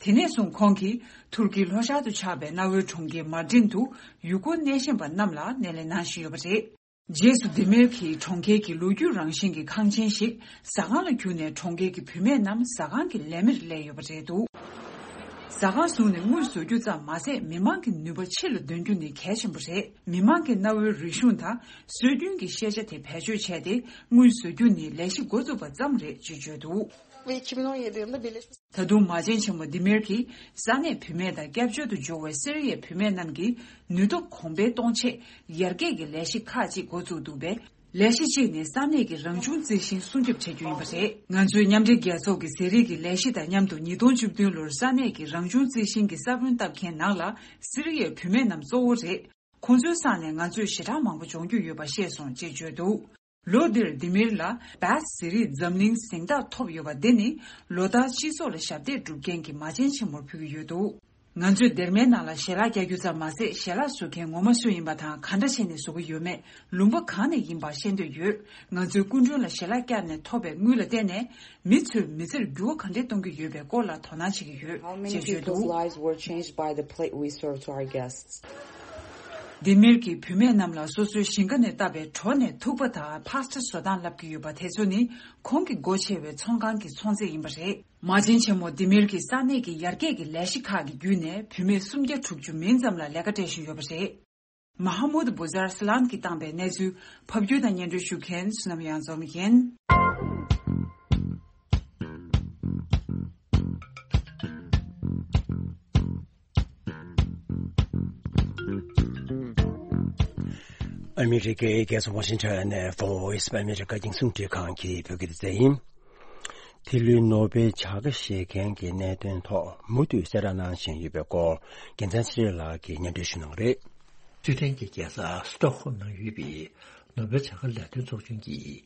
དེ་ནས་བཟུང་ཁོང་གིས་ཐུར་ཀིའི་ལྷོ་ཤར་དུ་ཆགས་པའི་གནའ་བོའི་གྲོང་ཁྱེར་མར་ཏིན་དུ་ཡུལ་སྐོར་སྣེ་ཤན་པ་རྣམས་ལ་སྣེ་ལེན་གནང་བཞིན་ཡོད་པ་རེད། རྗེས་སུ་དི་མེར་གྱིས་གྲོང་ཁྱེར་གྱི་ལོ་རྒྱུས་རང་བཞིན་གྱི་ཁང་ཆེན་ཞིག་ཟ་ཁང་ལ་བསྒྱུར་ནས། གྲོང་ཁྱེར་གྱི་བུད་མེད་རྣམས་ཟ་ཁང་གི་ལས་མིར་སླེབས་ཡོད་པ་རེད་འདུག་ཟ་ཁང་བཟུང་ནས་དངུལ་བཟོ་རྒྱུ་ཙམ་མ་ཟད། མི་མང་གི་ནུས་པ་ཕྱི་ལ་འདོན་རྒྱུ་ནི་གལ་ཆེན་པོ་རེད། མི་མང་གི་གནའ་བོའི་རིག་གཞུང་དང་སྲོལ་རྒྱུན་གྱི་ཤེས་བྱ་དེ་བེད་སྤྱོད་བྱས་ཏེ། དངུལ་བཟོ་རྒྱུ་ནི་ལས་གཞི་འགོ་བཙུགས་པ་ཙམ་རེད་ཅེས་བརྗོད་འདུག Ve iki bin on yedi yılında Birleşmiş ད་དུང་མ་བྱན་ཆེན་མོ་དི་མེར་གྱིས་ས་གནས་བུད་མེད་དང་སྐྱབས་བཅོལ་དུ་འབྱོར་བའི་སི་རི་ཡའི་བུད་མེད་རྣམས་ཀྱི་ནུས་སྟོབས་གོང་འཕེལ་གཏོང་ཆེད་ཡར་རྒྱས་ཀྱི་ལས་གཞི་ཁག་ཅིག་འགོ་བཙུགས་འདུག་པས། ལས་གཞི་གཅིག་ནི་ས་གནས་ཀྱི་རང་བྱུང་རྩི་ཤིང་སྲུང་སྐྱོབ་བྱ་རྒྱུ་ཡིན་པ་རེད། ང་ཚོའི་མཉམ་འབྲེལ་རྒྱལ་ཚོགས་ཀྱི་ཟས་རིགས་ཀྱི་ལས་གཞི་དང་མཉམ་དུ། ཉིས་སྟོང་བཅུ་བདུན་ལོར་ས་གནས་ཀྱི་རང་བྱུང་རྩི་ཤིང་གི་ས་བོན་བཏབ་མཁན་ནང་ལ་སི་རི་ཡའི་བུད་མེད་རྣམས་གཙོ་བོ་རེད། ཁོང་ཚོའི་སང་ནས་ང་ཚོས་ཞེ་དྲག་མང་པོ་སྦྱོང་རྒྱུ་ཡོད་པ་ཤེས་སོང་ཅེས་བརྗོད་འདུག་ལོ་འདིར་དི་མིར་ལ་བཱས་ཟས་རིགས་འཛམ་གླིང་གཟེངས་རྟགས་ཐོབ་ཡོད་པ་འདི་ནི་ལོ་ལྟར་སྤྱི་ཚོགས་ལ་ཞབས་འདེགས་སྒྲུབ་མཁན་གྱི་མ་བྱན་ཆེན་མོར་ཕུལ་གྱི་ཡོད་འདུག་ང་ཚོས་སྡེར་མའི་ནང་ལ་ཞལ་ལག་བཀྱག་རྒྱུ་ཙམ་མ་ཟད། ཞལ་ལག་བཟོ་མཁན་ངོ་མ་སུ་ཡིན་པ་དང་། ག་འདྲ་བྱས་ནས་བཟོ་གི་ཡོད་མེད། ལུང་པ་གང་ནས་ཡིན་པ་ཤེས་འདོད་ཡོད། ང་ཚོའི་སྐུ་མགྲོན་ལ་ཞལ་ལག་བཀྱགས་ནས་ཐོབ་པའི་དངུལ་ལ་བརྟེན་ནས། མི་ཚོས་མི་ཚེར་འགྱུར་བ་ག་འདྲས་གཏོང་གི་ཡོད་པའི་སྐོར་ལ་དོ་སྣང་བྱེད་ཀྱི་ཡོད། How many ཅེས་བརྗོད་people's འདུག lives were changed by the plate we served to our guests? དི་མིར་གྱིས་བུད་མེད་རྣམས་ལ་སོ་སོའི་ཞིང་ཁ་ནས་བཏབ་པའི་གྲོ་ནས་ཐུག་པ་དང་པཱ་སྟ་བཟོ་སྟངས་བསླབ་ཀྱི་ཡོད་པ་དེ་ཚོ་ནི། ཁོང་གི་སྒོ་ཕྱེ་བའི་ཚོང་ཁང་གི་ཚོང་རྫས་ཡིན་པ་རེད། མ་བྱན་ཆེན་མོ་དི་མིར་གྱི་ས་གནས་ཀྱི་ཡར་རྒྱས་ཀྱི་ལས་གཞི་ཁག་གི་བརྒྱུད་ནས། བུད་མེད་སུམ་བརྒྱ་དྲུག་ཅུ་མིན་ཙམ་ལ་ལས་ཀ་སྤྲད་བཞིན་ཡོད་པ་རེད། མ་ཧ་མུད་བུ་ཛར་སི་ལན་གྱིས་བཏང་པའི་གནས་ཚུལ་ཕབ་སྒྱུར་དང་སྙན་སྒྲོན་ཞུ་མཁན་བསོད་ནམས་དབྱངས་འཛོམས་ཡིན། ཨ་མི་རི་ཀའི་རྒྱལ་ས་ཝ་ཤིང་ཊོན་ནས་Voice of America རྒྱང་སྲིང་རླུང་འཕྲིན་ཁང་གི་བོད་སྐད་སྡེ་ཚན་ཡིན། འདི་ལོའི་ནོ་བེལ་བྱ་དགའ་བཞེས་མཁན་གྱི་གནད་དོན་ཐོག་མུ་མཐུད་གསལ་བསྒྲགས་གནང་བཞིན་ཡོད་པའི་སྐོར། རྒྱལ་མཚན་ཚེ་རིང་ལགས་ཀྱིས་སྙན་སྒྲོན་ཞུ་གནང་གི་རེད། སུའེ་ཏན་གྱི་རྒྱལ་ས་སི་ཏོག་ཧོམ་ནང་ཡོད་པའི་ནོ་བེལ་བྱ་དགའ་ལས་དོན་ཚོགས་ཆུང་གིས།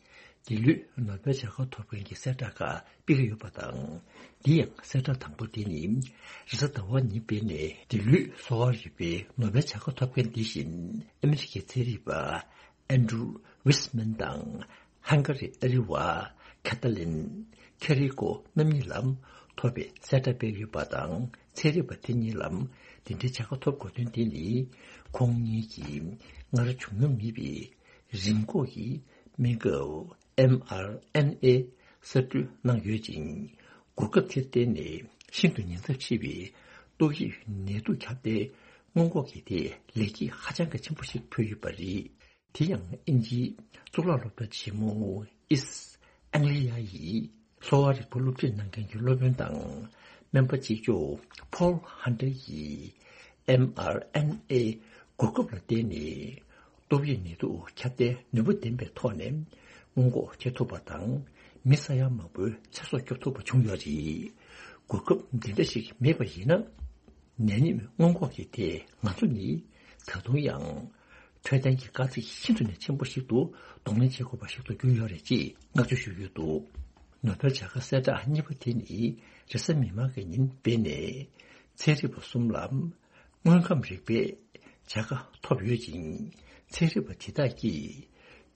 འདི་ལོའི་ནོ་བེལ་བྱ་དགའ་ཐོབ་མཁན་གྱི་གསལ་བསྒྲགས་ཁག་སྤེལ་གྱི་ཡོད་པ་དང་། འདི་ཡང་གསལ་བསྒྲགས་དང་པོ་དེ་ནི་རེས་གཟའ་ཟླ་བ་ཉིན་སྤེལ་ནས། འདི་ལོའི་གསོ་བ་རིག་པའི་ནོ་བེལ་བྱ་དགའ་ཐོབ་མཁན་འདི་བཞིན་ཨ་མི་རི་ཀའི་ཚན་རིག་པ་ཨན་ཌྲུ་ཝིས་མན་དང་། ཧང་ག་རིའི་ཨ་རི་བ་ཁ་ཏ་ལིན་ཁེ་རི་ཀོ་རྣམ་གཉིས་ལ་ཐོབ་པའི་གསལ་བསྒྲགས་སྤེལ་ཡོད་པ་དང་། ཚན་རིག་པ་དེ་གཉིས་ལ་འདི་འདྲའི་བྱ་དགའ་ཐོབ་དགོས་དོན་དེ་ནི། ཁོང་གཉིས་ཀྱིས་སྔར་བྱུང་མྱོང་མེད་པའི་རིམས་འགོག་གི་སྨན་ཁབ་ཨེམ་ཨར་ཨེན་ཨེ་གསར་སྐྲུན་གནང་ཡོད་ཅིང་། གོ་སྐབས་དེར་བརྟེན་ནས་ཤིན་ཏུ་ཉེན་ཚབས་ཆེ་བའི་ཏོག་དབྱིབས་ནད་དུག་ཁྱབ་གདལ་སྔོན་འགོག་གི་ཐད་ལེགས་སྐྱེས་ཧ་ཅང་གི་ཆེན་པོ་ཞིག་ཕུལ་ཡོད་པ་རེད། དེ་ཡང་དབྱིན་ཇིའི་གཙུག་ལག་སློབ་གྲྭ་ཆེན་མོ་ཨིས་ཨང་ལི་ཡ་ཡི་གསོ་བ་རིག་པ་སློབ་ཁྲིད་གནང་མཁན་གྱི་སློབ་དཔོན་དང་སྨན་པ་གཅིག་ལྕོགས་ཕོལ་ཧན་ཏེར་གྱིས་ཨེམ་ཨར་ཨེན་ཨེ་གོ་སྐབས་ལ་བརྟེན་ནས་ཏོག་དབྱིབས་ནད་དུག་ཁྱབ་གདལ་ནུས་པ་ལྡན་པའི་ཐོག་ནས་སྔོན་འགོག་བྱེད་ཐུབ་པ་དང་། མི་ས་ཡ་མང་པོའི་ཚེ་སྲོག་སྐྱོབ་ཐུབ་པ་བྱུང་ཡོད་རེད། གོ་སྐབས་འདི་འདྲ་ཞིག་མེད་པ་ཡིན་ན། ནད་ནད་སྔོན་འགོག་གི་ཐད་ང་ཚོ་ནི་ད་དུང་ཡང་འཕྲོད་བསྟེན་གྱི་དཀའ་ཚེགས་ཤིན་ཏུ་ནས་ཆེན་པོ་ཞིག་ཏུ་གདོང་ལེན་བྱེད་དགོས་པ་ཞིག་ཏུ་གྱུར་ཡོད་རེད་ཅེས་བསྔགས་བརྗོད་ཞུས་ཡོད་འདུག་ནོ་བེལ་བྱ་དགའ་གསལ་བསྒྲགས་གཉིས་པ་དེ་ནི་རེས་གཟའ་མིག་དམར་གྱི་ཉིན་སྤེལ་ནས། ཚན་རིག་པ་གསུམ་ལ་དངོས་ཁམས་རིག་པའི་བྱ་དགའ་ཐོབ་ཡོད་ཅིང་། ཚན་རིག་པ་དེ་དག་གིས་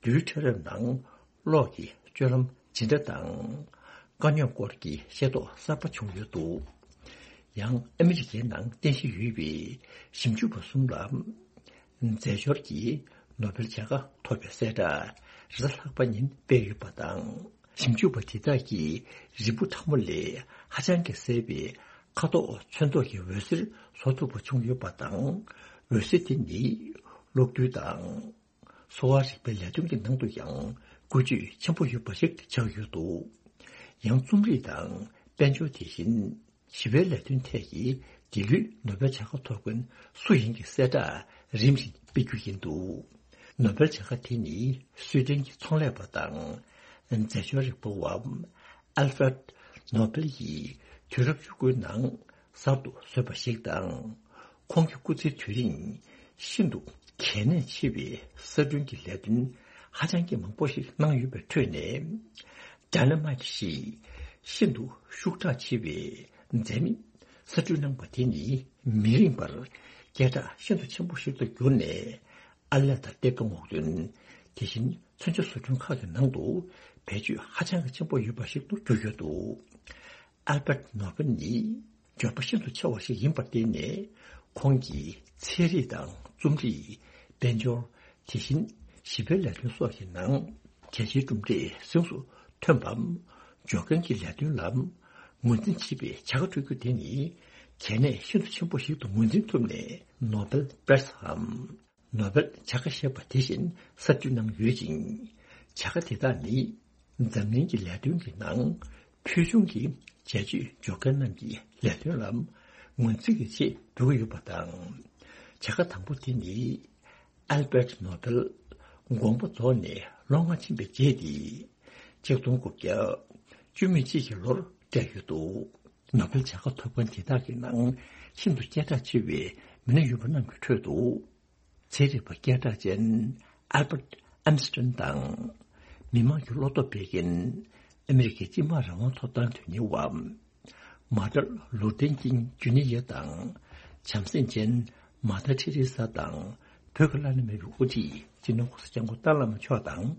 རྡུལ་ཕྲ་རབ་ནང་གློག་གི་སྤྱོད་ལམ་ཇི་འདྲ་དང་། དཀའ་རྙོག་སྐོར་གྱི་ཤེས་རྟོགས་གསར་པ་བྱུང་ཡོད་འདུག་ཡང་ཨ་མི་རི་ཀའི་ནང་རྟེན་གཞི་ཡོད་པའི་ཞིབ་འཇུག་པ་གསུམ་ལ་རྫས་སྦྱོར་གྱི་ནོ་བེལ་བྱ་དགའ་ཐོབ་པའི་གསལ་བསྒྲགས་རེས་གཟའ་ལྷག་པ་ཉིན་སྤེལ་ཡོད་པ་དང་། ཞིབ་འཇུག་པ་དེ་དག་གིས་རིལ་བུ་ཕྲ་མོ་ལས་ཧ་ཅང་གི་གསལ་བའི་ཁ་དོག་ཚོན་མདོག་གི་འོད་ཟེར་བཟོ་ཐུབ་པ་བྱུང་ཡོད་པ་དང་། འོད་ཟེར་དེ་ནི་གློག་རྡུལ་དང་། གསོ་བ་རིག་པའི་ལས་དོན་གྱི་ནང་དུ་ཡང་ བཀོལ་སྤྱོད་ཆེན་པོ་ཡོད་པ་ཞིག་ཆགས་ཡོད་འདུག། ཡང་རྩོམ་རིག་དང་དཔལ་འབྱོར། དེ་བཞིན་ཞི་བའི་ལས་དོན་ཐད་ཀྱི་འདི་ལོའི་ནོ་བེལ་བྱ་དགའ་ཐོབ་མཁན་སུ་ཡིན་གྱི་གསལ་བསྒྲགས་རིམ་བཞིན་སྤེལ་རྒྱུ་ཡིན་འདུག། ནོ་བེལ་བྱ་དགའ་དེ་ནི་སུའེ་ཏེན་གྱི་ཚོང་ལས་པ་དང་། རྫས་སྦྱོར་རིག་པ་བ་ཨལ་ཧྥེ་རད་ནོ་བེལ་ཡིས་དུས་རབས་བཅུ་དགུའི་ནང་གསར་དུ་བཟོས་པ་ཞིག་དང་། ཁོང་གི་སྐུ་ཚེའི་དུས་རིང་ཤིན་ཏུ་གལ་གནད་ཆེ་བའི་གསར་སྐྲུན་གྱི་ལས་དོན་ཧ་ཅང་གི་མང་པོ་ཞིག་གནང་ཡོད་པའི་ཁྲོད་ནས། ཌའི་ན་མའེ་ཊི་ཞེས་ཤིན་ཏུ་ཤུགས་དྲག་ཆེ་བའི་རྫས་མས་གསར་སྐྲུན་གནང་པ་དེ་ནི་མི་རིང་བར་སྐད་གྲགས་ཤིན་ཏུ་ཆེན་པོ་ཞིག་ཏུ་གྱུར་ནས། ཨར་ལས་དང་སྟེགས་བུ་སྔོག་འདོན། དེ་བཞིན་མཚོན་ཆ་བཟོ་སྐྲུན་ཁག་གི་ནང་དུ་བེད་སྤྱོད་ཧ་ཅང་གི་ཆེན་པོ་ཡོད་པ་ཞིག་ཏུ་གྱུར་ཡོད་འདུག། ཨལ་བྷར་ནོ་བེལ་ནི་འབྱོར་པ་ཤིན་ཏུ་ཆེ་བ་ཞིག་ཡིན་པར་བརྟེན་ནས། ཁོང་གིས་ཚན་རིག་དང་རྩོམ་རིག། དཔལ་འབྱོར། དེ་བཞིན་ཞི་བའི་ལས་དོན་སོགས་ཀྱི་ནང་རྒྱལ་སྤྱིའི་གྲུབ་འབྲས་གཟེངས་སུ་ཐོན་པའམ། འབྱོར་མཁན་གྱི་ལས་དོན་ལ་ངོས་འཛིན་བྱེད་པའི་བྱ་དགའ་སྤྲོད་རྒྱུ་དེ་ནི་གལ་གནད་ཤིན་ཏུ་ཆེན་པོ་ཞིག་ཏུ་ངོས་འཛིན་ཐུབ་ནས། ནོ་བེལ་པི་རེ་སི་འམ། ནོ་བེལ་བྱ་དགའ་ཞེས་པ་དེ་བཞིན་གསར་སྐྲུན་གནང་ཡོད་ཅིང་། བྱ་དགའ་དེ་དག་ནི་འཛམ་གླིང་གི་ལས་དོན་གྱི་ནང་ཕུལ་བྱུང་གི་བྱས་སྤྱོད་འབྱོར་མཁན་རྣམས་ཀྱི་ལས་དོན་ལ་ངོས་འཛིན་གྱི་ཆེད་འབུལ་གྱི་ཡོད་པ་དང་། བྱ་དགའ་དང་པོ་དེ་ནི་ཨལ་བྷར་ནོ་བེལ་དགོངས་པ་རྫོགས་ནས་ལོ་ལྔ་ཕྱིན་པའི་རྗེས་ཏེ། ཆིག་སྟོང་དགུ་བརྒྱ་བཅུ་མེད་གཅིག་གི་ལོར་སྤྲད་ཡོད་འདུག། ནོ་བེལ་བྱ་དགའ་ཐོབ་མཁན་དེ་དག་གི་ནང་ཤིན་ཏུ་སྐད་གྲགས་ཆེ་བའི་མི་སྣ་ཡོད་པ་རྣམས་ཀྱི་ཁྲོད་དུ། ཚན་རིག་པ་སྐད་གྲགས་ཅན་ཨལ་བྷར་ཨན་སི་ཊིན་དང་། མི་དམངས་ཀྱི་བློ་སྟོབས་སྤེལ་མཁན་ཨ་མི་རི་ཀའི་སྤྱི་དམངས་རང་དབང་ཐོབ་ཐང་དོན་གཉེར་བ། མ་ཏར་ལུ་ཐེར་ཀིང་ཇུ་ནི་ཡར་དང་། བྱམས་སེམས་ཅན་མ་ཏར་ཐེ་རེ་ས་དང་། བོད་ཀྱི་བླ་ན་མེད་པའི་དབུ་ཁྲིད་སྤྱི་ནོར་༸གོང་ས་༸སྐྱབས་མགོན་ཏཱ་བླ་མ་མཆོག་དང་།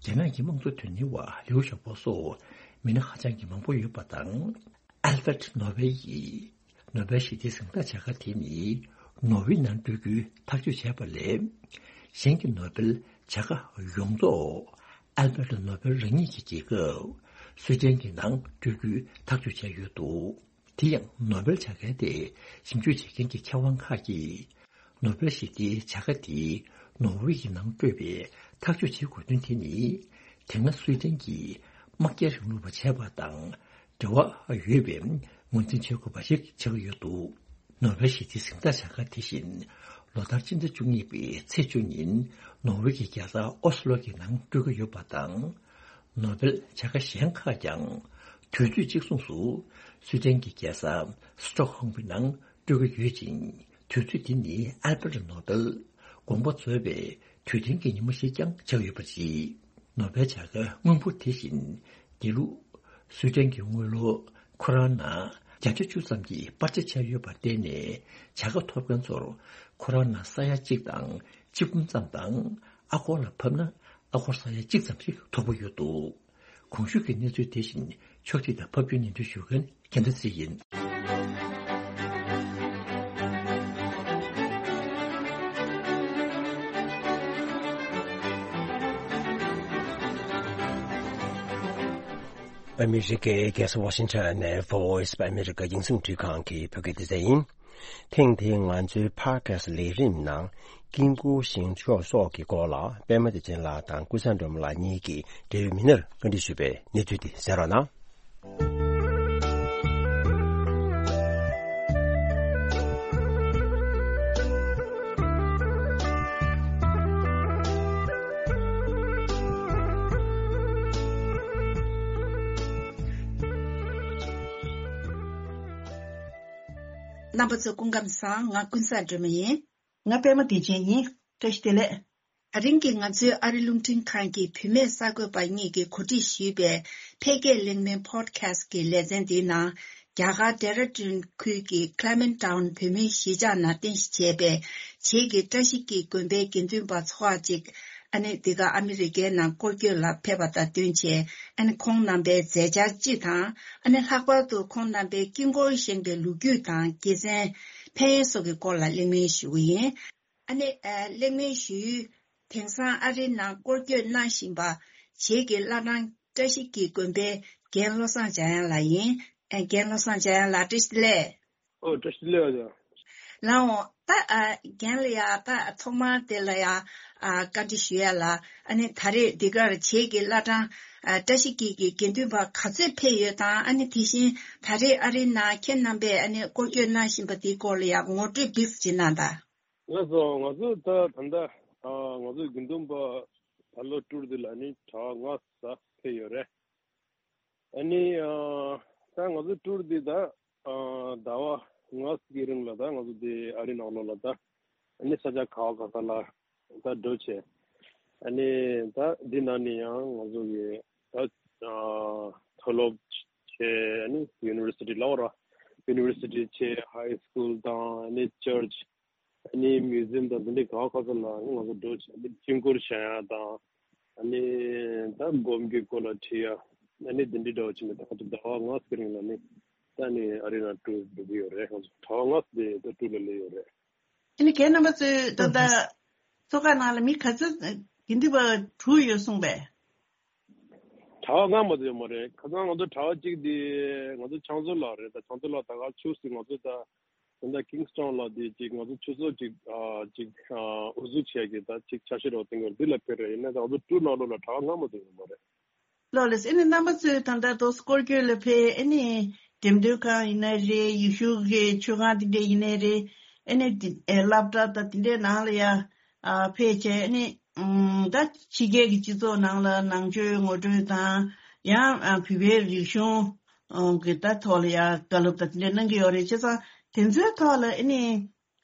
རྒྱ་ནག་གི་དམངས་གཙོ་དོན་གཉེར་བ་ལིའུ་ཞའོ་པོ་སོགས་མི་སྣ་ཧ་ཅང་གི་མང་པོ་ཡོད་པ་དང་། ཨལ་ཧྥེ་རད་ནོ་བེལ་ཡིས་ནོ་བེལ་ཞི་བདེའི་གཟེངས་རྟགས་བྱ་དགའ་དེ་ནི་ནོར་ཝེ་ནང་སྤྲོད་རྒྱུའི་ཐག་གཅོད་བྱས་པ་ལས། གཞན་གྱི་ནོ་བེལ་བྱ་དགའ་ཡོངས་རྫོགས་ཨལ་བྷར་ནོ་བེལ་རང་ཉིད་ཀྱི་རྒྱལ་ཁབ་སུའེ་ཏེན་གྱི་ནང་སྤྲོད་རྒྱུའི་ཐག་གཅོད་བྱས་ཡོད་འདུག། དེ་ཡང་ནོ་བེལ་བྱ་དགའ་དེ་ཞིབ་འཇུག་བྱེད་མཁན་གྱི་མཁས་དབང་ཁག་གིས། ནོ་བེལ་ཞི་བདེའི་བྱ་དགའ་དེ་ནོར་ཝེ་ཡི་ནང་སྤྲོད་པའི་ཐག་གཅོད་བྱེད་དགོས་དོན་དེ་ནི། དེ་སྔ་སུའེ་ཏེན་གྱིས་དམག་རྒྱག་རིང་ལུགས་པ་བྱས་པ་དང་འབྲེལ་བ་ཡོད་པའི་ངོས་འཛིན་བྱེད་དགོས་པ་ཞིག་ཆགས་ཀྱི་ཡོད་འདུག། ནོ་བེལ་ཞི་བདེའི་གཟེངས་རྟགས་བྱ་དགའ་དེ་བཞིན་ལོ་ལྟར་སྤྱི་ཟླ་བཅུ་གཉིས་པའི་ཚེས་བཅུ་ཉིན་ནོར་ཝེ་གྱི་རྒྱལ་ས་ཨོ་སི་ལོ་གྱི་ནང་སྤྲོད་ཀྱི་ཡོད་པ་དང་། ནོ་བེལ་བྱ་དགའ་གཞན་ཁག་ཀྱང་དུས་ཚོད་གཅིག་མཚུངས་སུ་སུའེ་ཏེན་གྱི་རྒྱལ་ས་སི་ཊོག་ཧོམ་གྱི་ནང་སྤྲོད་ཀྱི་ཡོད་ཅིང་། དུས་ཚོད་འདི་ནི་ཨལ་བྷར་ནོ་བེལ་དགོངས་པ་རྫོགས་པའི་དུས་སྟོན་གྱི་ཉིན་མོ་ཞིག་ཀྱང་ཆགས་ཡོད་པ་རེད། ནོ་བེལ་བྱ་དགའ་སྔོན་འབོར་དེ་བཞིན་འདི་ལོ་སུའེ་ཏེན་གྱི་དངུལ་ལོར་ཁོ་རང་ན་བརྒྱ་ཆ་བཅུ་ཙམ་གྱི་སྤར་ཆ་ཆགས་ཡོད་པར་བརྟེན་ནས། བྱ་དགའ་ཐོབ་མཁན་ཚོར་ཁོ་རང་ན་ས་ཡ་གཅིག་དང་གཅིག་འབུམ་ཙམ་དང་། ཨ་སྒོར་ལ་ཕབ་ན་ཨ་སྒོར་ས་ཡ་གཅིག་ཙམ་ཞིག་ཐོབ་ཀྱི་ཡོད་འདུག། གོང་ཞུས་ཀྱི་གནས་ཚུལ་དེ་བཞིན་ཕྱོགས་སྒྲིག་དང་ཕབ་སྒྱུར་སྙན་སྒྲོན་ཞུ་མཁན་རྒྱལ་མཚན་ཚེ་རིང་ཡིན། ཨ་མི་རི་ཀའི་རྒྱལ་ས་ཝ་ཤིང་ཊོན་ནས་Voice of America རྒྱང་སྲིང་འཕྲིན་ཁང་གི་བོད་སྐད་སྡེ་ཚན་ཡིན། ཐེངས་འདིའི་ང་ཚོའི་ཕོ་ཌི་ཁ་སི་ལས་རིམ་ནང་ཀིང་ཀུའུ་ཞིང་མཆོག་སོགས་ཀྱི་སྐོར་ལ་པད་མ་བདེ་ཆེན་ལགས་དང་ཀུན་བཟང་སྒྲོལ་མ་ལགས་གཉིས་ཀྱིས་འབྲེལ་ཡོད་མི་སྣར་བཀའ་འདྲི་ཞུས་པའི་གནས་ཚུལ་དེ་གསན་རོགས་གནང་། རྣམ་པ་ཚོ་སྐུ་ཁམས་བཟང་། ང་ཀུན་བཟང་སྒྲོལ་མ་ཡིན། ང་པད་མ་བདེ་ཆེན་ཡིན། བཀྲ་ཤིས་བདེ་ལེགས། ད་རིང་གི་ང་ཚོའི་ཨ་རི་རླུང་འཕྲིན་ཁང་གི་བུད་མེད་གསར་འགོད་པ་གཉིས་ཀྱིས་གོ་སྒྲིག་ཞུས་པའི་འཕེལ་རྒྱས་གླེང་མོལ་ཕོ་ཌི་ཁ་སི་ཀྱི་ལེ་ཚན་འདིའི་ནང་། རྒྱ་གར་ཌེ་ར་ཌུན་ཁུལ་གྱི་Clement Town བོད་མིའི་གཞིས་ཆགས་ནང་རྟེན་གཞི་བྱས་པའི་བྱེས་ཀྱི་བཀྲ་ཤིས་ཀྱི་དགོན་པའི་དགེ་འདུན་པ་ཚོ་བ་ཅིག་ཨ་ནི་འདི་ག་ཨ་མི་རི་ཀའི་ནང་སྐོར་སྐྱོད་ལ་ཕེབས་པ་དང་བསྟུན་བྱས། ཨ་ནི་ཁོང་རྣམ་པའི་མཛད་འཆར་སྤྱི་དང་། ཨ་ནི་ལྷག་པར་དུ་ཁོང་རྣམ་པའི་དཀྱིལ་འཁོར་བཞེངས་པའི་ལོ་རྒྱུས་དང་དགེ་མཚན། ཕན་ཡོན་སོགས་ཀྱི་སྐོར་ལ་གླེང་མོལ་ཞུ་གི་ཡིན། ཨ་ནི་ཨ་གླེང་མོལ་ཞུ་ཡུལ། དེང་སང་ཨ་རིའི་ནང་སྐོར་སྐྱོད་གནང་བཞིན་པ། བྱེས་ཀྱི་བླ་བྲང་བཀྲ་ཤིས་ཀྱི་དགོན་པའི་རྒན་བློ་བཟང་འཇམ་དབྱངས་ལགས་ཡིན། ཨ་རྒན་བློ་བཟང་འཇམ་དབྱངས་ལགས་བཀྲ་ཤིས་བདེ་ལེགས། ཨོ་བཀྲ་ཤིས་བདེ་ལེགས་ཨ་ཅག། ལགས་འོང་ ད་ཨ་རྒན་ལ་ཡ་ད་ཐོག་མར་དེ་ལ་ཡ་ཨ་བཀའ་འདྲི་ཞུ་ཡ་ལ། ཨ་ནི་ད་རེས་འདི་གར་བྱེས་ཀྱི་བླ་བྲང་ཨ་བཀྲ་ཤིས་འཁྱིལ་གྱི་དགེ་འདུན་པ་ག་ཚོད་ཕེབས་ཡོད་དང་། ཨ་ནི་དེ་བཞིན་ད་རེས་ཨ་རིའི་ནང་ཁྱེད་རྣམ་པས་ཨ་ནི་སྐོར་སྐྱོད་གནང་བཞིན་པ་དེའི་སྐོར་ལ་ཡ་ངོ་སྤྲོད་ཏོག་ཙམ་ཅིག་གནང་དང་། ལགས་སོ། ང་ཚོ་ད་ད་ལྟ་ཨ་ང་ཚོ་དགེ་འདུན་པ་ད་ལོ་ཊུར་འདི་ལ་ནི་གྲྭ་པ་ལྔ་ཙམ་ཕེབས་ཡོད་རེད། ཨ་ནི་ཨ་ད་ང་ཚོ་ཊུར་འདི་ད་ཨ་ཟླ་བ་ལྔ་གི་རིང་ལ་ད་ང་ཚོ་འདི་ཨ་རི་ནང་ལོགས་ལ་ད་ཨ་ནི་ས་ཆ་ག་བ་ག་ས་ལ་ད་འགྲོ་བྱས། ཨ་ནི་ད་འདི་ནང་ནས་ཡང་ང་ཚོ་གི་ད་ཨ་མཐོ་སློབ་བྱས། ཨ་ནི་ཡུ་ནི་ཝར་སི་ཊི་ལབ་ར། ཡུ་ནི་ཝར་སི་ཊི་བྱས། ཧའི་སི་ཁུལ་དང་ཨ་ནི་ཅར་ཆི། ཨ་ནི་མིའུ་ཛི་ཡམ་དང་འདི་འདྲའི་ག་བ་ག་ས་ལ་ང་ཚོ་འགྲོ་བྱས། ཨ་ནི་དཀྱིལ་འཁོར་བཞེངས་ཡ་དང་། ཨ་ནི་ད་སྒོམ་གྱི་སྐོར་ལ་དྲི་ཡ། ཨ་ནི་འདི་འདྲའི་འདྲ་བོ་བྱས་ནས་ད་ང་ཚོ་ཟླ་བ་ལྔ་ཙམ་རིང་ལ་ནི་ད་ནི་ཨ་རི་ནང་ཊུར་འགྲོ་གི་ཡོད་རེད། ང་ཚོ་ཟླ་བ་ལྔ་ཙམ་དེ་ད་ཊུར་ལ་སླེབས་ཡོད་རེད། ཨ་ནི་རྒན་རྣམ་པ་ཚོས་ད་ལྟ་ཚོགས་ཁག་ནང་ལ་མི་ག་ཚོད་དགེ་འདུན་པ་དྲུག་ཡོད་གསུངས་པས། གྲྭ་པ་ལྔ་མ་གཏོགས་ཡོད་མ་རེད། ཁ་སང་ང་ཚོ་གྲྭ་པ་གཅིག་དེ་ང་ཚོ་ཕྱག་མཛོད་ལགས་རེད། ད་ཕྱག་མཛོད་ལགས་ད་ག་ཆུ་ཚོད་ང་ཚོ་ད་ད་ལྟ་ཀིང་སི་ཊོན་ལ་དེ་གཅིག་ང་ཚོ་ཆུ་ཚོད་གཅིག་ཨ་གཅིག་ཨ་དབུ་འཛུགས་བྱས་ཀྱི་ད་གཅིག་ཆ་ཤས་རོགས་བསྟན་གྱི་འདི་ལ་ཕེབས་རེད། ཡིན་ན་ད་ང་ཚོ་ཊུར་ནང་ལོགས་ལ་གྲྭ་པ་ལྔ་མ་གཏོགས་ཡོད་མ་རེད། ལགས་ལགས། ཨ་ནི་རྣམ་པ་ཚོས་ད་ལྟ་དོ་སྐོར་སྐྱོད་ལ་ཕེབས། ཨ་ནི་འགྲེམས་སྟོན་ཁང་ཡིན་ན་རེད། ཡེ་ཤུ་གི་མཆོད་ཁང་དེ་འདྲ་ཡིན་ན་རེད། ཨ་ནི་དེ་ཨེ་སློབ་གྲྭ་དང་དེ་འདྲའི་ནང་ལ་ཡ་ཨ་ཕེབས་བྱས། ཨ་ནི་ཨམ་ད་ཕྱི་རྒྱལ་གྱི་སྤྱི་ཚོགས་ནང་ལ་ནང་ཆོས་ངོ་སྤྲོད་དང་། ཡང་ཨ་བོད་པའི་རིག་གཞུང་ཨ་གི་ད་ཐོག་ལ་ཡ་བཀའ་སློབ་དང་དེ་འདྲ་གནང་གི་ཡོད་རེད། བྱས་ཙང་དེ་ཚོའི་ཐོག་ལ་ཨ་ནི་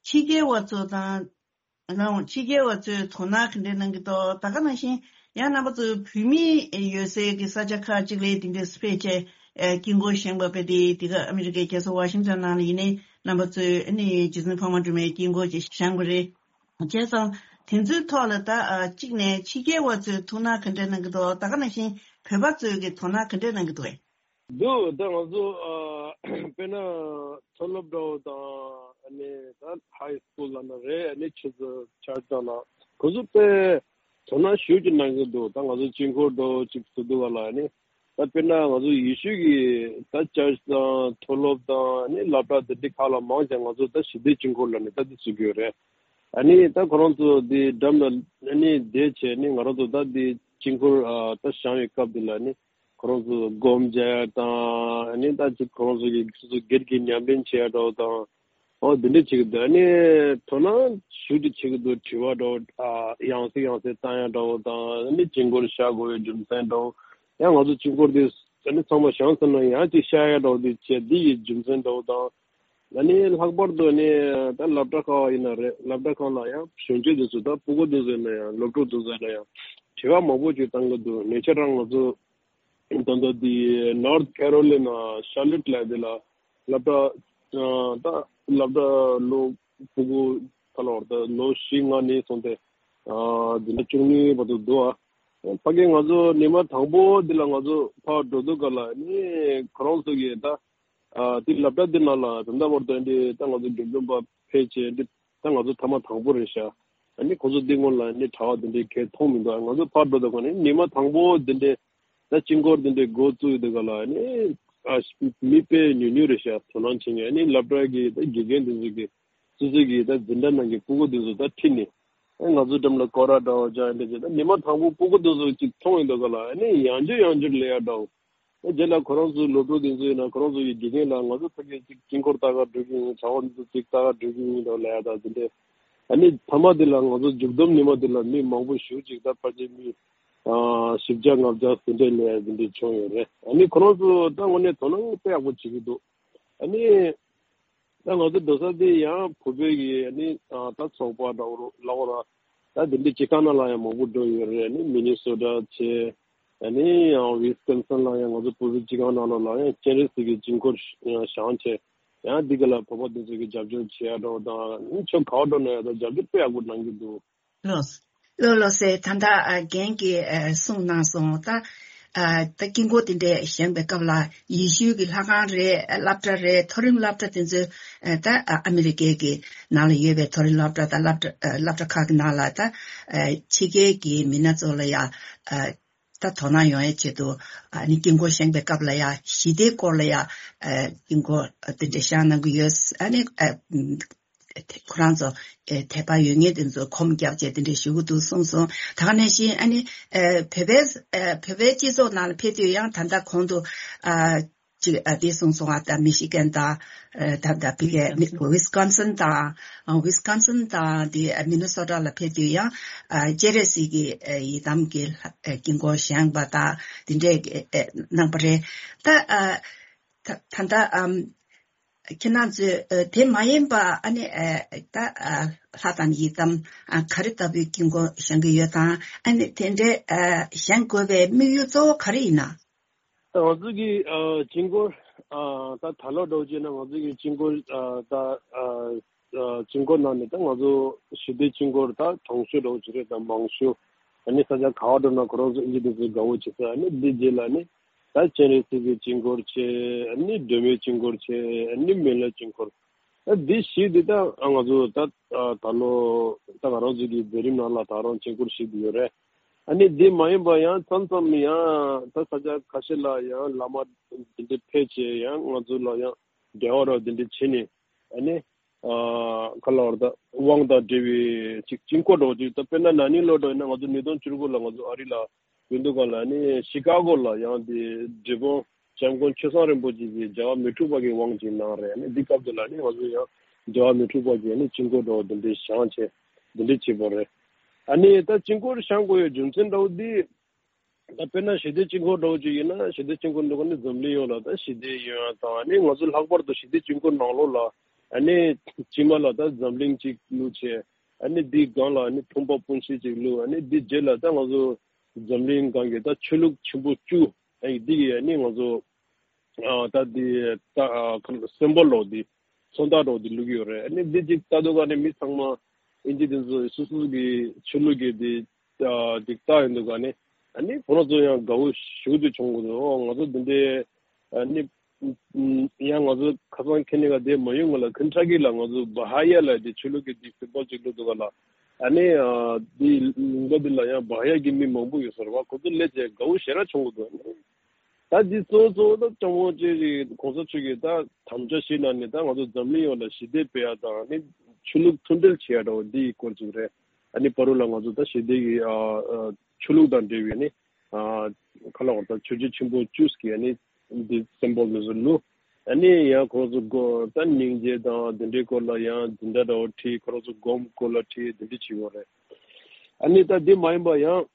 ཕྱི་རྒྱལ་བ་ཚོ་དང་། ལའང་ཕྱི་རྒྱལ་བ་ཚོས་དོ་སྣང་ག་འདྲས་གནང་གི་འདུག་ད་ག་ནང་བཞིན་ཡང་རྣམ་པ་ཚོས་བོད་མི་ཡོད་སའི་གི་ས་ཆ་ཁག་ཅིག་ལ་དེ་འདྲས་ཕེབས་བྱས་ཨ་དཀྱིལ་འཁོར་བཞེངས་པ་དཔེ་དེ་དེ་ག་ཨ་མི་རི་ཀའི་རྒྱལ་ས་ཝ་ཤིང་ཊོན་ནང་ལ་ཡིན་ནའི་རྣམ་པ་ཚོས་ཨ་ནི་རྗེ་བཙུན་འཕགས་མ་སྒྲོལ་མའི་དཀྱིལ་འཁོར་ཅིག་བཞེངས་པ་རེད། བྱས་ཙང་དེ་ཚོའི་ཐོག་ལ་ད་ཨ་གཅིག་ནས་ཕྱི་རྒྱལ་བ་ཚོས་དོ་སྣང་ག་འདྲས་གནང་གི་འདུག་ད་ག་ནང་བཞིན་བོད་པ་ཚོས་གི་དོ་སྣང་ག་འདྲས་གནང་གི་འདུག་གས། འདུག་ད་ང་ཚོ་ཨ་དཔེར་ན་མཐོ་སློབ་འདྲ་བོ་དང་། ཨ་ནི་ད་ཧའི་སི་ཁུལ་ལབ་ན་རེད། ཨ་ནི་ཆུ་ཚོད་ཆར་ཆ་ལ་ཁོ་ཚོ་དཔེ་དོ་སྣང་ཞེ་ཅིག་གནང་གི་འདུག་ད་ང་ཚོ་དཀྱིལ་འཁོར་འདྲ་བོ་ཅིག་བཟོ་འདུག་ག་ལ། ཨ་ནི་ད་དཔེར་ན་ང་ཚོ་ཡེ་ཤུ་གི་ད་ཅར་ཆི་དང་མཐོ་སློབ་དང་། ཨ་ནི་སློབ་གྲྭ་དེ་འདྲའི་ཁག་ལ་མང་ཆེ་ང་ཚོ་ད་ཞི་བདེའི་དཀྱིལ་འཁོར་ལབ་ནས་ད་དེ་བཟོ་གི་ཡོད་རེད། ཨ་ནི་ད་ཁོ་རང་ཚོ་དེ་འགྲམ་ལ་ཨ་ནི་བསྡད་བྱས་ནི་ང་རང་ཚོ་ད་དེ་དཀྱིལ་འཁོར་ཨ་ད་བཞེངས་པའི་སྐབས་དེ་ལ་ནི་ཁོ་རང་ཚོ་སྒོམ་རྒྱག་ཡ་དང་། ཨ་ནི་ད་ཅིག་ཁོ་རང་ཚོ་གི་སོ་སོ་སྒེར་གྱི་ཉམས་ལེན་བྱེད་ཡ་འདྲ་བོ་དང་། ཨོ་དེ་འདྲ་བྱེད་ཀྱི་འདུག་ཨ་ནི་དོ་སྣང་ཞེ་ཅིག་བྱེད་ཀྱི་འདུག་དྲི་བ་འདྲ་བོ་ཨ་ཡང་སེ་ཡང་སེ་བཏང་ཡ་འདྲ་བོ་དང་། ཨ་ནི་དཀྱིལ་འཁོར་བཞག་དགོས་པའི་རྒྱུ་མཚན་འདྲ་བོ། ཡང་ང་ཚོ་དཀྱིལ་འཁོར་དེ་ཨ་ནི་ཚང་མ་བཞེངས་ཚར་ན་ཡང་ཅིག་བཞག་ཡ་འདྲ་བོ་དེ་བྱས། འདི་ཡི་རྒྱུ་མཚན་འདྲ་བོ་དང་། ཨ་ནི་ལྷག་པར་དུ་ནི་ད་སློབ་གྲྭ་ཁག་ཡིན་ན་རེད། སློབ་གྲྭ་ཁག་ལ་ཡང་གཞོན་སྐྱེས་དེ་ཚོ་ད་སྤུ་གུ་དེ་ཚོ་ཡིན་ན་ཡང་སློབ་ཕྲུག་དེ་ཚོ་ཡིན་ན་ཡང་དྲི་བ་མང་པོ་ཅིག་བཏང་གི་འདུག་ཉེ་ཆར་རང་ང་ཚོ་ད་ལྟ་དེ་ནོར་ཐི་ཁེ་རོ་ལི་ན་ཤར་ལོཊ་ལབ་དེ་ལ་སློབ་གྲྭ་ཨ་ད་སློབ་གྲྭ་ལོ་སྤུ་གུ་ད་ལོར་ད་ལོ་བཞི་ལྔ་ནས་བཟུང་སྟེ་ཨ་འཛིན་གྲྭ་བཅུ་གཉིས་བར་དུ་འདུག་ཨ་ཕ་གི་ང་ཚོ་ཉི་མ་དང་པོ་འདི་ལ་ང་ཚོ་ཕར་འགྲོ་དུས་སྒང་ལ་ནི་ཁོ་རང་ཚོ་གིས་ད་ཨ་དེ་སློབ་གྲྭ་འདི་ནང་ལ་ད་ལྟ་བར་དུ་འདི་ད་ང་ཚོ་དགེ་འདུན་པ་ཕེབས་བྱས་འདི་ད་ང་ཚོ་ཐེངས་མ་དང་པོ་རེད་ཤག་ཨ་ནི་ཁོ་ཚོ་འདི་སྔོན་ལ་ནི་གྲྭ་པ་འདི་འདྲའི་གས་མཐོང་མི་འདུག་ང་ཚོ་ཕར་འགྲོ་དུས་སྒང་ནི་ཉི་མ་དང་པོ་འདི་འདྲའི་ད་དཀྱིལ་འཁོར་འདི་འདྲའི་འགོ་བཙུགས་ཡོད་དུས་སྒང་ལ་ནི་ཨ་མི་དཔེ་ཉུང་ཉུང་རེད་ཤག་དོ་སྣང་བྱེད་མཁན། ཨ་ནི་སློབ་གྲྭ་གི་ད་དགེ་རྒན་འདི་ཚོ་གི་སོ་སོ་གི་ད་འཛིན་གྲྭ་ནང་གི་སྤུ་གུ་འདི་ཚོ་ད་ཁྲིད་ནས་ཨ་ང་ཚོ་འགྲམ་ལ་སྐོར་ར་འདྲ་བོ་རྒྱག་ཡ་འདྲ་བྱས། ད་ཉི་མ་དང་པོ་སྤུ་གུ་འདི་ཚོ་ཅིག་མཐོང་ཡོད་དུས་སྒང་ལ་ཨ་ནི་ཡང་བསྐྱར་ཡང་བསྐྱར་སླེབས་ཡ་འདྲ་བོ། རྗེས་ལ་ཁོ་རང་ཚོའི་སློབ་ཕྲུག་དེ་ཚོ་ཡིན་ན་ཁོ་རང་ཚོ་ཡི་དགེ་རྒན་ལ་ང་ཚོ་ཕ་གི་ཅིག་དཀྱིལ་འཁོར་ལྟ་ག་འགྲོ་གི་ཡིན། གྲྭ་པ་འདི་ཚོ་ཅིག་ལྟ་ག་འགྲོ་གི་ཡིན་འདྲ་ལབ་ཡ་ད་དེ་འདྲས། ཨ་ནི་མཐའ་མ་དེ་ལ་ང་ཚོ་མཇུག་བསྡོམས་ཉི་མ་དེ་ལ་མི་མང་པོ་ཞེ་ཅིག་ད་ཕལ་ཆེར་མི་ཨ་བཞི་བརྒྱ་ལྔ་བརྒྱ་དེ་འདྲས་ལ་དེ་འདྲས་བྱུང་ཡོད་རེད། ཨ་ནི་ཁོ་རང་ཚོ་ད་དངོས་གནས་དོ་སྣང་དཔེ་ཡག་པོ་བྱེད་ཀྱི་འདུག་ཨ་ནི། ད་ང་ཚོ་འགྲོ་ས་དེ་ཡང་བོད་པའི་གི་ཨ་ནི་ད་ཚོགས་པ་འདྲ་བོ་ལབ་དགོས་ར། ད་དེ་འདྲའི་སྤྱི་ཁང་ནང་ལ་ཡང་མང་པོ་འགྲོ་ཡོད་རེད། ཨ་ནི་མི་ནི་སོ་ཊ་བྱས། ཨ་ནི་ཡང་ཝི་སི་ཀོན་སིན་ལ་ཡང་ང་ཚོ་བོད་པའི་སྤྱི་ཁང་ནང་ལོགས་ལ་ཡང་སྤྱན་རས་གཟིགས་ཀྱི་དཀྱིལ་འཁོར་ཡང་བཞེངས་བྱས། ཡང་འདི་ག་ལ་བོད་པ་དེ་ཚོ་གི་རྒྱབ་སྐྱོར་བྱེད་ཡ་འདྲ་བོ་དང་། ཨ་ནི་ཕྱོགས་ག་བ་འགྲོ་ན་ཡང་ད་རྒྱབ་སྐྱོར་དཔེ་ཡག་པོ་གནང་གི་འདུག་ལགས་ལགས་ལགས་སེ། ད་ལྟ་ཨ་རྒན་གྱིས་ཨ་གསུངས་གནང་སོང་། ད་ཨ་ད་དཀྱིལ་འཁོར་དེ་འདྲས་བཞེངས་པའི་སྐབས་ལ་ཡེ་ཤུའི་གི་ལྷ་ཁང་རེད། སློབ་གྲྭ་རེད། མཐོ་རིམ་སློབ་གྲྭ་དེ་ཚོའི་ཨ་ད་ཨ་ཨ་མི་རི་ཀའི་གི་ནང་ལ་ཡོད་པའི་མཐོ་རིམ་སློབ་གྲྭ་དང་སློབ་གྲྭ་ཨ་སློབ་གྲྭ་ཁག་གི་ནང་ལ་ད་ཨ་ཕྱི་རྒྱལ་གྱི་མི་སྣ་ཚོ་ལ་ཡ་ཨ་ད་དོ་སྣང་ཡོང་ཡའི་ཆེད་དུ་ཨ་ནི་དཀྱིལ་འཁོར་བཞེངས་པའི་སྐབས་ལ་ཡ་ཞི་བདེའི་སྐོར་ལ་ཡ་ཨ་དཀྱིལ་འཁོར་དེ་འདྲས་བཞེངས་གནང་གི་ཡོད། ཨ་ནི་ཨ། ཁོ་རང་ཚོ་ཨེ་དད་པ་ཡོད་མཁན་དེ་ཚོ་ཁོམ་རྒྱབ་བྱས་དེ་འདྲ་ཞུ་གི་འདུག་གསུངས་སོང་། ད་ག་ནང་བཞིན་ཨ་ནི་ཨེ་བོད་པའི་ཨེ་བོད་པའི་སྤྱི་ཚོགས་ནང་ལ་ཕེབས་དུས་ཡང་ད་ལྟ་གོང་དུ་ཨ་ཅིག་ཨ་དེ་གསུངས་སོང་། ཨ་ད་མི་ཤི་གན་དང་ཨ་ད་ད་ཕི་གེ་མི་ཝི་སི་ཀོན་སིན་དང་ཨ་ཝི་སི་ཀོན་སིན་དང་དེ་ཨ་མི་ནི་སོ་ཊ་ལ་ཕེབས་དུས་ཡང་ཨ་སྤྱན་རས་གཟིགས་ཀྱི་ཨ་ཡི་དམ་གྱི་ཨ་དཀྱིལ་འཁོར་བཞེངས་པ་དང་དེ་འདྲས་ཨ་གནང་པ་རེད། ད་ཨ་ད་ད་ལྟ་ཨམ། ཁྱེད་རང་ཚོས་ཨ་དེ་མ་ཡིན་པ་ཨ་ནི་ཨ་ད་ཨ་ལྷ་དང་ཡི་དམ་ཨ་ག་རེ་ལྟ་བུའི་དཀྱིལ་འཁོར་བཞེངས་ཀྱི་ཡོད་དང་ཨ་ནི་དེ་འདྲའི་ཨ་བཞེངས་དགོས་པའི་དམིགས་ཡུལ་གཙོ་བོ་ག་རེ་ཡིན་ན། ད་ང་ཚོ་གི་ཨ་དཀྱིལ་འཁོར་ཨ་ད་ད་ལོ་འདྲ་བོ་བྱས་ན་ང་ཚོ་གི་དཀྱིལ་འཁོར་ཨ་ད་ཨ་ཨ་དཀྱིལ་འཁོར་ནང་ནས་ད་ང་ཚོ་ཞི་བདེ་དཀྱིལ་འཁོར་ད་གྲོང་ཆོག་འདྲ་བོ་ཅིག་རེད། ད་མང་ཤོས་ཨ་ནི་ས་ཆ་ག་བ་འགྲོ་ན་ཁོ་རང་ཚོ་ཨིན་ཇི་དེ་ཚོས་དགའ་བོ་བྱེད་ས། ཨ་ནི་འདི་རྗེས་ལ་ནི་ད་སྤྱན་རས་གཟིགས་ཀྱི་དཀྱིལ་འཁོར་བྱས། ཨ་ནི་སྒྲོལ་མའི་དཀྱིལ་འཁོར་བྱས། ཨ་ནི་མི་ལའི་དཀྱིལ་འཁོར། ཨ་འདི་བཞི་འདི་ད་ང་ཚོ་ད་ད་ལོ་ད་ང་རང་ཚོ་གི་མཛད་རིམ་ནང་ལ་ད་རང་དཀྱིལ་འཁོར་བཞི་འདི་ཡོད་རེད། ཨ་ནི་འདི་མ་ཡིན་པ་ཡང་མཚམས་མཚམས་ཡང་ད་ས་ཆ་ཁ་ཤས་ལ་ཡང་བླ་མ་འདི་འདྲ་ཕེབས་བྱས་ཡང་ང་ཚོ་ལ་ཡང་འབྲེལ་བ་རོགས་འདི་འདྲ་བྱས་ནས་ཨ་ནི། ཨ་ག་ལ་བར་ད་དབང་དང་འབྲེལ་བའི་ཅིག་དཀྱིལ་འཁོར་འདྲ་བོ་ཅིག་ད་དཔེར་ན་ན་ནིང་ལོ་འདྲ་ཡིན་ན་ང་ཚོ་ཉིས་སྟོང་བཅུ་དགུ་ལ་ང་ཚོ་ཨ་རི་ལ་ཡོད་འདུག་ག་ལ་ནི་ཤི་ཀ་གོ་ལ་ཡང་དེ་འབྲས་སྤུངས་འཇམ་མགོན་ཆོས་བཟང་རིན་པོ་ཆེ་གིས་རྒྱལ་བ་མི་འཁྲུགས་པ་གི་དབང་ཅིག་གནང་རེད། ནི་འདི་སྐབས་དེ་ལ་ནི་ང་ཚོ་ཡང་རྒྱལ་བ་མི་འཁྲུགས་པ་གི་ནི་དཀྱིལ་འཁོར་འདྲ་བོ་འདི་འདྲའི་བཞེངས་བྱས་འདི་འདྲའི་བྱེད་པ་རེད། ཨ་ནི་ད་དཀྱིལ་འཁོར་བཞེངས་དགོས་ཡའི་རྒྱུ་མཚན་འདྲ་བོ་འདི། ད་དཔེར་ན་ཞི་བདེ་དཀྱིལ་འཁོར་འདྲ་བོ་ཅིག་ཡིན་ན་ཞི་བདེ་དཀྱིལ་འཁོར་འདི་ག་ནི་འཛམ་གླིང་ཡོངས་ལ་ད་ཞི་བདེ་ཡོང་ཡ་དང་ཨ་ནི་ང་ཚོ་ལྷག་པར་དུ་ཞི་བདེ་དཀྱིལ་འཁོར་ནང་ལོགས་ལ་ཨ་ནི་དཀྱིལ་མ་ལ་ད་འཛམ་གླིང་ཅིག་བླུགས་བྱས་ཨ་ནི་འདིའི་སྒང་ལ་ཨ་ནི་ཕུང་པོ་སྤུན་མཆེད་ཅིག་བླུགས། ཨ་ནི་འདི་རྗེས་ལ་ད་ང་ཚོ་འཛམ་གླིང་སྒང་གི་ད་ཆོས་ལུགས་ཆེན་པོ་བཅུ་ཨ་ནི་འདི་གི་ཨ་ནི་ང་ཚོ་ཨ་ད་འདི་ད་ཨ་སིམ་བོལ་ལོ་འདི་མཚོན་རྟགས་འདྲ་བོ་འདི་བླུགས་ཡོད་རེད། ཨ་ནི་འདི་ཅིག་ལྟ་དུས་ག་ནི་མི་ཚང་མ་ཨིན་ཇི་དེ་ཚོ་སོ་སོ་གི་ཆོས་ལུགས་ཀྱི་འདི་ཨ་འདི་ལྟ་ཡོང་དུས་ག་ནི་ཨ་ནི་ཁོ་རང་ཚོ་ཡང་དགའ་བོ་ཞེ་པོ་ཅིག་བྱུང་གི་འདུག་ཨོ་ང་ཚོ་འདི་འདྲའི་ཨ་ནི་ཡང་ང་ཚོ་ཁ་སང་ཁེ་ནི་ག་དེ་མ་ཡོང་ག་ལ་ཁེན་ཊ་ཀི་ལ་ང་ཚོ་བ་ཧ་ཡ་ལ་དེ་ཆོས་ལུགས་ཀྱི་དེ་སིམ་བོལ་ཅིག་བླུགས་འདུག་ག་ལ། ཨ་ནི་ཨ་དེ་ལུང་པ་དེ་ལ་ཡང་བ་ཧ་ཡ་གི་མི་མང་པོ་ཡོད་ས་རེད་བ། ཁོ་ཚོ་སླེབས་བྱས་དགའ་བོ་ཞེ་དྲག་བྱུང་གི་འདུག་ཨ་ནི། ད་འདི་གཙོ་བོ་གཙོ་བོ་ད་སྐྱབས་མགོན་རྗེ་རིན་གོང་ས་མཆོག་གིས་ད་དམ་བཅའ་བཞེས་གནང་ནས་ད་ང་ཚོ་འཛམ་གླིང་ཡོངས་ལ་ཞི་བདེ་སྤེལ་ཡ་དང་ནི་ཆོས་ལུགས་མཐུན་སྒྲིལ་བྱེད་ཡ་འདྲ་བོ་འདིའི་སྐོར་ཅིག་རེད། ཨ་ནི་བར་དུ་ལ་ང་ཚོ་ད་ཞི་བདེ་གི་ཨ་ཨ་ཆོས་ལུགས་དང་འབྲེལ་བའི་ནི་ཨ་ཁ་ལ་བར་ད་ཆོས་བརྒྱུད་ཆེན་པོ་བཅུ་གི་ཨ་ནི་འདི་སིམ་བོལ་འདི་ཚོ་བླུགས། ཨ་ནི་ཡང་ཁོ་རང་ཚོ་སྒོ་ད་སྙིང་རྗེ་དང་འདི་འདྲའི་སྐོར་ལ་ཡང་འཛིན་གྲྭ་འདྲ་བོ་ཁྲིད། ཁོ་རང་ཚོ་སྒོམ་སྐོར་ལ་ཁྲིད། འདི་འདྲ་བྱེད་ཡོད་རེད། ཨ་ནི་ད་འདི་མ་ཡིན་པ་ཡང་།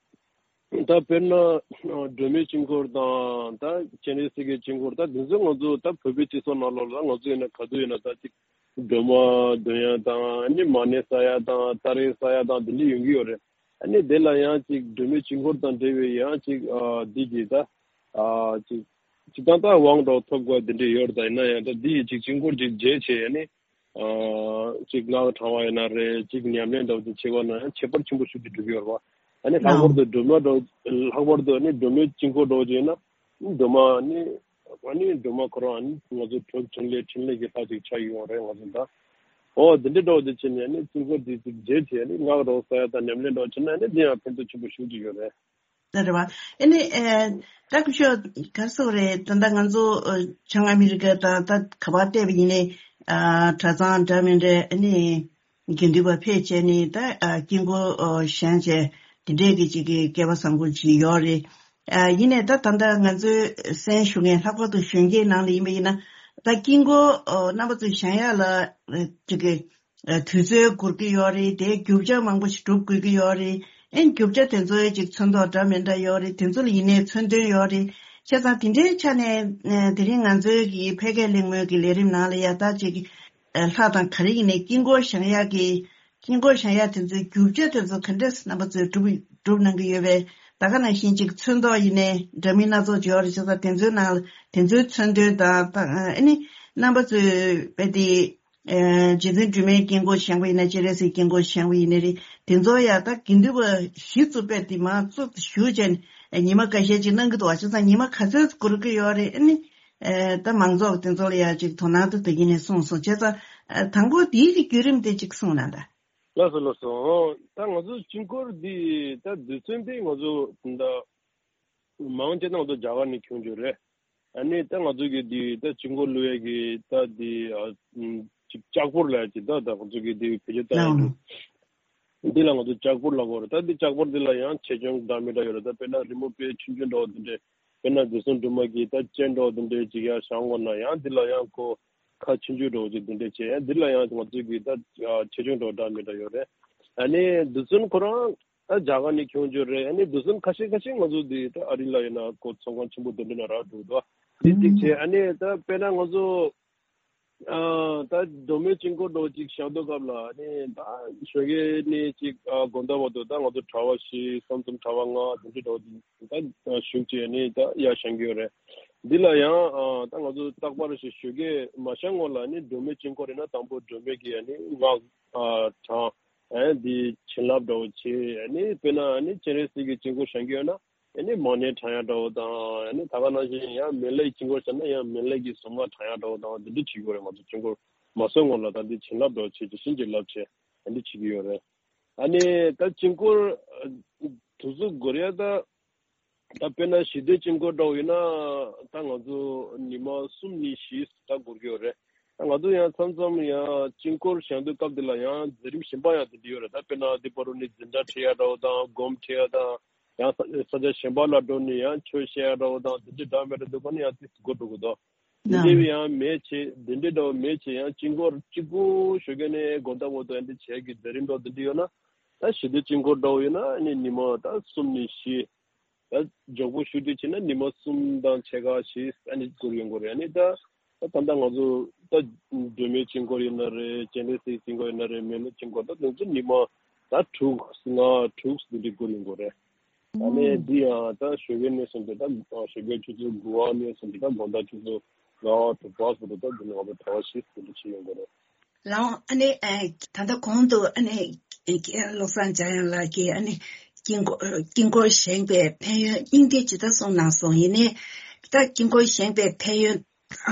ད་དཔེར་ན་སྒྲོལ་མའི་དཀྱིལ་འཁོར་དང་ད་སྤྱན་རས་གཟིགས་ཀྱི་དཀྱིལ་འཁོར་ད་དེ་ཚོ་ང་ཚོ་ད་བོད་པའི་སྤྱི་ཚོགས་ནང་ལོགས་ལ་ང་ཚོ་ཡིན་ན་ག་དུས་ཡིན་ན་ད་ཅིག་སྒྲོལ་མ་འདོན་ཡ་དང་ཨ་ནི་མ་ཎི་བསགས་ཡ་དང་ཏཱ་རེ་བསགས་ཡ་དང་དེ་འདྲ་ཡོང་གི་ཡོད་རེད། ཨ་ནི་དེ་ལ་ཡང་ཅིག་སྒྲོལ་མའི་དཀྱིལ་འཁོར་དང་འབྲེལ་བའི་ཡང་ཅིག་ཨ་འདི་གི་ད་ཨ་ཅིག་སྤྱིར་བཏང་ད་དབང་འདྲ་བོ་ཐོབ་དགོས་དེ་འདྲ་ཡོད་རེད། ད་ཡིན་ན་ཡང་ད་འདི་ཡི་ཅིག་དཀྱིལ་འཁོར་ཅིག་མཇལ་བྱས་ཨ་ནི། ཨ་གཅིག་སྔགས་བགྲང་བ་ཡིན་ན་རེད། གཅིག་ཉམས་ལེན་འདྲ་བོ་ཅིག་བྱེད་པ་ན་ཡང་ཁྱད་པར་ཆེན་པོ་ཞེ་པོ་ཅིག་འགྲོ་གི་ཡོད་རེད་བ། ཨ་ནི་ལྷག་པར་དུ་སྒྲོལ་མ་འདྲ་བོ་ལྷག་པར་དུ་ཨ་ནི་སྒྲོལ་མའི་དཀྱིལ་འཁོར་འདྲ་བོ་ཅིག་ཡིན་ན་སྒྲོལ་མ་ཨ་ནི་ཨ་ནི་སྒྲོལ་མ་ཁོ་རང་ཨ་ནི་ང་ཚོ་གྲུབ་འཕྲིན་ལས་འཕྲིན་ལས་ཀྱི་ལྷ་ཅིག་ཆགས་ཡོང་བ་རེད་ང་ཚོ་ད། ཨོ་འདི་འདྲ་འདྲ་བོ་ཅིག་བྱས་ནས་ཨ་ནི་དཀྱིལ་འཁོར་འདི་ཅིག་མཇལ་བྱས་ཨ་ནི་སྔགས་འདྲ་བོ་བསགས་ཡ་དང་ཉམས་ལེན་འདྲ་བོ་བྱས་ན་ཨ་ནི་འདི་ཡང་ཕན་ཐོགས་ཆེན་པོ་ཞེ་པོ་ཅིག་ཡོད་རེད། ད་རེད་བ། ཨ་ནི་ཨེ་ད་སྐུ་ཞབས་ག་རེ་ཟེར་དགོས་རེད། ད་ལྟ་ང་ཚོ་ཨ་བྱང་ཨ་མི་རི་ཀ་དང་ད་ག་པར་བལྟས་པ་ཡིན་ནའི་ཨ་གྲྭ་ཚང་འདྲ་མི་འདྲ་ཨ་ནི་དགེ་འདུན་པ་ཕེབས་བྱས་ནས་ད་ཨ་དཀྱིལ་འཁོར་ཨ་བཞེངས་བྱས་དེ་འདྲས་ཀྱི་ཅིག་གི་སྐལ་བ་བཟང་པོ་ཅིག་ཡོད་རེད། ཨ་ཡིན་ནའི་ད་ད་ལྟ་ང་ཚོའི་གསན་ཞུ་མཁན་ལྷག་པར་དུ་གཞོན་སྐྱེས་ནང་ལ་ཡིན་པ་ཡིན་ན་ད་དཀྱིལ་འཁོར་ཨ་རྣམ་པ་ཚོས་བཞེངས་ཡག་ལ་ཨ་ཅིག་གི་ཨ་དུས་ཚོད་འགོར་གྱི་ཡོད་རེད། དེའི་རྒྱུ་ཆ་མང་པོ་ཞིག་སྒྲུབ་དགོས་ཀྱི་ཡོད་རེད། ཨེ་རྒྱུ་ཆ་དེ་ཚོའི་ཅིག་ཚོན་མདོག་འདྲ་མི་འདྲ་ཡོད་རེད། དེ་ཚོ་ལ་ཡིན་ནའི་མཚོན་དོན་ཡོད་རེད། བྱས་ཙང་དེ་འདྲའི་ཆ་ནས་ཨ་དེ་རིང་ང་ཚོའི་གི་ཕལ་སྐད་གླེང་མོལ་གྱི་ལས་རིམ་ནང་ལ་ཡ་ད་ཅིག་ཨ་ལྷ་དང་ག་རེ་ཡིན་ནའི་དཀྱིལ་འཁོར་བཞེངས་ཡག་གི་དཀྱིལ་འཁོར་བཞེངས་ཡག་དེ་ཚོའི་རྒྱུ་ཆ་དེ་ཚོ་ག་འདྲས་རྣམ་པ་ཚོས་སྒྲུབ་སྒྲུབ་གནང་གི་ཡོད་པས་ད་ག་ནང་བཞིན་ཅིག་ཚོན་མདོག་ཡིན་ནའི་འདྲ་མིན་སྣ་ཚོགས་ཅིག་ཡོད་རེད། བྱས་ཙང་དེ་ཚོའི་ནང་ལ་དེ་ཚོའི་མཚོན་དོན་དང་ད་ཨ་ནི་རྣམ་པ་ཚོས་དཔེ་དེ། ཨེ་རྗེ་བཙུན་སྒྲོལ་མའི་དཀྱིལ་འཁོར་བཞེངས་པ་ཡིན་ན་སྤྱན་རས་གཟིགས་དཀྱིལ་འཁོར་བཞེངས་པ་ཡིན་ན་རེད། དེ་ཚོ་ཡང་ད་དགེ་འདུན་པ་གཞི་བཙུགས་པས་དེ་མ་བཙུགས་ཞུ་བྱས་ནས་ཉི་མ་ཁ་ཤས་ཅིག་གནང་གི་འདུག་བ། བྱས་ཙང་ཉི་མ་ག་ཚོད་འགོར་གི་ཡོད་རེད། ཨ་ནི་ཨེ་ད་མང་ཚོགས་དེ་ཚོ་ལ་ཡང་ཅིག་དོ་སྣང་དུ་དེ་ཡིན་ནས་གསུངས་སོང་། བྱས་ཙང་ཨེ་དང་པོ་དེའི་གི་བརྒྱུད་རིམ་དེ་ཅིག་གསུངས་གནང་དང་། ལགས་སོ་ལགས་སོ། ཨོ་ད་ང་ཚོ་དཀྱིལ་འཁོར་འདི་ད་རྡུལ་ཚོན་འདི་ང་ཚོ་ད་མང་ཆེ་ད་ང་ཚོ་རྒྱ་གར་ནས་ཁྱོང་རྒྱུ་རེད། ཨ་ནི་ད་ང་ཚོ་གི་འདི་ད་དཀྱིལ་འཁོར་བླུག་ཡས་ཀྱི་ད་འདི་ཨ། ཅིག་ལྕགས་ཕོར་ལབ་ཅིག་ད་ད་ང་ཚོ་གི་དེ་བེད་སྤྱོད་བཏང་ཡ་ནའང་འདུག་འདི་ལ་ང་ཚོ་ལྕགས་ཕོར་ལབ་དགོས་རེད། ད་འདི་ལྕགས་ཕོར་འདི་ལ་ཡང་ཆེ་ཆུང་འདྲ་མི་འདྲ་ཡོད་རེད། ད་དཔེར་ན་རི་མོ་དཔེ་ཆུང་ཆུང་འདྲ་བོ་འདི་འདྲས། དཔེར་ན་རྡུལ་ཚོན་སྦྲུམ་མ་གི་ད་སྤྱན་འདྲ་བོ་འདི་འདྲས་ཅིག་ཡར་བཞེངས་དགོས་ན་ཡང་འདི་ལ་ཡང་ཁོ་ཁ་ཆུང་ཆུང་འདྲ་བོ་ཅིག་འདི་འདྲས་བྱས། ཡང་འདི་ལ་ཡང་ང་ཚོ་གི་ད་ཆེ་ཆུང་འདྲ་བོ་འདྲ་མི་འདྲ་ཡོད་རེད། ཨ་ནི་རྡུལ་ཚོན་ཁོ་རང་ད་རྒྱ་གར་ནས་ཁྱོང་རྒྱུ་རེད། ཨ་ནི་རྡུལ་ཚོན་ཁ་ཤས་ཁ་ཤས་ང་ཚོ་འདི་ད་ཨ་རི་ལ་ཡིན་ན་ཁོ་ཚོང་ཁང་ཆེན་པོ་འདི་འདྲས་ན་རག་འགྲོ་འདུག་དེ་གཅིག་བྱས། ཨ་ནི་ད་དཔེར་ན་ང་ཚོ་ཨ་ད་སྒྲོལ་མའི་དཀྱིལ་འཁོར་འདྲ་བོ་ཅིག་བཞེངས་དུས་སྐབས་ལ་ནི་ད་ཞོགས་ཀས་ནས་ཅིག་ཨ་དགོང་དག་བར་དུ་ད་ང་ཚོ་གྲྭ་པ་བཞི་གསུམ་གྲྭ་པ་ལྔ་དེ་འདྲས་འདྲ་བོ་ཅིག་ད་བཞུགས་བྱས་ནས་ད་ཡར་བཞེངས་ཀྱི་ཡོད་རེད། འདི་ལ་ཡང་ཨ་ད་ང་ཚོ་རྟག་པར་ཞིག་ཞོགས་ཀས་མ་བཞེངས་སྔོན་ལ་ནི་སྒྲོལ་མའི་དཀྱིལ་འཁོར་ཡིན་ན་དང་པོ་སྒྲོལ་མའི་གི་ཨ་ནི་སྔགས་ཨ་བགྲང་། ཨ་འདི་བྱིན་རླབས་འདྲ་བོ་བྱས། ཨ་ནི་དཔེར་ན་ཨ་ནི་སྤྱན་རས་གཟིགས་ཀྱི་དཀྱིལ་འཁོར་བཞེངས་ཀྱི་ཡོད་ན། ཨ་ནི་མ་ཎི་བགྲང་ཡ་འདྲ་བོ་དང་། ཨ་ནི་ད་ག་ནང་བཞིན་ཡང་མེ་ལྷའི་དཀྱིལ་འཁོར་བཞེངས་ན་ཡང་མེ་ལྷའི་གི་གཟུངས་སྔགས་བགྲང་ཡ་འདྲ་བོ་དང་འདི་འདྲ་བྱེད་ཀྱི་ཡོད་རེད། ང་ཚོ་དཀྱིལ་འཁོར་མ་བཞེངས་སྔོན་ལ་ད་འདི་བྱིན་རླབས་འདྲ་བོ་བྱས་ཅིག་བྱིན་གྱིས་བརླབས་བྱས་ཨ་འདི་བྱེད་ཀྱི་ཡོད་རེད། ཨ་ནི་ད་དཀྱིལ་འཁོར་ཨ་དུས་ཚོད་འགོར་ཡ་ད་ད་དཔེར་ན་ཞི་བདེའི་དཀྱིལ་འཁོར་འདྲ་བོ་ཡིན་ན་ད་ང་ཚོ་ཉི་མ་གསུམ་ནས་བཞི་ད་འགོར་གྱི་ཡོད་རེད། ད་ང་ཚོ་ཡང་མཚམས་མཚམས་ཡང་དཀྱིལ་འཁོར་བཞེངས་དུས་སྐབས་འདི་ལ་ཡང་མཛད་རིམ་གཞན་པ་ཡང་དེ་འདྲ་ཡོད་རེད། ད་དཔེར་ན་འདི་བར་དུ་ནི་འཛིན་གྲྭ་ཁྲིད་ཡ་འདྲ་བོ་དང་སྒོམ་ཁྲིད་ཡ་དང་། ཡང་ས་ས་ཆ་གཞན་པ་ལ་འགྲོ་ནས་ཡང་ཆོས་བཤད་ཡ་འདྲ་བོ་དང་དེ་འདྲ་འདྲ་མི་འདྲ་འདུག་ག་ནི་ཡང་དེ་འགོར་འགྲོ་གི་འདུག་འདི་འདྲ་ཡང་མེད་བྱས། འདི་འདྲ་འདྲ་བོ་མེད་བྱས་ཡང་དཀྱིལ་འཁོར་གཅིག་པུ་ཞོགས་ཀས་ནས་དགོང་དག་བར་དུ་ཡང་འདི་བྱས་ཀྱི་མཛད་རིམ་འདྲ་བོ་འདི་འདྲ་ཡོད་ན། ད་ཞི་བདེའི་དཀྱིལ་འཁོར་འདྲ་བོ་ཡོད་ན་ཨ་ནི་ཉི་མ་ད་གསུམ་ནས་བཞི། ད་མགྱོགས་པོ་ཞུ་དུས་བྱས་ན་ཉི་མ་གསུམ་དང་ཕྱེད་ཀ་བཞི་ཨ་ནི་འགོར་ཡོང་གི་རེད། ཨ་ནི་ད་ད་ད་ལྟ་ང་ཚོ་ད་སྒྲོལ་མའི་དཀྱིལ་འཁོར་ཡིན་ན་རེད། སྤྱན་རས་གཟིགས་དཀྱིལ་འཁོར་ཡིན་ན་རེད། མེ་ལྷའི་དཀྱིལ་འཁོར་ད་དེ་ཚོ་ཉི་མ་ད་དྲུག་ལྔ་དྲུག་འདི་འདྲ་འགོར་ཡོང་གི་རེད། ཨ་ནི་འདི་ཡང་ད་ཞོགས་ཀའི་ནས་བཟུང་སྟེ་ད་ཞོགས་ཀའི་ཆུ་ཚོད་དགུ་པ་ནས་བཟུང་སྟེ་ད་དགོང་དག་ཆུ་ཚོད་ལྔ་པ་དྲུག་པ་བར་དུ་ད་འདི་ནང་ལ་གྲྭ་པ་བཞི་འདི་འདྲ་བྱེད་ཡོང་གི་རེད། ལགས། ཨ་ནི་ཨ་ད་ལྟ་གོང་དུ་ཨ་ནི་ཨ་བློ་བཟང་འཇམ་དབྱངས་ལགས་ཀྱིས་ཨ་ནི་དཀྱིལ་འཁོར་དཀྱིལ་འཁོར་བཞེངས་པའི་ཕན་ཡོན་སྙིང་བསྡུས་ཇི་ལྟར་གསུངས་གནང་སོང་། ཡིན་ནའི་ད་དཀྱིལ་འཁོར་བཞེངས་པའི་ཕན་ཡོན་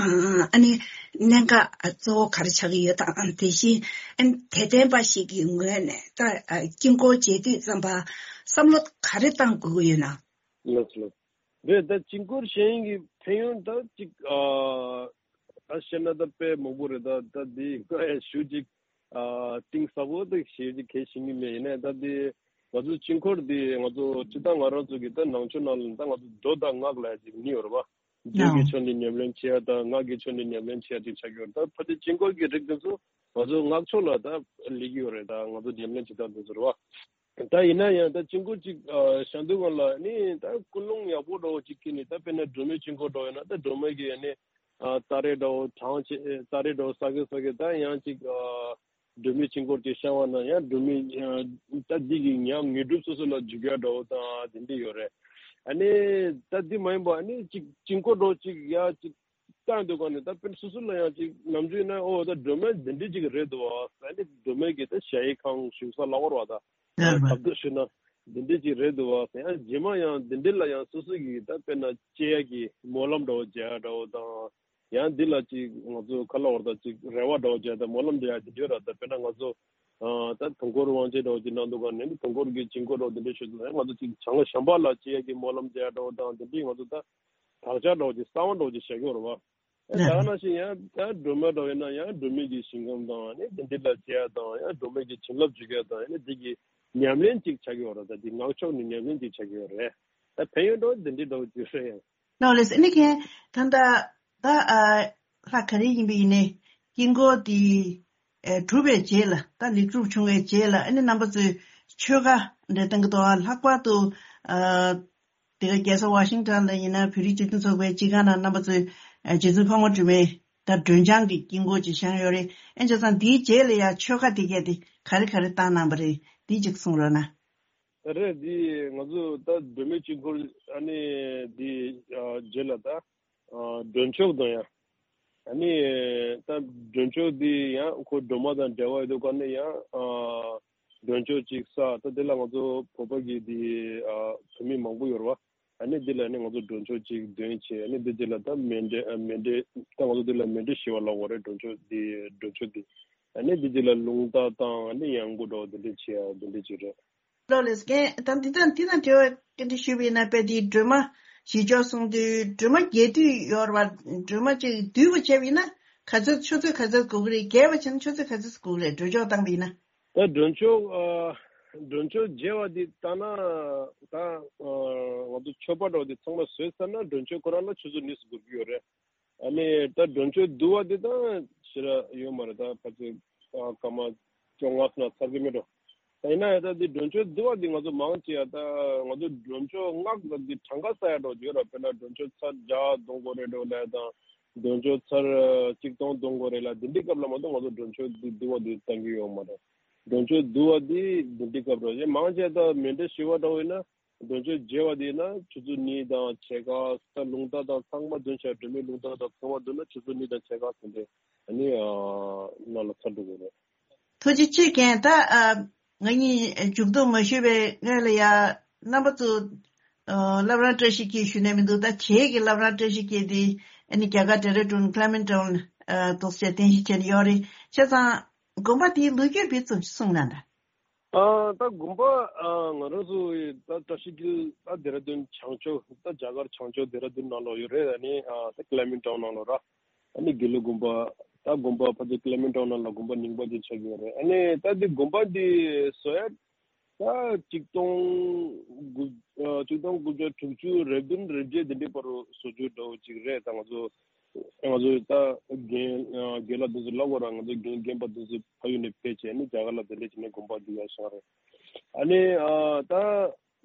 ཨ་ནི་གནད་འགག་གཙོ་བོ་ག་རེ་ཆགས་ཀྱི་ཡོད་དམ། དེ་བཞིན་ཨ་ནི་དད་ལྡན་པ་ཞིག་གི་ངོས་ནས་ད་དཀྱིལ་འཁོར་མཇལ་དུས་ཙམ་པ་བསམ་བློ་ག་རེ་བཏང་དགོས་ཀྱི་ཡོད་ན། ལགས་སོ། རེད། ད་དཀྱིལ་འཁོར་བཞེངས་ཀྱི་ཕན་ཡོན་ད་ཅིག་ཨ་ད་བཤད་ན་ད་དཔེ་མང་པོ་རེད། ད་ད་འདི་ང་ཡང་ཞུ་ཅིག་ཨ་གཏིང་ཟབ་པོ་ད་ཞེ་ཅིག་གལ་ཤེས་ཀྱི་མེད། ཡིན་ནའི་ད་འདི་ང་ཚོ་དཀྱིལ་འཁོར་འདི་ང་ཚོ་སྤྱིར་བཏང་ང་རང་ཚོ་གི་ད་ནང་ཆོས་ནང་ལ་ད་ང་ཚོ་མདོ་དང་སྔགས་ལབ་ཅིག་གཉིས་ཡོད་རེད་པ། མདོ་གི་ཕྱོགས་ནས་ཉམས་ལེན་བྱེད་ཡ་དང་སྔགས་ཀྱི་ཕྱོགས་ནས་ཉམས་ལེན་བྱེད་ཡ་ཅིག་ཆགས་ཀྱི་ཡོད་རེད། ད་ཕལ་ཆེར་དཀྱིལ་འཁོར་གྱི་རིགས་འདི་ཚོ་ང་ཚོ་སྔགས་ཕྱོགས་ལ་ད་སླེབས་ཀྱི་ཡོད་རེད། ད་ང་ཚོ་ཉམས་ལེན་བྱེད་སྟངས་འདི་ཚོ་རེད་པ། ད་ཡིན་ན་ཡང་ད་དཀྱིལ་འཁོར་ཅིག་ཨ་བཞེངས་དུས་སྒང་ལ་ནི་ད་ཀུན་སློང་ཡག་པོ་འདྲ་བོ་ཅིག་གིས་ནི་ད་དཔེར་ན་སྒྲོལ་མའི་དཀྱིལ་འཁོར་འདྲ་བོ་ཡིན་ན་ད་སྒྲོལ་མ་གི་ནི་ཨ་སྟ་རེ་འདྲ་བོ་བགྲངས་བྱས། སྟ་རེ་འདྲ་བོ་ས་གི་ས་གི་ད་ཡང་ཅིག་ཨ་སྒྲོལ་མའི་དཀྱིལ་འཁོར་ཅིག་བཞེངས་པ་ན་ཡང་སྒྲོལ་མའི་ཨ་ད་འདི་གི་ཉམས་དངོས་གྲུབ་སོ་སོ་ལ་འཇུག་ཡ་འདྲ་བོ་དང་དེ་འདྲ་ཡོད་རེད། ཨ་ནི་ད་འདི་མ་ཡིན་པ་ཨ་ནི་ཅིག་དཀྱིལ་འཁོར་འདྲ་བོ་ཅིག་ཡ་ཅིག་བཏང་དུས་སྒང་ནས་ད་དཔེར་ན་སོ་སོ་ལ་ཡང་ཅིག་ནམ་རྒྱུན་ན་ཨོ་ད་སྒྲོལ་མ་འདི་འདྲ་ཅིག་རེད་འདུག་ཨ། ཨ་ནི་སྒྲོལ་མ་གི་ད་ཞ་ཡི་ཁང་བཞུགས་ས་ལབ་དགོས་རེད་པ། ད་ལབ་དུས་ཞུས་ན་འདི་འདྲ་ཅིག་རེད་འདུག་ཨ། ཡང་རྗེས་མ་ཡང་འདི་འདྲ་ལ་ཡང་སོ་སོ་གི་ད་དཔེར་ན་སྐྱེ་ཡ་གི་སྨོན་ལམ་འདྲ་བོ་རྒྱག་ཡ་འདྲ་བོ་དང་། ཡང་འདི་ལ་ཅིག་ང་ཚོ་ག་ལབ་དགོས་རེད། ད་ཅིག་རེ་བ་འདྲ་བོ་རྒྱག་ཡ་དང་སྨོན་ལམ་རྒྱག་ཡ་འདི་འདྲ་ཡོད་རེད། ད་དཔེར་ན་ང་ཚོ་ཨ་ད་དུས་འཁོར་དབང་ཆེན་འདྲ་བོ་ཅིག་གནང་དུས་སྒང་ནས་ནི་དུས་འཁོར་གྱི་དཀྱིལ་འཁོར་འདྲ་བོ་འདི་འདྲ་ཞུ་དུས་ང་ཚོ་ཅིག་བྱང་ཤམྦྷ་ལ་སྐྱེ་ཡ་གི་སྨོན་ལམ་རྒྱག་ཡ་འདྲ་བོ་དང་འདི་འདྲ་ང་ཚོ་ད་དག་ཆ་འདྲ་བོ་ཅིག་གསང་བ་འདྲ་བོ་ཅིག་བཞག་གི་ཡོད་རེད་པ། ཨ་ད་ག་ནང་བཞིན་ཡང་ད་སྒྲོལ་མ་འདྲ་བོ་ཡིན་ན་ཡང་སྒྲོལ་མའི་གི་ཞིང་ཁམས་དང་ནི་འདི་འདྲ་ལ་སྐྱེ་ཡ་དང་ཡང་སྒྲོལ་མའི་གི་བྱིན་རླབས་འཇུག་ཡ་དང་ནི་འདི་གི་ཉམས་ལེན་ཅིག་ཆགས་ཀྱི་ཡོད་རེད། ད་འདི་སྔགས་ཕྱོགས་ནས་ཉམས་ལེན་ཅིག་ཆགས་ཀྱི་ཡོད་རེད། ད་ཕན་ཡོན་འདྲ་བོ་འདི་འདྲ་འདྲ་བོ་ཅིག་རེད། ཡང་ནོ་ལེས། ཨ་ནི་ཁྱེད་ད་ལྟ་ད་ཨ་ལྷ་ག་རེ་ཡིན་པ་ཡིན་ནའི་དཀྱིལ་འཁོར་འདི་ཨེ་གྲུབ་པའི་རྗེས་ལ་ད་ལེགས་གྲུབ་བྱུང་བའི་རྗེས་ལ་ཨ་ནི་རྣམ་པ་ཚོས་ཆོས་ཁ་འདྲ་གཏོང་གི་འདུག་ཨ། ལྷག་པར་དུ་ཨ་དེ་ག་རྒྱལ་ས་ཝ་ཤིང་ཊོན་ལ་ཡིན་ན་བོད་རིགས་སྤྱི་མཐུན་ཚོགས་པའི་སྤྱི་ཁང་ནང་རྣམ་པ་ཚོས་ཨ་རྗེ་བཙུན་འཕགས་མ་སྒྲོལ་མའི་ད་སྒྲོལ་ལྗང་གི་དཀྱིལ་འཁོར་ཅིག་བཞེངས་ཡོད་རེད། ཨེ་བྱས་ཙང་དེའི་རྗེས་ལ་ཡང་ཆོས་ཁ་དེ་གས་དེ་ག་རེ་ག་རེ་བཏང་གནང་བ་རེད། དེ་ཅིག་གསུང་རོགས་གནང་། ད་རེད། འདི་ང་ཚོ་ད་སྒྲོལ་མའི་དཀྱིལ་འཁོར་ཨ་ནི་འདི་ཨ་རྗེས་ལ་ད་ཨ་མགྲོན་མཆོད་དང་ཡང་ཨ་ནི་ད་མགྲོན་མཆོད་འདི་ཡང་ཁོ་སྒྲོལ་མ་དང་འབྲེལ་བ་ཡོད་དུས་སྒང་ནས་ཡང་ཨ་མགྲོན་མཆོད་ཅིག་ས། ད་དེ་ལ་ང་ཚོ་བོད་པ་གི་འདི་ཨ་བོད་མི་མང་པོ་ཡོད་རེད་པ། ཨ་ནི་འདི་ལ་ནི་ང་ཚོ་མགྲོན་མཆོད་ཅིག་འདོན་བྱས། ཨ་ནི་འདི་རྗེས་ལ་ད་མཎྜལ་ཨ་མཎྜལ་ད་ང་ཚོ་འདི་ལ་མཎྜལ་ཞུ་བ་ལབ་དགོས་རེད། མགྲོན་མཆོད་འདི་མགྲོན་མཆོད་འདི། ཨ་ནི་འདི་རྗེས་ལ་རླུང་རྟ་བཏང་ཨ་ནི་ཡང་སྒོ་འགྲོ་འདི་འདྲས་བྱེད་ཡ་འདི་འདྲས་ཅིག་རེད། ལགས་ལགས། རྒན་ད་འདི་དང་འདི་དང་འབྲེལ་བ་སྐད་འདི་ཞུས་པ་ཡིན་ན་དཔེ་འདི་སྒྲོལ་མ་བཞེས་ཕྱོགས་གསུང་དུས་སྒྲོལ་མ་རྒྱས་བསྡུས་ཡོད་རེད་པ། སྒྲོལ་མ་ཅིག་བསྡུས་པ་བྱས་པ་ཡིན་ན་ ག་ཚོད་ཆུ་ཚོད་ག་ཚོད་དགོས་ཀྱི་རེད། བརྒྱབ་པ་བྱས་ན་ཆུ་ཚོད་ག་ཚོད་དགོས་ཀྱི་རེད། མགྲོན་ཆོག་བཏང་པ་ཡིན་ན། ད་མགྲོན་ཆོག་ཨ། མགྲོན་ཆོག་བརྗེ་བ་འདི་བཏང་ན་ད་ཨ། ང་ཚོ་མཆོད་པ་འདྲ་བོ་འདི་ཚང་མ་བཟོས་ཚར་ན་མགྲོན་ཆོག་ཁོ་རང་ལ་ཆུ་ཚོད་གཉིས་སུ་འགོར་གྱི་ཡོད་རེད། ཨ་ནི་ད་མགྲོན་ཆོག་བསྡུ་བ་འདི་ད་ཞེ་དྲག་ཡོད་མ་རེད། ད་ཕལ་ཆེར་ཨ། སྐར་མ་བཅོ་ལྔ་ཙམ་ལ་ཚར་གྱི་མེད་འགྲོ། ད་ཡིན་ན་ཡང་ད་འདི་མགྲོན་ཆོག་བསྡུ་བ་འདི་ང་ཚོ་མང་ཆེ་ཡ་ད་ང་ཚོ་མགྲོན་ཆོག་མངགས་ད་འདི་གྲངས་ཀ་ས་ཡ་འགྲོ་ཡོད་ར། དཔེར་ན་མགྲོན་ཆོག་ཚར་བརྒྱ་གཏོང་དགོས་རེད་འགྲོ་ལ་ཡ་དང་། མགྲོན་ཆོག་ཚར་གཅིག་སྟོང་གཏོང་དགོས་རེད་ལ། འདི་འདྲའི་སྐབས་ལ་མ་གཏོགས་ང་ཚོ་མགྲོན་ཆོག་འདི་བསྡུ་བ་འདི་གཏང་གི་ཡོད་མ་རེད། མགྲོན་ཆོག་བསྡུ་བ་འདི་འདི་འདྲའི་སྐབས་རེད། མང་ཆེ་ད་མེ་མདའ་ཞི་བ་འདྲ་བོ་ཡིན་ན་མགྲོན་ཆོག་བརྗེ་བ་འདི་ཡིན་ན་ཆུ་ཚོད་གཉིས་དང་ཕྱེད་ཀ། ད་རླུང་རྟ་དང་ཚང་མ་བསྡུ་བྱས། མགྲོན་མེད་རླུང་རྟ་དང་ཚང་མ་བསྡུ་ན་ཆུ་ཚོད་གཉིས་དང་ཕྱེད་ཀ་ཟིན་ཏེ་ཨ་ནི་ཨ། ནང་ལ་ཚར་འགྲོ་དགོས་རེད། ཐུགས་རྗེ་ཆེ་རྒན། ད་ཨ། ང་གཉིས་མཇུག་བསྡོམས་མ་ཞུས་པའི་སྔོན་ལ་ཡ་རྣམ་པ་ཚོ་ཨ། བླ་བྲང་བཀྲ་ཤིས་འཁྱིལ་ཞུ་ནས་མི་འདུག་ད་བྱེས་ཀྱི་བླ་བྲང་བཀྲ་ཤིས་འཁྱིལ་དེ་ཨ་ནི་རྒྱ་གར་ཌེ་ར་ཌུན་ཀླེ་མེན་ཊོན་ཨ། ཐོག་བཅས་རྟེན་གཞི་བྱས་ནས་ཡོད་རེད། བྱས་ཙང་དགོན་པ་དེའི་ལོ་རྒྱུས་སྦིར་ཙམ་ཞིག་གསུངས་གནང་དང་། ཨ། ད་དགོན་པ་ཨ། ང་རང་ཚོ་ད་བཀྲ་ཤིས་འཁྱིལ་ད་ཌེ་ར་ཌུན་བྱང་ཕྱོགས། ད་རྒྱ་གར་བྱང་ཕྱོགས་ཌེ་ར་ཌུན་ནང་ལོགས་ཡོད་རེད། ཨ་ནི་ཨ། ད་ཀླེ་མེན་ཊོན་ནང་ལོགས་ར། ཨ་ནི་དགེ་ལུགས་དགོན་པ། ད་དགོན་པ་ཕལ་ཆེར་ཀླེ་མེན་ཊོན་ནང་ལ་དགོན་པ་རྙིང་པ་ཅིག་ཆགས་ཀྱི་ཡོད་རེད། ཨ་ནི་ད་འདི་དགོན་པ་འདི་བཟོ་ཡ་ད་གཅིག་སྟོང་དགུ་ཨ། གཅིག་སྟོང་དགུ་བརྒྱ་དྲུག་ཅུ་རེ་བདུན་རེ་བརྒྱད་དེ་འདྲའི་བར་དུ་བཟོ་རྒྱུ་འདྲ་བོ་ཅིག་རེད། ད་ང་ཚོ་ང་ཚོ་ད་རྒན་ཨ། རྒན་ལགས་དེ་ཚོ་ལབ་དགོས་ར། ང་ཚོ་རྒན་རྒན་པ་དེ་ཚོ་ཕ་ཡུལ་ནས་ཕེབས་བྱས་ནི་རྒྱ་གར་ལ་དེ་འདྲ་བྱས་ནས་དགོན་པ་འདི་ཡར་བཞེངས་རེད། ཨ་ནི་ཨ། ད་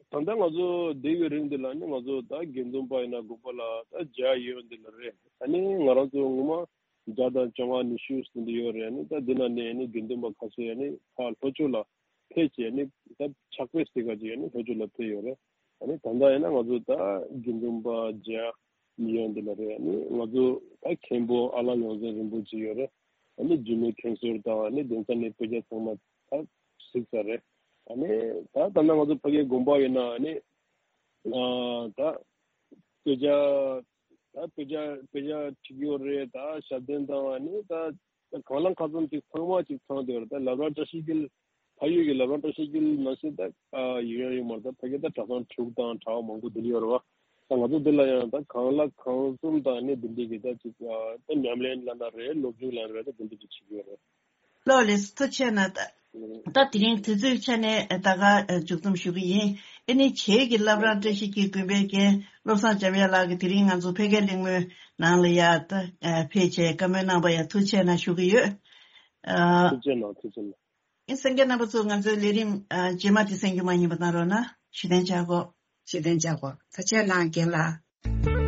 ད་ལྟ་ང་ཚོ་བསྡད་ཡོད་རིང་འདི་ལ་ནི་ང་ཚོ་ད་དགེ་འདུན་པ་ཡིན་ན་དགོན་པ་ལ་ད་བརྒྱ་ཡོད་འདི་ལ་རེད། ཨ་ནི་ང་རང་ཚོ་ངོ་མ་བརྒྱ་དང་བཅོ་ལྔ་ཉི་ཤུ་ཟིན་འདི་ཡོད་རེད། ཨ་ནི་ད་འདི་ན་ནས་ཨ་ནི་དགེ་འདུན་པ་ཁ་ཤས་ཨ་ནི་ཕར་ལྷོ་ཕྱོགས་ལ་ཕེབས་བྱས་ཨ་ནི་ད་ཕྱག་དཔེ་ཟེར་ག་ཅིག་ཨ་ནི་ལྷོ་ཕྱོགས་ལ་ཕེབས་ཡོད་རེད། ཨ་ནི་ད་ལྟ་ཡིན་ན་ང་ཚོ་ད་དགེ་འདུན་པ་བརྒྱ་མི་ཡོང་འདི་ལ་རེད། ཨ་ནི་ང་ཚོ་ད་མཁན་པོ་ཨ་ལགས་ཡོངས་འཛིན་རིན་པོ་ཆེ་ཡོད་རེད། ཨ་ནི་རྒྱུད་སྨད་མཁན་ཟུར་དང་ཨ་ནི་གདན་ས་ནས་དཔེ་ཆ་ཚང་མ་ད་གཟིགས་ཚར་རེད། ཨ་ནི་ད་ད་ལྟ་ང་ཚོ་ཕ་གིའི་དགོན་པ་ཡིན་ན་ཨ་ནི་ཨ། ད་དཔེ་ཆ་ད་དཔེ་ཆ་དཔེ་ཆ་ཁྲིད་ཡོད་རེད། ད་ཞབས་བརྟན་དང་ཨ་ནི་ད་གང་ལ་གང་འཚམ་ཅིག་ཚང་མ་ཅིག་ཚང་བསྡད་ཡོད་རེད། ད་བླ་བྲང་བཀྲ་ཤིས་འཁྱིལ་ཕ་ཡུལ་གྱི་བླ་བྲང་བཀྲ་ཤིས་འཁྱིལ་ནང་བཞིན་ད་ཨ། ཡོད་ཡོད་མ་རེད། ད་ཕ་གི་ད་གྲྭ་ཚང་དྲུག་དང་གྲྭ་བ་མང་པོ་འདི་འདྲ་ཡོད་རེད་བ། ད་ང་ཚོ་འདི་ལ་ཡང་ད་གང་ལ་གང་འཚམ་དང་ཨ་ནི་འདི་འདྲ་གི་ད་ཅིག་ཨ། ད་ཉམས་ལེན་ལབ་ན་རེད། སློབ་སྦྱོང་ལབ་ན་རེད། ད་འདི་འདྲ་ཅིག་བྱེད་ཀྱི་ཡོད་རེད། ལགས་ལགས་སོ། ཐུགས་རྗེ་ཆེ་གནང་། ད་ད་དེ་རིང་དུས་ཚོད་ཆ་ནས་ད་ག་མཇུག་བསྡོམས་ཞུ་གི་ཡིན། ཨ་ནི་བྱེས་ཀྱི་བླ་བྲང་བཀྲ་ཤིས་འཁྱིལ་དགོན་པའི་རྒན་བློ་བཟང་འཇམ་དབྱངས་ལགས་ཀྱིས་དེ་རིང་ང་ཚོ་ཕ་གིའི་གླེང་མོལ་ནང་ལ་ཡ་ད་ཕེབས་བྱས་བཀའ་མོལ་གནང་བ་ཡ་ཐུགས་རྗེ་ཆེ་གནང་ཞུ་གི་ཡོད། ཨ། ཐུགས་རྗེ་གནང་། ཐུགས་རྗེ་གནང་། ཨིན། གསན་མཁན་རྣམ་པ་ཚོ། ང་ཚོའི་ལས་རིམ་ཨ། རྗེས་མ་དེ་གསན་རྒྱུ་མ་ཉམས་པ་གནང་རོགས་གནང་། བཞུགས་གདན་འཇགས་དགོས། བཞུགས་གདན་འཇགས་དགོས། ཐུགས་རྗེ་གནང་རྒན་ལགས།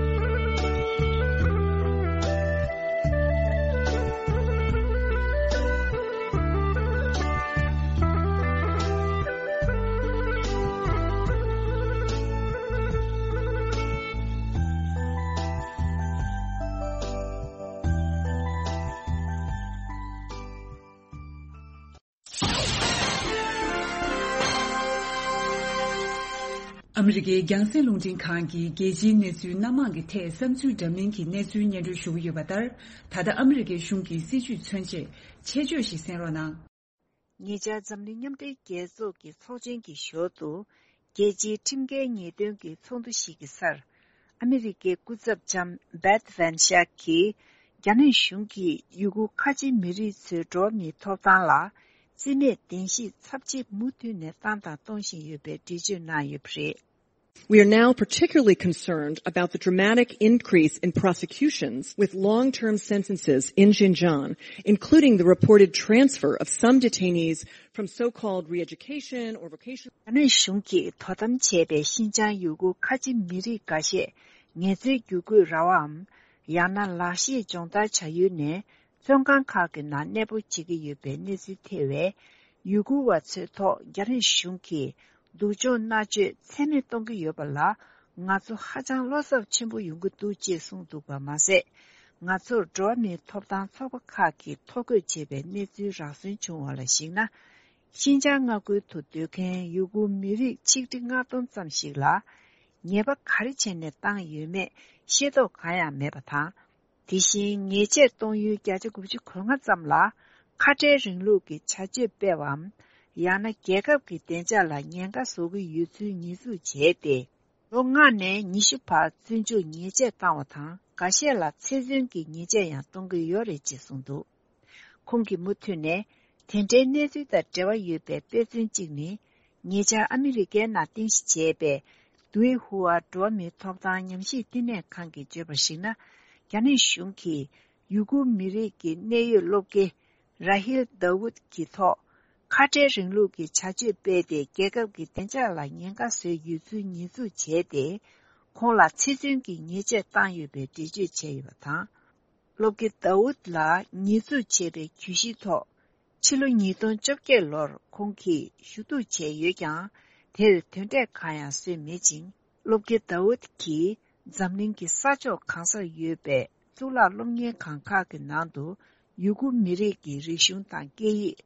ཨ་མི་རི་ཀའི་རྒྱང་སྲིང་རླུང་འཕྲིན་ཁང་གིས་རྒྱལ་སྤྱིའི་གནས་ཚུལ་སྣ་མང་གི་ཐད་བསམ་ཚུལ་འདྲ་མིན་གྱི་གནས་ཚུལ་སྙན་སྒྲོན་ཞུ་གི་ཡོད་པ་ལྟར། ད་ལྟ་ཨ་མི་རི་ཀའི་གཞུང་གི་སྲིད་བྱུས་མཚོན་ཆེད་ཆེད་བརྗོད་ཞིག་གསན་རོགས་གནང་། ཉེ་ཆར་འཛམ་གླིང་མཉམ་འབྲེལ་རྒྱལ་ཚོགས་ཀྱི་ཚོགས་ཆེན་གྱི་ཞོར་དུ། རྒྱལ་སྤྱིའི་ཁྲིམས་འགལ་ཉེས་དོན་གྱི་ཚོགས་འདུ་ཞིག་གི་སར། ཨ་མི་རི་ཀའི་སྐུ་ཚབ་ལྕམ་བེཐ་ཝན་ཤག་གིས། རྒྱ་ནག་གཞུང་གིས་ཡུ་གུར་ཁ་ཆེ་མི་རིགས་ཚོའི་འགྲོ་བ་མིའི་ཐོབ་ཐང་ལ་བརྩི་མེད་བདེན་བཞིའི་ཚབས་ཆེ་མུ་མཐུད་ནས་བཏང་དང་གཏོང་བཞིན་ཡོད་པའི་འགྲེལ་བརྗོད་གནང་ཡོད་པ་རེད། We are now particularly concerned about the dramatic increase in prosecutions with long-term sentences in Xinjiang, including the reported transfer of some detainees from so-called re-education or vocational རྒྱ་ནག་གཞུང་གིས་དོ་དམ་བྱས་པའི་ཤིན་ཅང་ཡུ་གུར་ཁ་ཆེ་མི་རིགས་འགའ་ཤས་ངལ་རྩོལ་བསྒྱུར་བཀོད་ར་བའམ། ཡང་ན་ལག་ཤེས་སྦྱོང་བརྡར་བྱ་ཡུལ་ནས། བཙོན་ཁང་ཁག་གི་ནང་གནས་སྤོ་བྱེད་ཀྱི་ཡོད་པའི་གནས་ཚུལ་ཐེ་བས། ཡུ་གུར་བ་ཚོའི་ཐོག་རྒྱ་ནག་གཞུང་གིས་སྡུག་སྦྱོང་མནར་གཅོད་ཚད་མེད་གཏོང་གི་ཡོད་པ་ལ། ང་ཚོ་ཧ་ཅང་བློ་འཚབ་ཆེན་པོ་ཡོང་གི་འདུག་ཅེས་གསུངས་འདུག་པ་མ་ཟད། ང་ཚོར་འགྲོ་བ་མིའི་ཐོབ་ཐང་ཚོགས་པ་ཁག་གིས་ཐོ་འགོད་བྱས་པའི་གནས་ཚུལ་རག་སོན་བྱུང་བ་ལ་གཞིགས་ན། ཤིན་ཅང་མངའ་ཁུལ་དུ་སྡོད་མཁན་ཡུ་གུར་མི་རིགས་ཆིག་ཁྲི་ལྔ་སྟོང་ཙམ་ཞིག་ལ། ཉེས་པ་ག་རེ་བྱས་ནས་བཏང་ཡོད་མེད་ཤེས་རྟོགས་གང་ཡང་མེད་པ་དང་། དེ་བཞིན་ཉེས་ཆད་གཏོང་ཡུལ་བརྒྱ་ཆ་དགུ་བཅུ་གོ་ལྔ་ཙམ་ལ་ཁ་བྲལ་རིང་ལུགས་ཀྱི་བྱ་སྤྱོད་སྤེལ་བའམ། ཡང་ན་རྒྱལ་ཁབ་ཀྱི་བདེ་འཇགས་ལ་ཉེན་ཁ་བཟོ་གི་ཡོད་ཚུལ་ཉེས་འཛུགས་བྱས་ཏེ། ལོ་ལྔ་ནས་ཉི་ཤུ་བར་བཙོན་འཇུག་ཉེས་ཆད་བཏང་བ་དང་ འགའ་ཤས་ལ་ཚེ་བཙོན་གྱི་ཉེས་ཆད་ཡང་གཏོང་གི་ཡོད་རེད་ཅེས་གསུངས་འདུག། ཁོང་གིས་མུ་མཐུད་ནས། དེ་འདྲའི་གནས་ཚུལ་དང་འབྲེལ་བ་ཡོད་པའི་དཔེ་མཚོན་གཅིག་ནི། ཉེ་ཆར་ཨ་མི་རི་ཀའི་ནང་རྟེན་གཞི་བྱས་པའི་དུའེ་ཧུའ་འགྲོ་བ་མིའི་ཐོབ་ཐང་ཉམས་ཞིབ་བསྟི་གནས་ཁང་གིས་བརྗོད་པར་གཞིགས་ན། རྒྱ་ནག་གཞུང་གིས་ཡུ་གུར་མི་རིགས་ཀྱི་གནད་ཡོད་སློབ་དགེ་ར་ཧིལ་དཱ་ཝུད་ཀྱི་ཐོག་ཁ་བྲལ་རིང་ལུགས་ཀྱི་བྱ་སྤྱོད་སྤེལ་ཏེ། རྒྱལ་ཁབ་ཀྱི་བདེ་འཇགས་ལ་ཉེན་ཁ་བཟོས་ཡོད་ཚུལ་ཉེས་འཛུགས་བྱས་ཏེ། ཁོང་ལ་ཚེ་བཙོན་གྱི་ཉེས་ཆད་བཏང་ཡོད་པའི་འགྲེལ་བརྗོད་བྱས་ཡོད་པ་དང་། སློབ་དགེ་དཱ་ཝུད་ལ་ཉེས་འཛུགས་བྱས་པའི་གྱོད་གཞིའི་ཐོག་ཕྱི་ལོ་ཉིས་སྟོང་བཅོ་བརྒྱད་ལོར་ཁོང་གིས་ཞུ་གཏུག་བྱས་ཡོད་ཀྱང་། དེར་དོན་འབྲས་གང་ཡང་བཟོས་མེད་ཅིང་། སློབ་དགེ་དཱ་ཝུད་ཀྱིས་འཛམ་གླིང་གི་ས་ཕྱོགས་གང་སར་ཡོད་པའི་གཙུག་ལག་སློབ་གཉེར་ཁང་ཁག་གི་ནང་དུ་ཡུ་གུར་མི་རིགས་ཀྱི་རིག་གཞུང་དང་སྐད་ཡིག་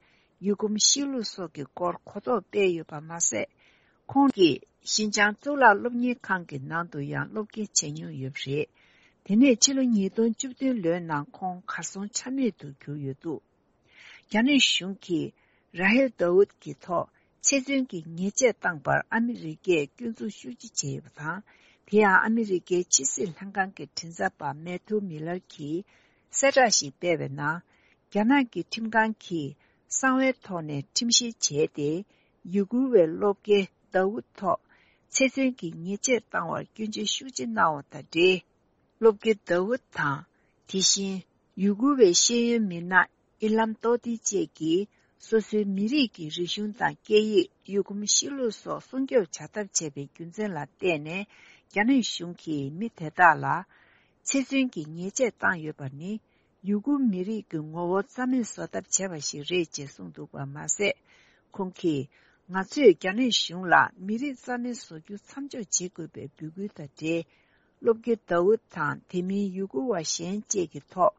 ཡུལ་གོམས་གཤིས་ལུགས་སོགས་ཀྱི་སྐོར་གོ་རྟོགས་སྤེལ་ཡོད་པ་མ་ཟད། ཁོང་གིས་ཞིན་ཅང་གཙུག་ལག་སློབ་གཉེར་ཁང་གི་ནང་དུ་ཡང་སློབ་དགེ་བྱས་མྱོང་ཡོད་པ་རེད། དེ་ནས་ཕྱི་ལོ་ཉིས་སྟོང་བཅུ་བདུན་ལོའི་ནང་ཁོང་གར་སོང་ཆ་མེད་དུ་གྱུར་ཡོད་འདུག། རྒྱ་ནག་གཞུང་གིས་ར་ཧེལ་དཱ་ཝུད་ཀྱི་ཐོག་ཚེ་བཙོན་གྱི་ཉེས་ཆད་བཏང་པར་ཨ་མི་རི་ཀས་སྐྱོན་འཛུགས་ཤུགས་ཆེ་བྱས་ཡོད་པ་དང་། དེ་ཡང་ཨ་མི་རི་ཀའི་ཕྱི་སྲིད་ལྷན་ཁང་གི་མགྲིན་ཚབ་པ་མེ་ཐུ་མི་ལར་གྱིས་གསལ་བསྒྲགས་ཤིག་སྤེལ་བའི་ནང་། རྒྱ་ནག་གི་ཁྲིམས་ཁང་གིས་གསང་བའི་ཐོག་ནས་ཁྲིམས་བཤེར་བྱས་ཏེ། ཡུ་གུར་བའི་སློབ་དགེ་དཱ་ཝུད་ཐོག་ཚེ་བཙོན་གྱི་ཉེས་ཆད་བཏང་བར་སྐྱོན་བརྗོད་ཤུགས་ཆེ་གནང་བ་དང་འབྲེལ། སློབ་དགེ་དཱ་ཝུད་དང་། དེ་བཞིན་ཡུ་གུར་བའི་ཤེས་ཡོན་མི་སྣ་ཨི་ལམ་ཏོ་ཏི་བཅས་ཀྱིས་སོ་སོའི་མི་རིགས་ཀྱི་རིག་གཞུང་དང་སྐད་ཡིག་ཡུལ་གོམས་གཤིས་ལུགས་སོགས་སྲུང་སྐྱོབ་བྱ་ཐབས་བྱས་པའི་རྒྱུ་མཚན་ལ་བརྟེན་ནས། རྒྱ་ནག་གཞུང་གིས་མི་དེ་དག་ལ་ཚེ་བཙོན་གྱི་ཉེས་ཆད་བཏང་ཡོད་པ་ནི། ཡུ་གུར་མི་རིགས་ཀྱི་ངོ་བོ་རྩ་མེད་བཟོ་ཐབས་བྱས་པ་ཞིག་རེད་ཅེས་གསུངས་འདུག་པ་མ་ཟད། ཁོང་གིས་ང་ཚོས་རྒྱ་ནག་གཞུང་ལ་མི་རིགས་རྩ་མེད་བཟོ་རྒྱུ་མཚམས་འཇོག་བྱེད་དགོས་པའི་འབོད་སྐུལ་དང་འབྲེལ། སློབ་དགེ་དཱ་ཝུད་དང་དེ་མིན་ཡུ་གུར་བ་གཞན་བཅས་ཀྱི་ཐོག་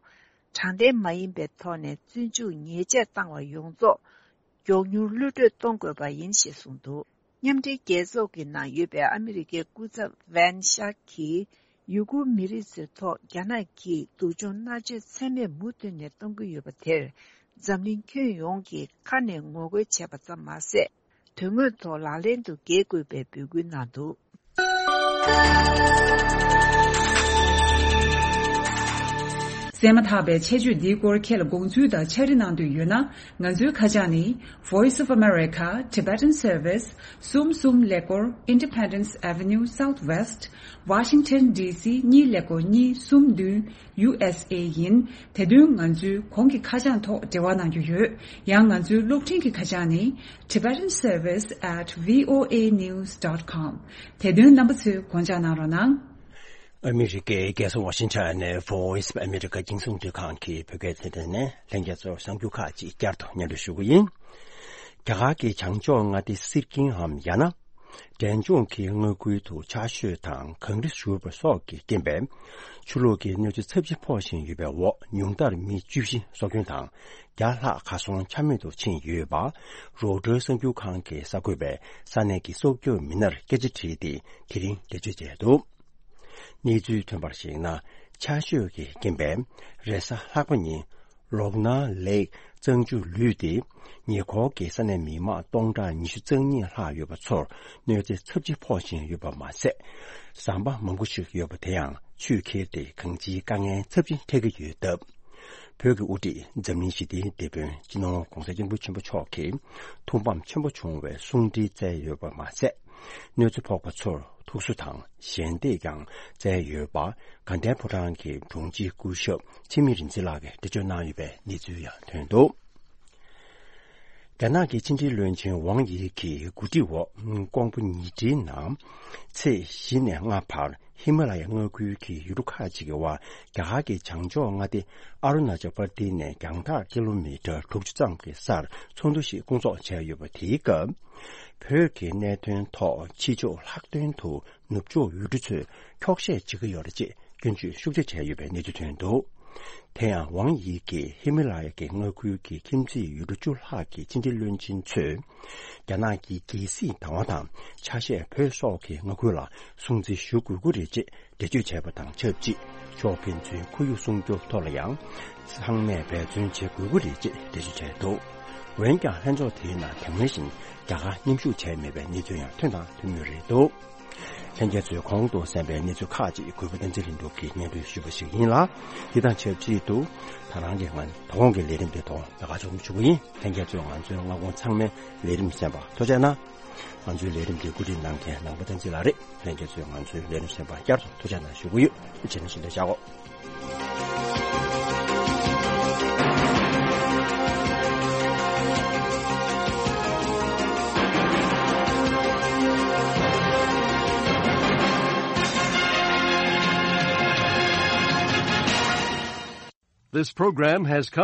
དྲང་བདེན་མ་ཡིན་པའི་ཐོག་ནས་བཙོན་འཇུག་ཉེས་ཆད་བཏང་བ་ཡོངས་རྫོགས་མགྱོགས་མྱུར་གློད་གྲོལ་གཏོང་དགོས་པ་ཡིན་ཞེས་གསུངས་འདུག། མཉམ་འབྲེལ་རྒྱལ་ཚོགས་ཀྱི་ནང་ཡོད་པའི་ཨ་མི་རི་ཀའི་སྐུ་ཚབ་ཝན་ཤག་གིས། ཡུ་གུར་མི་རིགས་ཚོའི་ཐོག་རྒྱ་ནག་གིས་སྡུག་སྦྱོང་མནར་གཅོད་ཚད་མེད་མུ་མཐུད་ནས་གཏོང་གི་ཡོད་པ་དེར། འཛམ་གླིང་ཁྱོན་ཡོངས་ཀྱིས་ཁ་ནས་ངོ་རྒོལ་བྱས་པ་ཙམ་མ་ཟད། དོན་དངོས་ཐོག་ལག་ལེན་དུ་འགེལ་དགོས་པའི་འབོད་སྐུལ་གནང་འདུག། གསན་མ་ཐག་པའི་ཆེད་བརྗོད་འདིའི་སྐོར་ཁྱེད་ལ་དགོངས་ཚུལ་དང་ཕྱག་བྲིས་གནང་འདོད་ཡོད་ན། ང་ཚོའི་ཁ་བྱང་ནི། Voice of America Tibetan Service གསུམ་གསུམ་ཀླད་ཀོར་Independence Avenue Southwest Washington D C གཉིས་ཀླད་ཀོར་གཉིས་གསུམ་བདུན། U S A ཡིན། དེ་དོན་ང་ཚོའི་གོང་གི་ཁ་བྱང་ཐོག་འབྲེལ་བ་གནང་རྒྱུ་ཡོད། ཡང་ང་ཚོའི་གློག་འཕྲིན་གྱི་ཁ་བྱང་ནི། Tibetan Service at V O A news dot com། དེ་དོན་རྣམ་པ་ཚོས་དགོངས་འཇགས་གནང་རོགས་གནང་། ཨ་མི་རི་ཀའི་རྒྱལ་ས་ཝ་ཤིང་ཊོན་ནས་Voice of America རྒྱང་སྲིང་རླུང་འཕྲིན་ཁང་གི་བོད་སྐད་སྡེ་ཚན་ནས་ལྷན་རྒྱས་ཚོར་གསར་འགྱུར་ཁག་ཅིག་བསྐྱར་དུ་སྙན་སྒྲོན་ཞུ་གི་ཡིན། རྒྱ་གར་གྱི་བྱང་ཕྱོགས་མངའ་སྡེ་སིར་ཀིན་འམ་ཡང་ན། འབྲས་ལྗོངས་ཀྱི་མངའ་ཁུལ་དུ་ཆར་ཞོད་དང་གངས་རི་ཞུ་བ་སོགས་ཀྱི་རྐྱེན་པས། ཆུ་ལོག་གི་གནོད་འཚེ་ཚབས་ཆེ་ཕོག་བཞིན་ཡོད་པའི་འོག་ཉུང་མཐར་མི་བཅུ་བཞི་སྲོག་སྐྱོན་དང་། བརྒྱ་ལྷག་གར་སོང་ཆ་མེད་དུ་ཕྱིན་ཡོད་པ། རོའི་ཊར་གསར་འགྱུར་ཁང་གི་གསར་འགོད་པས་ས་གནས་ཀྱི་སྲོག་སྐྱོབ་མི་སྣར་སྐད་ཆ་དྲིས་ཏེ་དེ་རིང་འགྲེལ་བརྗོད་བྱས་འདུག། གནས་ཚུལ་ཐོན་པར་གཞིགས་ན། ཆར་ཞོད་ཀྱི་རྐྱེན་པས་རེས་གཟའ་ལྷག་པ་ཉིན། ལོག་ན་ལེག་གཙང་ཆུ་ལུད་དེ། ཉེ་འཁོར་གྱི་ས་གནས་མི་མང་སྟོང་ཕྲག་ཉི་ཤུ་རྩ་གཉིས་ལྷག་ཡོད་པ་ཚོར་གནོད་འཚེ་ཚབས་ཆེ་ཕོག་བཞིན་ཡོད་པ་མ་ཟད། ཟམ་པ་མང་པོ་ཞིག་ཡོད་པ་དེ་ཡང་ཆུས་ཁྱེར་ཏེ་གང་ཅིའི་དཀའ་ངལ་ཚབས་ཆེན་འཕྲད་ཀྱི་ཡོད་སྟབས། བོད་ཀྱི་དབུ་ཁྲིད་འཛམ་གླིང་ཞི་བདེའི་དེད་དཔོན་སྤྱི་ནོར་༧གོང་ས་༧སྐྱབས་མགོན་ཆེན་པོ་མཆོག་གིས་ཐུགས་ཕམ་ཆེན་པོ་བྱུང་བའི་གསུང་འཕྲིན་བསྩལ་ཡོད་པ་མ་ཟད། གནོད་འཚེ་ཕོག་པ་ཚོར་ཐུགས་གསོ་དང་ཞལ་འདེབས་ཀྱང་བསྩལ་ཡོད་པ། དགའ་ལྡན་ཕོ་བྲང་གི་དྲུང་ཆེ་སྐུ་ཞབས་འཆི་མེད་རིག་འཛིན་ལགས་ཀྱིས་འགྲེལ་བརྗོད་གནང་ཡོད་པའི་གནས་ཚུལ་ཡང་ཐོན་འདུག། རྒྱ་ནག་གི་ཕྱི་འབྲེལ་བློན་ཆེན་ཝང་དབྱི་གིས་གོ་སྒྲིག་འོག་ཀོང་པོ་ཉིན་ཁྲིའི་ནང་ཚེས་བཞི་ནས་ལྔ་བར་ཧི་མ་ལ་ཡ་མངའ་ཁུལ་གྱི་ཡུལ་གྲུ་ཁག་ཅིག་གི་དབར་རྒྱ་གར་གྱི་བྱང་ཕྱོགས་མངའ་སྡེ་ཨ་རུ་ན་ཅལ་པར་ཏི་ནས་རྒྱང་ཐག་ཀི་ལོ་མི་ཊར་དྲུག་ཅུ་ཙམ་གྱི་སར་ཚོགས་འདུ་ཞིག་སྐོང་ཚོགས་བྱས་ཡོད་པ་དེའི་སྐབས། བོད་ཀྱི་གནད་དོན་ཐོག་ཕྱི་ཕྱོགས་ལྷག་དོན་དུ་ནུབ་ཕྱོགས་ཡུལ་གྲུ་ཚོས་འཁྱོག་བཤད་བྱེད་ཀྱི་ཡོད་རེད་ཅེས་སྐྱོན་བརྗོད་ཤུགས་ཆེ་བྱས་ཡོད་པའི་གནས་ཚུལ་ཐོན་འདུག། དེ་ཡང་ཝང་དབྱི་གིས་ཧི་མ་ལ་ཡ་གི་མངའ་ཁུལ་གྱི་ཁྱིམ་མཚེས་ཡུལ་གྲུ་བཅུ་ལྷག་གི་ཕྱི་འབྲེལ་བློན་ཆེན་ཚོས། རྒྱ་ནག་གི་རྒྱལ་སྲིད་དང་བ་དང་ཆ་ཤས་བོད་སོགས་ཀྱི་མངའ་ཁུལ་ལ་སྲུང་བརྩི་ཞུ་དགོས་ཀྱི་རེད་ཅེས་འགྲེལ་བརྗོད་བྱས་པ་དང་ཆབས་ཅིག། ཕྱོགས་ཕན་ཚུན་ཁོར་ཡུག་སྲུང་སྐྱོབ་ཐོག་ལ་ཡང་ཚང་མས་འབད་བརྩོན་བྱེད་དགོས་ཀྱི་རེད་ཅེས་འགྲེལ་བརྗོད་བྱས་འདུག། འོན་ཀྱང་ལྷན་ཚོགས་དེའི་ནང་དེ་སྔ་བཞིན་རྒྱ་གར་མཉམ་ཞུགས་བྱས་མེད་པའི་གནས་ཚུལ་ཡང་ཐོན་དང་ཐོན་མུས་རེད་འདུག། ལྷན་རྒྱས་ཚོས་གོང་དུ་གསན་པའི་གནས་ཚུལ་ཁག་ཅིག་གུས་པ་བསྟན་འཛིན་ལྷུན་གྲུབ་ཀྱིས་སྙན་སྒྲོན་ཞུས་པ་ཞིག་ཡིན་ལ། འདི་དང་ཆབས་ཅིག་ཏུ་ད་རང་གི་ང་དོ་དགོང་གི་ལས་རིམ་དེ་དོ་དགོང་ལ་ཞུ་གི་ཡིན། ལྷན་རྒྱས་ཚོས་ང་ཚོའི་སྔ་དགོང་ཚང་མའི་ལས་རིམ་གསན་པར་ཐུགས་རྗེ་གནང་། ང་ཚོའི་ལས་རིམ་འདི་བཀོད་སྒྲིག་གནང་མཁན་ནང་པ་བསྟན་འཛིན་ལགས་རེད། ལྷན་རྒྱས་ཚོས་ང་ཚོའི་ལས་རིམ་གསན་པར་བསྐྱར་དུ་ཐུགས་རྗེ་གནང་ཞུ་གི་ཡོད། བྱས་ན་ཞུ་འདོད་བྱ་གོ། This program has come